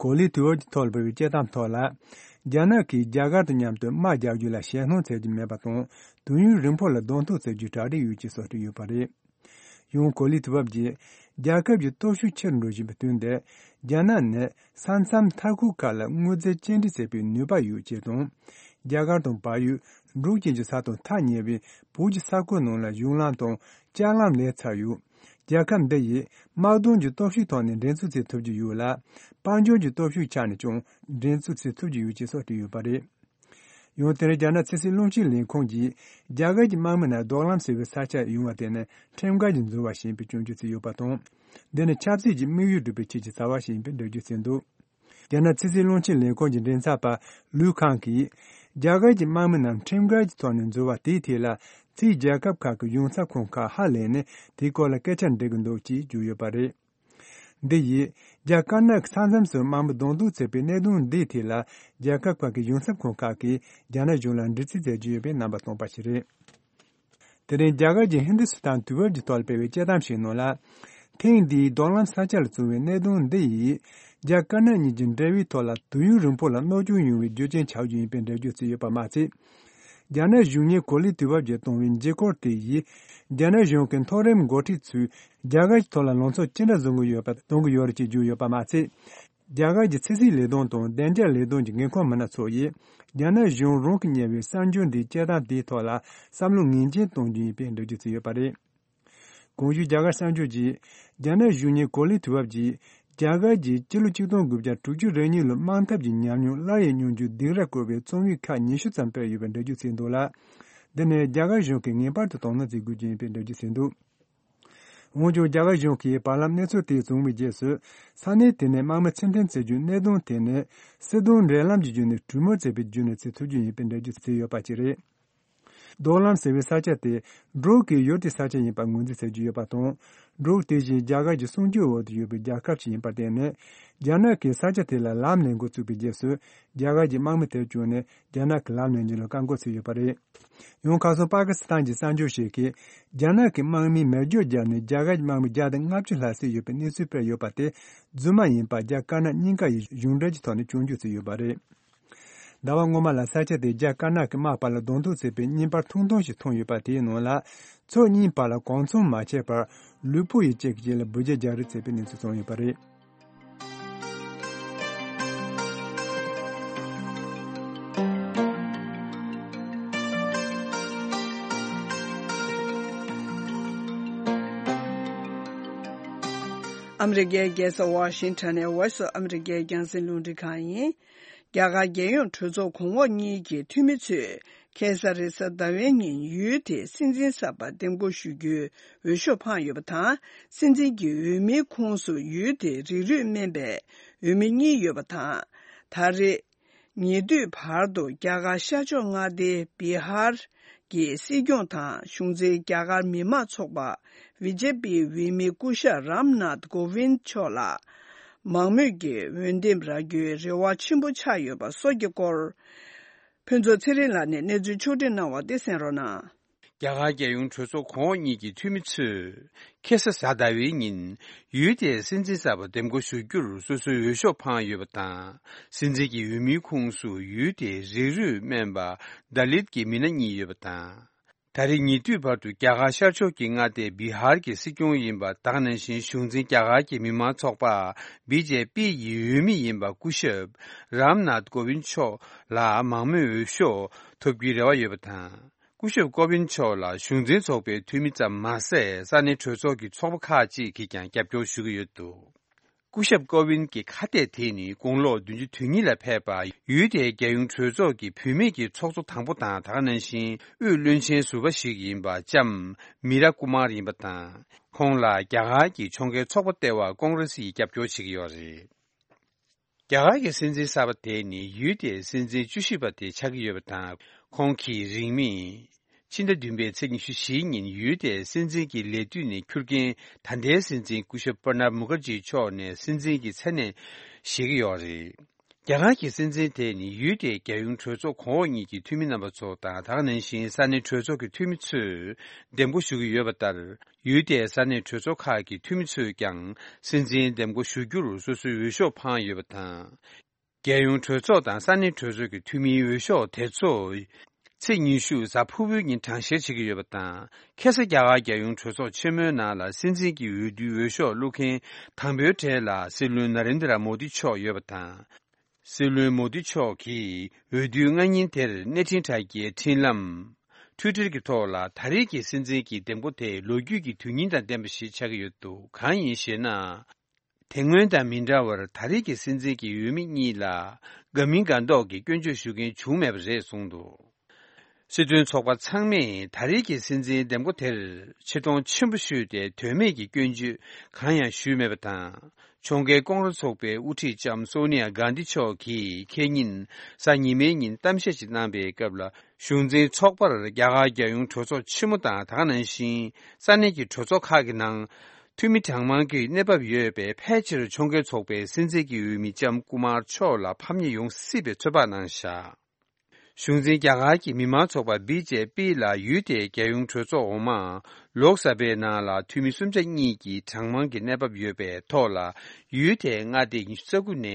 གོ་ལའི་དུས་བབ་ཀྱི་ཐོག་ལ་སྤེལ་བའི་དཔྱད་གཏམ་ཐོག་ལ། རྒྱ་ནག་གིས་རྒྱ་གར་དང་མཉམ་དུ་དམག་རྒྱག་རྒྱུ་ལ་ཞེད་སྣང་བྱེད་རྒྱུ་མེད་པ་དང་། དུས་ཡུན་རིང་པོ་ལ་གདོང་ཐུག་བྱེད་རྒྱུའི་གྲ་སྒྲིག་ཡོད་ཅེས་སོགས་བྲིས་ཡོད་པ་རེད། ཡང་གོ་ལའི་དུས་བབ་ཀྱིས། རྒྱལ་ཁབ་ཀྱི་སྟོབས་ཤུགས་ཆེ་རུ་འགྲོ་བཞིན་པའི་དུས་འདིར། རྒྱ་ནག་ནི་ས་མཚམས་མཐའ་འཁོར་ཁག་ལ་དངོས་རྫས་སྐྱེལ་འདྲེན་བྱེད་པའི་ནུས་པ་ཡོད་ཅེས་དང་། རྒྱ་གར་དང་བལ་ཡུལ། འབྲུག་བཅས་ཀྱི་ས་དང་ཐག་ཉེ་བའི་བོད་ཀྱི་ས་ཁུལ་ནང་ལ་གཞུང་ལམ་དང་ལྕགས་ལམ་ལས་ཚར་ཡོད། རྒྱལ་ཁབ་འདི་ཡིས་དམག་དོན་གྱི་སྟོབས་ཤུགས་ཐོག་ནས་འགྲན་རྩོད་བྱེད་ཐུབ་ཀྱི་ཡོད་ལ། དཔལ་འབྱོར་གྱི་སྟོབས་ཤུགས་ཆ་ནས་ཀྱང་འགྲན་རྩོད་བྱེད་ཐུབ་ཀྱི་ཡོད་ཅེས་སོགས་བྲིས་ཡོད་པ་རེད། ཡང་དེར་རྒྱ་ནག་ཕྱི་སྲིད་བློན་ཆེན་ལས་ཁུངས་ཀྱིས། རྒྱ་གར་གྱི་དམག་མི་རྣམས་རྡོག་ལམ་ཟེར་བའི་ས་ཆར་ཡོང་བ་དེ་ནི་ཁྲིམས་འགལ་གྱི་འཛུལ་བ་ཞིག་ཡིན་པའི་སྐྱོན་བརྗོད་བྱས་ཡོད་པ་དང་། འདི་ནི་ཆབ་སྲིད་ཀྱི་དམིགས་ཡུལ་སྒྲུབ་པའི་ཆེད་ཀྱི་བྱ་བ་ཞིག་ཡིན་པའི་འགྲེལ་བརྗོད་བྱས་འདུག་རྒྱ་ནག་ཕྱི་སྲིད་བློན་ཆེན་ལས་ཁུངས་ཀྱི་མགྲིན་ཚབ་པ་ལུའུ་ཁང་གིས། རྒྱ་གར་གྱི་དམག་མི་རྣམས་ཁྲིམས་འགལ་གྱི་ཐོག་ནས་འཛུལ་བ་དེའི་ཐད་ལ། ཕྱིའི་རྒྱལ་ཁབ་ཁག་གི་གཞུང་ཚབ་ཁང་ཁག་ཧ་ལས་ནས་དེའི་སྐོར་ལ་སྐད་ཆ་འདྲི་གི་འདུག་ཅེས་བརྗོད་ཡོད་པ་རེད། འདི་ཡིས། རྒྱ་དཀར་ནག་གི་ས་མཚམས་སུ་དམག་མི་གདོང་ཐུག་བྱས་པའི་གནད་དོན་འདིའི་ཐད་ལ། རྒྱལ་ཁབ་ཁག་གི་གཞུང་ཚབ་ཁང་ཁག་གིས་རྒྱ་ནག་གཞུང་ལ་འདྲི་རྩད་བྱེད་ཀྱི་ཡོད་པའི་རྣམ་པ་སྟོན་པ་ཞིག་རེད། དེ་རིང་རྒྱ་གར་གྱི་ཧིན་དུ་སི་ཐན་དུས་བབ་ཀྱི་ཐོག་ལ་སྤེལ་བའི་དཔྱད་གཏམ་ཞིག་ནང་ལ། ཐེངས་འདིའི་རྡོག་ལམ་ས་ཆ་ལ་བྱུང་བའི་གནད་དོན་འདི་ཡིས། རྒྱ་དཀར་ནག་གཉིས་ཀྱི་འབྲེལ་བའི་ཐོག་ལ་དུས་ཡུན་རིང་པོ་ལ་གནོད་སྐྱོན་ཡོང་བའི་རྒྱུ་རྐྱེན་ཆགས་རྒྱུ་ཡིན་པའི་འགྲེལ་བརྗོད་བྱས་ཡོད་པ་མ་ཟད། རྒྱ་ནག་གཞུང་གཉེར་གོ་ལའི་དུས་བབ་ཀྱིས་བཏང་བའི་འགྱུར་སྐོར་དེ་ཡིས། རྒྱ་ནག་གཞུང་གི་མཐོ་རིམ་འགོ་ཁྲིད་ཚོས་རྒྱ་གར་གྱི་ཐོག་ལ་ལངས་ཕྱོགས་ཅི་འདྲ་བཟུང་གི་ཡོད་པ་སྟོན་གྱི་ཡོད་རེད་ཅེས་བརྗོད་ཡོད་པ་མ་ཟད། རྒྱ་གར་གྱི་ཕྱི་སྲིད་ལས་དོན་དང་བདེ་འཇགས་ལས་དོན་གྱི་འགན་འཁུར་མི་སྣ་ཚོ་ཡིས། རྒྱ་ནག་གཞུང་རང་གིས་གཉེར་བའི་གསར་འགྱུར་འདིའི་དཔྱད་གཏམ་དེའི་ཐོག་ལ་བསམ་བློ་ངེས་ཅན་གཏོང་རྒྱུ་ཡིན་པའི་འགྲེལ་བརྗོད་བྱས་ཡོད་པ་རེད། གོང་ཞུས་རྒྱ་གར་གསར་འགྱུར་གྱིས། རྒྱ་ནག་གཞུང་གཉེར་གོ་ལའི་དུས་བབ་ཀྱིས། རྒྱ་གར་གྱིས་སྤྱི་ལོ་ཆིག་སྟོང་དགུ་བརྒྱ་དྲུག་ཅུ་རེ་གཉིས་ལོའི་དམག་འཐབ་ཀྱི་ཉམས་མྱོང་སླར་ཡང་མྱོང་རྒྱུའི་སྡིགས་ར་བསྐུལ་བའི་རྩོམ་ཡིག་ཁག་ཉི་ཤུ་ཙམ་སྤེལ་ཡོད་པའི་འགྲེལ་བརྗོད་བྱས་འདུག་ལ། འདི་ནི་རྒྱ་གར་གཞུང་གིས་ངེས་པར་དུ་དོ་སྣང་བྱེད་དགོས་ཀྱི་ཡིན་པའི་འགྲེལ་བརྗོད་བྱས་འདུག་འོན་ཀྱང་རྒྱ་གར་གཞུང་གིས་བར་ལམ་གནས་ཚུལ་དེ་བྱུང་བའི་རྗེས་སུ། ས་གནས་དེ་ནས་དམག་མི་ཕྱིར་འཐེན་བྱེད་རྒྱུའི་གནད་དོན་དེ་ནི། སྲིད་དོན་འབྲེལ་ལམ་གྱི་བརྒྱུད་ནས་གྲོས་མོལ་བྱས་པའི་བརྒྱུད་ནས་བྱེད་ཐུབ་རྒྱུ་ཡིན་པའི་འགྲེལ་བརྗོད་བྱས་ཡོད་པ་བཅས་རེད། རྡོག་ལམ་ཟེར་བའི་ས་ཆ་དེ་འབྲུག་གི་ཡུལ་དེའི་ས་ཆ་ཡིན་པ་ངོས་འཛིན་བྱེད་ཀྱི་ཡོད་པ་དང་། འབྲུག་དེ་བཞིན་རྒྱ་གར་གྱི་སྲུང་སྐྱོབ་འོག་ཏུ་ཡོད་པའི་རྒྱལ་ཁབ་ཅིག་ཡིན་པར་བརྟེན་ནས། རྒྱ་ནག་གིས་ས་ཆ་དེ་ལ་ལམ་ལས་འགོ་བཙུགས་པའི་རྗེས་སུ། རྒྱ་གར་གྱི་དམག་མི་དེར་བྱོན་ནས་རྒྱ་ནག་གི་ལམ་ལས་འཇུག་ལ་བཀག་འགོག་བྱས་ཡོད་པ་རེད། ཡང་ཁ་སང་པ་ཀི་སི་ཐན་གྱི་གསར་འགྱུར་ཞིག་གིས། རྒྱ་ནག་གི་དམག་མིས་མེ་སྒྱོགས་བརྒྱབ་ནས་རྒྱ་གར་གྱི་དམག་མི་བརྒྱ་དང་ལྔ་བཅུ་ལྷག་བསད་ཡོད་པའི་གནས་ཚུལ་སྤེལ་ཡོད་པ་དེ། རྫུན་མ་ཡིན་པ་རྒྱ་དཀར་ནག་གཉིས་ཀ་ཡིས་གཞུང་འབྲེལ་གྱི་ཐོག་ནས་སྐྱོན་བརྗོད་བྱས་ཡོད་པ་རེད། ཟླ་བ་སྔོན་མ་ལ་ས་ཆ་དེར་རྒྱ་དཀར་ནག་གི་དམག་བར་ལ་གདོང་ཐུག་བྱས་པའི་བརྙན་པར་ཐུང་ཐུང་ཞིག་ཐོན་ཡོད་པ་དེའི་ནང་ལ། ཕྱོགས་གཉིས་བར་ལ་གང་འཚམ་མ་བྱས་པར། ལུས་པོ་ཡི་གཅིག་གི་རྗེས་ལ་འབུད་རྒྱག་རྒྱག་རེས་བྱས་པའི་གནས་ཚུལ་བྱུང་ཡོད་པ་རེད། ཨ་མི་རི་ཀའི་རྒྱལ་ས་ཝ་ཤིང་ཊོན་ནས་Voice of America་རྒྱང་སྲིང་རླུང་འཕྲིན་ཁང་ཡིན། རྒྱ་གར་རྒྱལ་ཡོངས་གྲོས་ཚོགས་གོང་འོག་གཉིས་ཀྱི་འཐུས་མི་ཚོས་ཁ་སང་རེས་གཟའ་ཟླ་བའི་ཉིན་ཡུལ་དེའི་སྲིད་འཛིན་གསར་པ་འདེམས་བསྐོ་ཞུ་རྒྱུའི་འོས་ཤོག་འཕངས་ཡོད་པ་དང་། སྲིད་འཛིན་གྱི་འོས་མིའི་ཁོངས་སུ་ཡུལ་དེའི་རིགས་རུས་སྨན་པའི་འོས་མི་གཉིས་ཡོད་པ་དང་། ད་རེས་ཉེ་དུས་བར་དུ་རྒྱ་གར་ཤར་ཕྱོགས་མངའ་སྡེའི་བི་ཧར་གྱི་སྲིད་སྐྱོང་དང་གཞུང་འཛིན་རྒྱ་གར་མི་དམངས་ཚོགས་པ་བི་ཇེ་པིའི་འོས་མི་སྐུ་ཞབས་རམ་ནཱཐ་ཀོ་ཝིན་མཆོག་ལ། མང་མོས་ཀྱིས་འོས་འདེམས་རག་རྒྱུའི་རེ་བ་ཆེན་པོ་ཆགས་ཡོད་པ་སོགས་ཀྱི་སྐོར། ཕུན་ཚོགས་ཚེ་རིང་ལགས་ནས་གནས་ཚུལ་ཕྱོགས་སྒྲིག་གནང་བ་དེ་གསན་རོགས་གནང་། རྒྱ་གར་རྒྱལ་ཡོངས་གྲོས་ཚོགས་གོང་འོག་གཉིས་ཀྱི་འཐུས་མི་ཚོས། ཁ་སང་གཟའ་ཟླ་བའི་ཉིན། ཡུལ་དེའི་སྲིད་འཛིན་གསར་པ་འདེམས་བསྐོ་ཞུ་རྒྱུར་སོ་སོའི་འོས་ཤོག་འཕངས་ཡོད་པ་དང་། སྲིད་འཛིན་གྱི་འོས་མིའི་ཁོངས་སུ་ཡུལ་དེའི་རིགས་རུས་སྨན་པ་དཱ་ལིད་ཀྱི་མི་སྣ་གཉིས་ཡོད་པ་དང་། ད་རེས་ཉེ་དུས་བར་དུ་རྒྱ་གར་ཤར་ཕྱོགས་ཀྱི་མངའ་སྡེ་བི་ཧར་གྱི་སྲིད་སྐྱོང་ཡིན་པ་དེ་ག་ནང་བཞིན་གཞུང་འཛིན་རྒྱ་གར་གྱི་མི་དམངས་ཚོགས་པ་བི་ཇེ་པི་ཡི་འོས་མི་ཡིན་པ་སྐུ་ཞབས་རམ་ནཱཐ་ཀོ་ཝིན་མཆོག་ལ་མང་མོས་འོས་ཤོག་ཐོབ་རྒྱུའི་རེ་བ་ཡོད་པ་དང་། སྐུ་ཞབས་ཀོ་ཝིན་མཆོག་ལ་གཞུང་འཛིན་ཚོགས་པའི་འཐུས་མི་ཙམ་མ་ཟད། ས་གནས་གྲོས་ཚོགས་ཀྱི་ཚོགས་པ་ཁག་ཅིག་གིས་ཀྱང་རྒྱབ་སྐྱོར་ཞུ་གི་ཡོད་འདུག་སྐུ་ཞབས་ཀོ་ཝིན་གྱི་ཁ་གཏད་དེ་ནི་དགུང་ལོ་བདུན་ཅུ་དོན་གཉིས་ལ་ཕེབས་པ། ཡུལ་དེའི་རྒྱལ་ཡོངས་གྲོས་ཚོགས་ཀྱི་བུད་མེད་ཀྱི་ཚོགས་གཙོ་དང་པོ་དང་། དེ་ག་ནང་བཞིན་དབུས་བློན་ཆེན་ཟུར་པ་ཞིག་ཡིན་པ་ལྕམ་མི་ར་ཀུ་མར་ཡིན་པ་དང་། ཁོང་ལ་རྒྱ་གར་གྱི་ཕྱོགས་འགལ་ཚོགས་པ་ལྟེ་བ་ཀོང་རེ་སི་ཡིས་རྒྱབ་སྐྱོར་བྱེད་ཀྱི་ཡོད་རེད། རྒྱ་གར་གྱི་སྲིད་འཛིན་གསར་པ་དེ་ནི་ཡུལ་དེའི་སྲིད་འཛིན་བཅུ་བཞི་པ་དེ་ཆགས་ཀྱི་ཡོད་པ་དང་། ཁོང་གིས་རིང་མིན། ཕྱི་ཟླ་བདུན་པའི་ཚེས་ཉི་ཤུ་བཞི་ཉིན་ཡུལ་དེའི་སྲིད་འཛིན་གྱི་ལས་དུས་ནས་འཁྱུར་མཁན་ད་ལྟའི་སྲིད་འཛིན་སྐུ་ཞབས་པྲ་ནབ་མུ་ཁར་ཇི་མཆོག་ནས་སྲིད་འཛིན་གྱི་མཚན་གནས་བཞེས་ཀྱི་ཡོད་རེད། རྒྱ་གར་གྱི་སྲིད་འཛིན་དེ་ནི་ཡུལ་དེའི་རྒྱལ་ཡོངས་གྲོས་ཚོགས་གོང་འོག་གཉིས་ཀྱི་འཐུས་མི་རྣམ་པ་ཚོ་དང་། དེ་ག་ནང་བཞིན་ས་གནས་གྲོས་ཚོགས་ཀྱི་འཐུས་མི་ཚོས་འདེམས་བསྐོ་ཞུ་གི་ཡོད་པ་ལྟར། ཡུལ་དེའི་ས་གནས་གྲོས་ཚོགས་ཁག་གི་འཐུས་མི་ཚོས་ཀྱང་སྲིད་འཛིན་འདེམས་བསྐོ་ཞུ་རྒྱུར་སོ་སོའི་འོས་ཤོག་འཕངས་ཡོད་པ་དང་། རྒྱལ་ཡོངས་གྲོས་ཚོགས་དང་ས་གནས་གྲོས་ཚོགས་ཀྱི་འཐུས་མིའི་འོས་ཤོག་དེ་ཚོ་ཚེས་ཉི་ཤུ་གཟའ་ཕུར་བུའི་ཉིན་གྲངས་བཤེར་བྱེད་ཀྱི་ཡོད་པ་དང་། ཁ་སང་རྒྱ་གར་རྒྱལ་ཡོངས་གྲོས་ཚོགས་ཆེན་མོའི་ནང་ལ་སྲིད་འཛིན་གྱི་འོས་བསྡུའི་འོས་ཤོག་བླུག་མཁན་དང་པོའི་གྲས་ལ་སྲིད་བློན་ན་རེན་དྲ་མོ་དི་མཆོག་ཡོད་པ་དང་། སྲིད་བློན་མོ་དི་མཆོག་གིས་འོས་བསྡུའི་སྔ་ཉིན་དེར་གནས་འཕྲིན་དྲ་རྒྱའི་འཕྲིན་ལམ་ཊུའི་ཊར་གྱི་ཐོག་ལ། ད་རེས་ཀྱི་སྲིད་འཛིན་གྱི་འདེམས་བསྐོ་དེ་ལོ་རྒྱུས་ཀྱི་དོན་སྙིང་དང་ལྡན་པ་ཞིག་ཆགས་ཀྱི་ཡོད་འདུག་གང་ཡིན་ཞེ་ན། དེ་སྔོན་དང་མི་འདྲ་བར་ད་རེས་ཀྱི་སྲིད་འཛིན་གྱི་འོས་མི་གཉིས་ལ་དགའ་མིན་དགའ་མདོག་གི་སྐྱོན་བརྗོད་ཞུ་མཁན་བྱུང་མེད་པ་རེད་གསུངས་འདུག་སྲིད་དོན་ཚོགས་པ་ཚང་མས་ད་རེས་ཀྱི་སྲིད་འཛིན་འདེམས་བསྐོ་དེར་ཆེ་མཐོང་ཆེན་པོ་ཞུས་ཏེ། དོན་མེད་ཀྱི་སྐྱོན་བརྗོད་གང་ཡང་ཞུས་མེད་པ་དང་། ཕྱོགས་འགལ་ཀོང་རེ་ཚོགས་པའི་དབུ་ཁྲིད་ལྕམ་སོ་ནི་ཡ་གྷན་དྷི་མཆོག་གིས་ཁེ་ཉིན་གཟའ་ཉི་མའི་ཉིན་གཏམ་བཤད་ཅིག་གནང་པའི་སྐབས་ལ། གཞུང་འཛིན་ཚོགས་པར་རྒྱ་གར་རྒྱལ་ཡོངས་གྲོས་ཚོགས་ཆེན་མོ་དང་། དེ་ག་ནང་བཞིན་ས་གནས་ཀྱི་གྲོས་ཚོགས་ཁག་གི་ནང་འཐུས་མི་གྲངས་མང་གི་གནས་བབ་ཡོད་པས། ཕལ་ཆེར་ཕྱོགས་འགལ་ཚོགས་པའི་སྲིད་འཛིན་གྱི་འོས་མི་ལྕམ་ཀུ་མར་མཆོག་ལ་ཕམ་ཉེས་ཡོང་སྲིད་པའི་ཚོད་དཔག་གནང་བཞག་གཞུང་འཛིན་རྒྱ་གར་གྱི་མི་དམངས་ཚོགས་པ་བི་ཇེ་པི་ལ་ཡུལ་དེའི་རྒྱལ་ཡོངས་གྲོས་ཚོགས་འོག་མ་ལོག་ས་པའི་ནང་ལ་འཐུས་མི་གསུམ་ཆ་གཉིས་ཀྱི་གྲངས་མང་གི་གནས་བབ་ཡོད་པའི་ཐོག་ལ། ཡུལ་དེའི་མངའ་སྡེ་ཉི་ཤུ་རྩ་དགུ་ནས་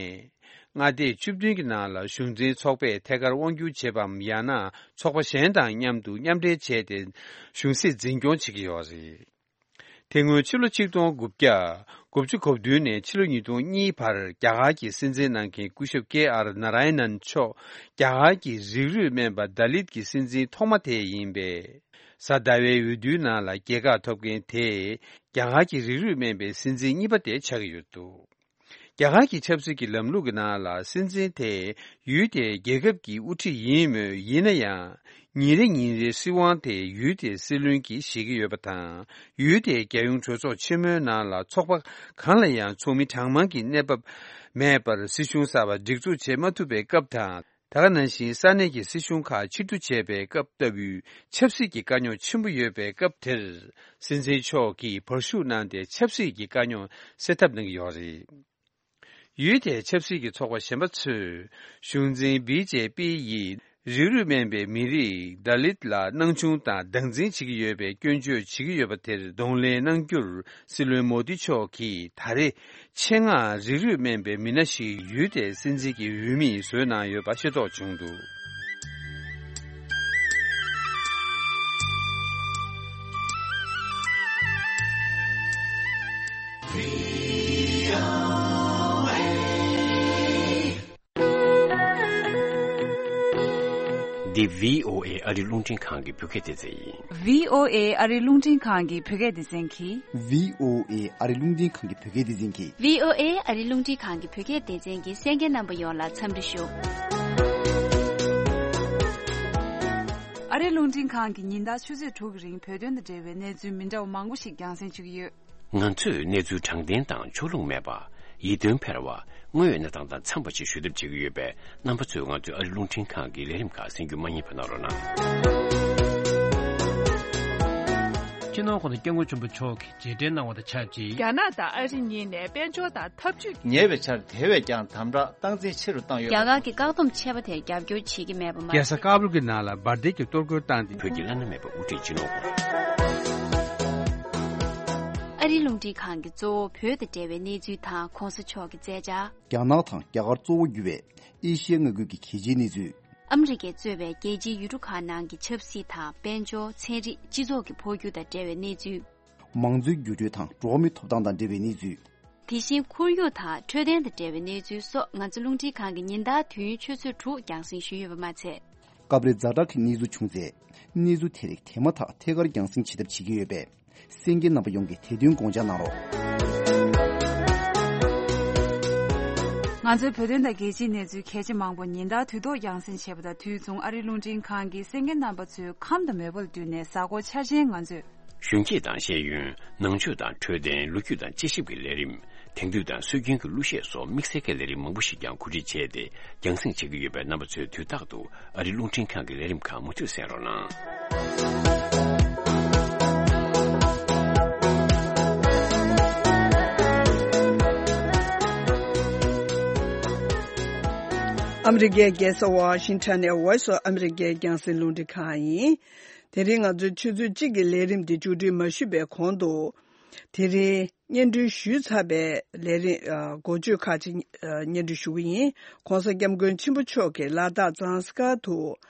མངའ་སྡེ་བཅུ་བདུན་གྱི་ནང་ལ་གཞུང་འཛིན་ཚོགས་པས་ཐད་ཀར་དབང་སྒྱུར་བྱེད་པའམ། ཡང་ན་ཚོགས་པ་གཞན་དང་མཉམ་དུ་མཉམ་འབྲེལ་བྱས་ཏེ་གཞུང་སྲིད་འཛིན་སྐྱོང་བྱེད་ཀྱི་ཡོད་རེད། དེ་སྔོན་ཕྱི་ལོ་ཆིག་སྟོང་དགུ་བརྒྱ་དགུ་བཅུ་གོ་བདུན་ནས་ཕྱི་ལོ་ཉིས་སྟོང་གཉིས་བར་རྒྱ་གར་གྱི་སྲིད་འཛིན་གནང་མཁན་སྐུ་ཞབས་ཀེ་ཨར་ན་ར་ཡ་ནན་མཆོག་རྒྱ་གར་གྱི་རིགས་རུས་སྨན་པ་དཱ་ལིད་ཀྱི་སྲིད་འཛིན་ཐོག་མ་དེ་ཡིན་པས། གཟའ་ཟླ་བའི་འོས་བསྡུའི་ནང་ལ་རྒྱལ་ཁ་ཐོབ་མཁན་དེ་རྒྱ་གར་གྱི་རིགས་རུས་སྨན་པའི་སྲིད་འཛིན་གཉིས་པ་དེ་ཆགས་ཀྱི་ཡོད་འདུག་རྒྱ་གར་གྱི་ཆབ་སྲིད་ཀྱི་ལམ་ལུགས་ཀྱི་ནང་ལ་སྲིད་འཛིན་དེ་ཡུལ་དེའི་རྒྱལ་ཁབ་ཀྱི་དབུ་ཁྲིད་ཡིན་མོད། ཡིན་ན་ཡང་ཉིན་རེ་ཉིན་རེའི་སྲིད་དབང་དེ་ཡུལ་དེའི་སྲིད་བློན་གྱིས་བཞེས་ཀྱི་ཡོད་པ་དང་། ཡུལ་དེའི་རྒྱལ་ཡོངས་གྲོས་ཚོགས་ཆེན་མོའི་ནང་ལ་ཚོགས་པ་གང་ལ་ཡང་ཚོགས་མི་གྲངས་མང་གི་གནས་བབ་མེད་པར་སྲིད་གཞུང་གསར་པ་སྒྲིག་འཛུགས་བྱེད་མ་ཐུབ་པའི་སྐབས་དང་། དེ་ག་ནང་བཞིན་ས་གནས་ཀྱི་སྲིད་གཞུང་ཁག་ཕྱིར་བསྡུ་བྱས་པའི་སྐབས་ལྟ་བུའི་ཆབ་སྲིད་ཀྱི་དཀའ་རྙོག་ཆེན་པོ་ཡོད་པའི་སྐབས་དེར། སྲིད་འཛིན་མཆོག་གིས་བར་ཞུགས་གནང་སྟེ་ཆབ་སྲིད་ཀྱི་དཀའ་རྙོག་སེལ་ཐབས་གནང་གི་ཡོད་རེད། ཡུལ་དེའི་ཆབ་སྲིད་ཀྱི་ཚོགས་པ་གཞན་པ་ཚོས་གཞུང་འཛིན་བི་ཇེ་པི་ཡིས་རིགས་རུས་སྨན་པའི་མི་རིགས་དཱ་ལིད་ལ་སྣང་ཆུང་དང་སྡང་འཛིན་བྱེད་ཀྱི་ཡོད་པའི་སྐྱོན་བརྗོད་བྱེད་ཀྱི་ཡོད་པ་དེར་གདོང་ལེན་གནང་རྒྱུར། སྲིད་བློན་མོ་དི་མཆོག་གིས་ད་རེས་ཆེད་མངགས་རིགས་རུས་སྨན་པའི་མི་སྣ་ཞིག་ཡུལ་དེའི་སྲིད་འཛིན་གྱི་འོས་མི་བཟོས་གནང་ཡོད་པ་ཤེས་རྟོགས་བྱུང་འདུག་འདི་བྷི་ཨོ་ཨེ་ཨ་རི་རླུང་འཕྲིན་ཁང་གི་བོད་སྐད་སྡེ་ཚན་ཡིན། བྷི་ཨོ་ཨེ་ཨ་རི་རླུང་འཕྲིན་ཁང་གི་བོད་སྐད་སྡེ་ཚན་གྱིས། བྷི་ཨོ་ཨེ་ཨ་རི་རླུང་འཕྲིན་ཁང་གི་བོད་སྐད་སྡེ་ཚན་གྱིས། བྷི་ཨོ་ཨེ་ཨ་རི་རླུང་འཕྲིན་ཁང་གི་བོད་སྐད་སྡེ་ཚན་གྱི་གསན་མཁན་རྣམ་པ་ཡོངས་ལ་འཚམས་འདྲི་ཞུ། ཨ་རི་རླུང་འཕྲིན་ཁང་གི་ཉིན་ལྟར་ཆུ་ཚོད་དྲུག་གི་རིང་བོད་དོན་དང་འབྲེལ་བའི་གནས་ཚུལ་མི་འདྲ་བ་མང་པོ་ཞིག་རྒྱང་སྲིང་ཞུ་གི་ཡོད། ང་ཚོས་གནས་ཚུལ་དྲང་བདེན་དང་ཕྱོགས་ལྷུང་མེད་པ། ཡིད་རྟོན་འཕེར་བ། དངོས་ཡོད་གནས་སྟངས་དང་འཚམས་པ་ཞིག་ཞུ་ཐབས་བྱེད་ཀྱི་ཡོད་པས། རྣམ་པ་ཚོས་ང་ཚོའི་ཨ་རི་རླུང་འཕྲིན་ཁང་གི་ལས་རིམ་ཁག་གསན་རྒྱུ་མ་བསྙེལ་བ་གནང་རོགས་གནང་། སྤྱི་ནོར་༸གོང་ས་༸སྐྱབས་མགོན་ཆེན་པོ་མཆོག་གིས་རྗེས་དྲན་གནང་བ་དང་ཆབས་ཅིག་རྒྱ་ནག་དང་ཨ་རི་གཉིས་ནས་དཔལ་འབྱོར་དང་འཐབ་ཇུས། ཉེ་བའི་ཆར་དེ་བས་ཀྱང་དམ་དྲག་སྟངས་འཛིན་ཆེ་རུ་བཏང་ཡོད་པ། རྒྱ་གར་གྱི་བཀག་སྡོམ་ཆད་པ་དེར་རྒྱབ་སྐྱོར་བྱེད་ཀྱི་མེད་པ་མ་ཟད། རྒྱལ་ས་ཀ་བུལ་གྱི་ནང་ལ་འབར་མདེལ་གྱི་གཏོར་རྒོལ་བཏང་སྟེ། བོད་ཀྱི་བླ་ན་མེད་པའི་དབུ་ཁྲིད་སྤྱི་ནོར་༸གོང་། ཨ་རིའི་རླུང་འཕྲིན་ཁང་གིས་གཙོ་བོ་བོད་དང་འབྲེལ་བའི་གནས་ཚུལ་དང་གོང་ས་མཆོག་གི་མཛད་འཆར། རྒྱ་ནག་དང་རྒྱ་གར་གཙོ་བོ་གྱུར་བའི་ཨེ་ཤི་ཡའི་མངའ་ཁུལ་གྱི་གལ་ཆེའི་གནས་ཚུལ། ཨ་མི་རི་ཀས་གཙོས་པའི་རྒྱལ་སྤྱིའི་ཡུལ་གྲུ་ཁག་ནང་གི་ཆབ་སྲིད་དང་དཔལ་འབྱོར། ཚན་རིག་སྤྱི་ཚོགས་ཀྱི་འཕོ་འགྱུར་དང་འབྲེལ་བའི་གནས་ཚུལ། མང་གཙོའི་འགྱུར་འགྲོས་དང་འགྲོ་བ་མིའི་ཐོབ་ཐང་དང་འབྲེལ་བའི་གནས་ཚུལ། དེ་བཞིན་ཁོར་ཡུག་དང་འཕྲོད་བསྟེན་དང་འབྲེལ་བའི་གནས་ཚུལ་སོགས་ང་ཚོ་རླུང་འཕྲིན་ཁང་གིས་ཉིན་ལྟར་དུས་ཡུན་ཆུ་ཚོད་དྲུག་རྒྱང་སྲིང་ཞུས་ཡོད་པ་མ་ཚད། སྐབས་རེ་ཛ་དྲག་གི་གནས་ཚུལ་བྱུང་ཚེ། གནས་ཚུལ་དེ་རིགས་དེ་མ་ཐག་ཐད་ཀར་རྒྱང་སྲིང་བྱེད་ཐབས་བྱེད་ཀྱི་ཡོད་པས། གསན་མཁན་རྣམ་པ་ཡོངས་ཀྱིས་དེ་དོན་དགོངས་འཇགས་གནང་རོགས། ང་ཚོའི་བོད་དོན་དང་རྒྱལ་སྤྱིའི་གནས་ཚུལ་གལ་ཆེ་མང་པོ་ཉིན་ལྟར་དུས་ཐོག་རྒྱང་སྲིང་བྱེད་པ་དང་དུས་མཚུངས་ཨ་རིའི་རླུང་འཕྲིན་ཁང་གིས་གསན་མཁན་རྣམ་པ་ཚོའི་ཁམས་དང་མོས་པ་ལ་བསྟུན་ནས་གཟའ་འཁོར་འཆར་ཅན་ང་ཚོས། གཞོན་སྐྱེས་དང་ཤེས་ཡོན། ནང་ཆོས་དང་འཕྲོད་བསྟེན། ལོ་རྒྱུས་དང་དཔྱད་ཞིབ་ཀྱི་ལས་རིམ། དེང་དུས་དང་སྲོལ་རྒྱུན་གྱི་གླུ་གཞས་སོགས་དམིགས་བསལ་གྱི་ལས་རིམ་མང་པོ་ཞིག་ཀྱང་གོ་སྒྲིག་བྱས་ཏེ་རྒྱང་སྲིང་བྱེད་ཀྱི་ཡོད་པས། རྣམ་པ་ཚོས་དུས་རྟག་ཏུ་ཨ་རིའི་རླུང་འཕྲིན་ཁང་གི་ལས་རིམ་ཁག་མུ་མཐུད་གསན་རོགས་གནང་། ཨ་མི་རི་ཀའི་རྒྱལ་ས་ཝ་ཤིང་ཊོན་ནས་Voice of America རྒྱང་སྲིང་རླུང་འཕྲིན་ཁང་ཡིན། དེ་རིང་ང་ཚོའི་ཆུ་ཚོད་གཅིག་གི་ལས་རིམ་འདི་མཇུག་སྒྲིལ་མ་ཞུས་པའི་གོང་དུ། དེ་རིང་སྙན་སྒྲོན་ཞུས་ཚར་བའི་ལས་རིམ་འགོ་བརྗོད་ཁག་ཅིག་སྙན་སྒྲོན་ཞུ་གི་ཡིན། ྋགོང་ས་ྋསྐྱབས་མགོན་ཆེན་པོ་མཆོག་གིས་ལ་དྭགས་ཛངས་དཀར་དུ་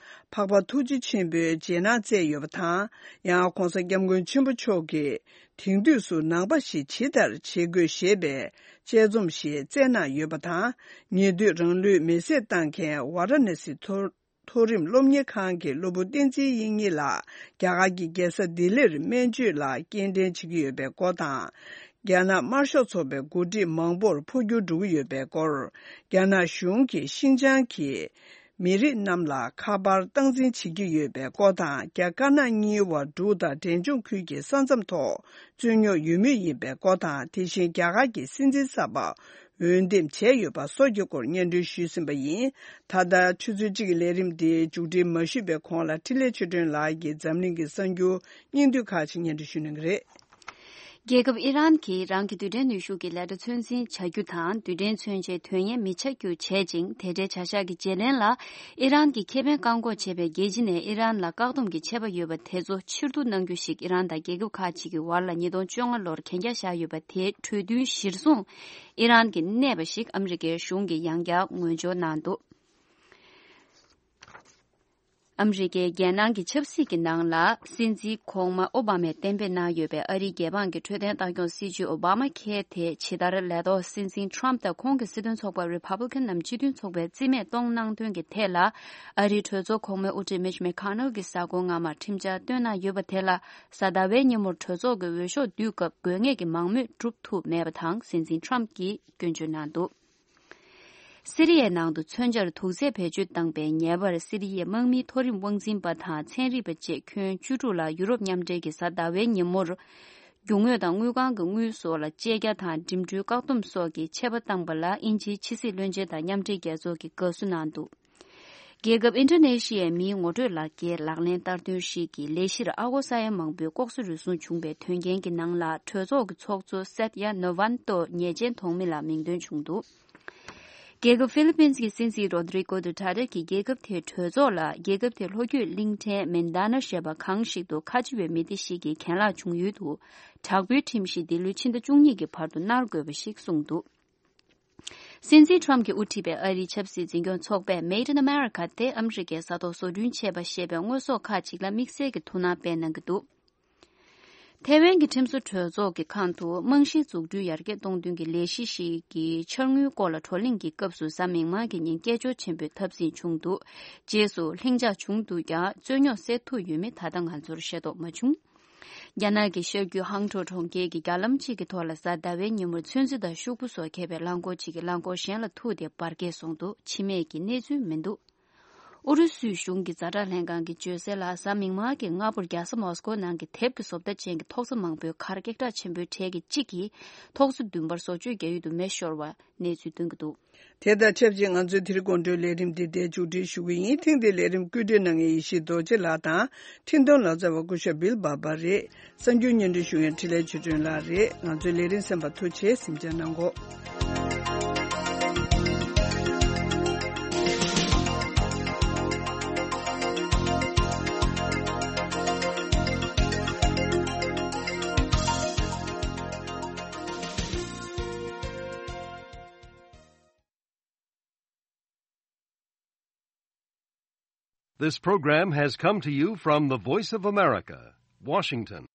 འཕགས་པ་ཐུགས་རྗེ་ཆེན་པོའི་རྗེས་གནང་སྩལ་ཡོད་པ་དང་། ཡང་ྋགོང་ས་ྋསྐྱབས་མགོན་ཆེན་པོ་མཆོག་གིས་དེང་དུས་སུ་ནང་པ་ཞིག་ཇི་ལྟར་བྱེད་དགོས་ཞེས་པའི་དཔྱད་རྩོམ་ཞིག་བསྩལ་གནང་ཡོད་པ་དང་། ཉེ་དུས་རང་ལུས་མེར་སྲེག་བཏང་མཁན་ཝཱ་ར་ཎ་སི་མཐོ་མཐོ་རིམ་སློབ་གཉེར་ཁང་གི་སློབ་བུ་བསྟན་འཛིན་དབྱིག་གཉེན་ལགས་རྒྱ་གར་གྱི་རྒྱལ་ས་ལྡི་ལིར་སྨན་བཅོས་ལ་སྐྱེལ་འདྲེན་བྱེད་ཀྱི་ཡོད་པའི་སྐོར་དང་། རྒྱ་ནག་དམར་ཤོག་ཚོགས་པའི་འགོ་ཁྲིད་མང་པོར་འཕོ་འགྱུར་འགྲོ་གི་ཡོད་པའི་སྐོར། རྒྱ་ནག་གཞུང་གིས་ཤིན་ཅང་གི་མི་རིགས་རྣམས་ལ་ཁ་པར་སྟངས་འཛིན་བྱེད་ཀྱི་ཡོད་པའི་སྐོར་དང་། རྒྱ་དཀར་ནག་གཉིས་དབར་འབྲུག་དང་འབྲས་ལྗོངས་ཁུལ་གྱི་ས་མཚམས་ཐོག་རྩོད་རྙོག་ཡོད་མུས་ཡིན་པའི་སྐོར་དང་། དེ་བཞིན་རྒྱ་གར་གྱི་སྲིད་འཛིན་གསར་པ་འོས་འདེམས་བྱས་ཡོད་པ་སོགས་ཀྱི་སྐོར་སྙན་སྒྲོན་ཞུས་ཟིན་པ་ཡིན། ད་ལྟ་ཆུ་ཚོད་གཅིག་གི་ལས་རིམ་དེ་མཇུག་སྒྲིལ་མ་ཞུས་པའི་གོང་ལ་འཕྲིན་ལས་ཆོས་སྒྲོན་ལགས་ཀྱིས་འཛམ་གླིང་གི་གསར་འགྱུར་སྙིང་བསྡུས་ཁག་ཅིག་སྙན་སྒྲོན་ཞུ་གནང་གི་རེད། རྒྱལ་ཁབ་ཨི་རན་གྱིས་རང་གི་རྡུལ་ཕྲན་ནུས་ཤུགས་ཀྱི་ལས་གྲྭ་ཚོད་འཛིན་བྱ་རྒྱུ་དང་། རྡུལ་ཕྲན་མཚོན་ཆའི་དོན་གཉེར་མི་བྱ་རྒྱུ་བྱེད་ཅིང་། དེ་འབྲེལ་བྱ་གཞག་གི་བརྗེ་ལེན་ལ་ཨི་རན་གྱི་ཁེ་ཕན་བཀག་འགོག་བྱེད་པའི་རྒྱལ་སྤྱི་ནས་ཨི་རན་ལ་བཀག་སྡོམ་གྱི་ཆད་པ་ཡོད་པ་དེ་ཚོ་ཕྱིར་བསྡུ་གནང་རྒྱུ་ཞིག་ཨི་རན་དང་རྒྱལ་ཁབ་ཁག་ཅིག་གི་བར་ལ་ཉིས་སྟོང་བཅོ་ལྔ་ལོར་གན་རྒྱ་བཞག་ཡོད་པ་དེའི་གྲོས་མཐུན་གཞིར་བཟུང་ཨི་རན་གྱིས་གནས་པ་ཞིག་ཨ་མི་རི་ཀའི་གཞུང་གིས་ཡང་བསྐྱར་ངོས་སྦྱོར་གནང་འདུག་ཨ་མི་རི་ཀའི་རྒྱལ་ནང་གི་ཆབ་སྲིད་ཀྱི་ནང་ལ། སྲིད་འཛིན་གོང་མ་ཨོ་བྷ་མས་གཏན་འབེབས་གནང་ཡོད་པའི་ཨ་རིའི་རྒྱལ་འབངས་ཀྱི་འཕྲོད་བསྟེན་ལྟ་སྐྱོང་སྲིད་ཇུས་ཨོ་བྷ་མ་ཁེ་དེ་ཇི་ལྟར་ལས་ཐོག་སྲིད་འཛིན་ཁྲོམ་དང་ཁོང་གི་སྲིད་དོན་ཚོགས་པ་རི་ཕབ་ལི་ཀན་ནམ་སྤྱི་མཐུན་ཚོགས་པས་རྩིས་མེད་གཏོང་གནང་དོན་གྱི་ཐད་ལ། ཨ་རིའི་གྲོས་ཚོགས་གོང་མའི་དབུ་ཁྲིད་མིཆ་མེ་ཁ་ནལ་གྱིས་གཟའ་འཁོར་སྔ་མར་ཁྲིམས་འཆར་བཏོན་གནང་ཡོད་པ་དེ་ལ། གཟའ་ཟླ་བའི་ཉིན་མོར་གྲོས་ཚོགས་ཀྱི་འོས་ཤོག་བསྡུས་སྐབས་དགོས་ངེས་ཀྱི་མང་མོས་གྲུབ་ཐུབ་མེད་པ་དང་། སྲིད་འཛིན་ཁྲོམ་གྱིས་སྐྱོན་བརྗོད་གནང་འདུག་སི་རི་ཡའི་ནང་དུ་མཚོན་ཆར་དུག་རྫས་བེད་སྤྱོད་བཏང་པའི་ཉེས་པར་སི་རི་ཡའི་དམག་མིའི་མཐོ་རིམ་དབང་འཛིན་པ་དང་ཚན་རིག་པ་བཅས་ཁྱོན་བཅུ་དྲུག་ལ་ཡུ་རོབ་མཉམ་འབྲེལ་གྱིས་གཟའ་ཟླ་བའི་ཉིན་མོར། རྒྱུ་དངོས་དང་དངུལ་ཁང་གི་དངུལ་སོགས་ལ་བཅད་རྒྱ་དང་འགྲིམ་འགྲུལ་བཀག་སྡོམ་སོགས་ཀྱི་ཆད་པ་བཏང་པ་ལ་དབྱིན་ཇིའི་ཕྱི་སྲིད་བློན་ཆེན་དང་མཉམ་འབྲེལ་རྒྱལ་ཚོགས་ཀྱིས་དགའ་བསུ་གནང་འདུག་རྒྱལ་ཁབ་ཨིན་ཌོ་ནེ་ཤི་ཡའི་མིའི་ངོ་སྤྲོད་ལག་འཁྱེར་ལག་ལེན་བསྟར་དོན་ཞིག་གི་ལས་གཞིར་ཨ་སྒོར་ས་ཡ་མང་པོའི་ལྐོག་ཟ་རུལ་སུངས་བྱུང་པའི་དོན་རྐྱེན་གྱི་ནང་ལ། གྲོས་ཚོགས་ཀྱི་ཚོགས་གཙོ་སད་ཡ་ནོ་ཝན་ཏོ་ཉེས་ཅན་ཐོགས་མི་ལ་མིང་འདོན་བྱུང་འདུག་རྒྱལ་ཁབ་ཧྥི་ལི་པིན་གྱི་སྲིད་འཛིན་རོ་དི་རི་ཀོ་ཌུ་ཏར་ཏེ་གྱིས་རྒྱལ་ཁབ་དེའི་གྲོས་ཚོགས་ལ། རྒྱལ་ཁབ་དེའི་ལྷོ་རྒྱུད་གླིང་ཕྲན་མིན་ད་ན་ཞེས་པ་གངས་ཤིག་ཏུ་ཁ་ཆེ་བའི་མི་སྡེ་ཞིག་གི་གྱེན་ལངས་བྱུང་ཡུལ་དུ། དྲག་པོའི་ཁྲིམས་གཞི་འདི་ལོའི་ཕྱི་ཟླ་བཅུ་གཉིས་ཀྱི་བར་དུ་གནང་དགོས་པ་ཞིག་གསུངས་འདུག་སྲིད་འཛིན་ཁྲོམ་གྱིས་དབུ་ཁྲིད་པའི་ཨ་རིའི་ཆབ་སྲིད་འཛིན་སྐྱོང་ཚོགས་པས་Made in America དེ་ཨ་མི་རི་ཀའི་ས་ཐོག་བཟོ་སྐྲུན་བྱས་པ་ཞེས་པའི་དངོས་ཟོག་ཁག་ཅིག་ལ་དམིགས་བསལ་གྱི་ཐུགས་སྣང་སྤེལ་གནང་གི་འདུག་ཐེ་ཝན་གྱི་ཁྲིམས་བཟོ་གྲོས་ཚོགས་ཀྱི་ཁང་དུ་རྨང་གཞིའི་འཛུགས་སྐྲུན་ཡར་རྒྱས་གཏོང་དོན་གྱི་ལས་གཞི་ཞིག་གི་འཆར་དངུལ་སྐོར་ལ་བགྲོ་གླེང་གི་སྐབས་སུ་གཟའ་མིག་དམར་གྱི་ཉིན་སྐད་ཅོར་ཆེན་པོས་འཐབ་འཛིང་བྱུང་འདུག་རྗེས་སུ་ལྷིང་འཇགས་བྱུང་འདུག་ཀྱང་རྩོད་རྙོག་སེལ་ཐུབ་ཡོད་མེད་ད་ལྟ་ང་ཚོར་ཤེས་རྟོགས་མ་བྱུང་། རྒྱ་ནག་གི་ཤར་རྒྱུད་ཧང་ཀྲོའུ་གྲོང་ཁྱེར་གྱི་རྒྱ་ལམ་གཅིག་གི་ཐོག་ལ་གཟའ་ཟླ་བའི་ཉིན་མོར་ཚོན་རྩི་དང་ཤོག་བུ་སོགས་འཁྱེར་བའི་རླངས་འཁོར་གཅིག་གིས་རླངས་འཁོར་གཞན་ལ་ཐུག་སྟེ་འབར་གས་སོང་འདུག་འཆི་རྨས་ཀྱི་གནས་ཚུལ་མི་འདུག་ཨུ་རུ་སུའི་གཞུང་གི་ཛ་དྲག་ལྷན་ཁང་གིས་བརྗོད་གསལ་ལ། གཟའ་མིག་དམར་གྱི་སྔ་པོར་རྒྱལ་ས་མོ་སི་ཀོ་ནང་གི་དེབ་ཀྱི་བཟོ་ལྟ་ཅན་གྱི་ཐོག་ས་མང་པོའི་ཁར་ཀེག་ཁྲག་ཆེན་པོའི་གྲས་ཀྱི་གཅིག་གིས་ཐོག་ས་བདུན་པར་བཟོ་བཅོས་རྒྱག་ཡུལ་དུ་མེ་ཤོར་བ་གནས་ཚུལ་ཐོན་གྱི་འདུག། དེ་དང་ཆབས་ཅིག་ང་ཚོའི་དེ་རིང་དགོང་དྲོའི་ལས་རིམ་འདི་འདིར་མཇུག་སྒྲིལ་ཞུ་གི་ཡིན། ཐེངས་འདིའི་ལས་རིམ་བཀོད་སྒྲིག་གནང་མཁན་ཡེ་ཤེས་རྡོ་རྗེ་ལགས་དང་། འཕྲིན་གཏོང་ལག་རྩལ་བ་སྐུ་ཞབས་བིལ་བྷ་བྷ་རེད། གསར་འགྱུར་སྙན་སྒྲོན་ཞུ་མཁན་འཕྲིན་ལས་ཆོས་སྒྲོན་ལགས་རེད། ང་ཚོའི་ལས་རིམ་གསན་པར་ཐུགས་རྗེ་ཆེ། གཟིམ་འཇགས་གནང་གོ། This program has come to you from the Voice of America, Washington.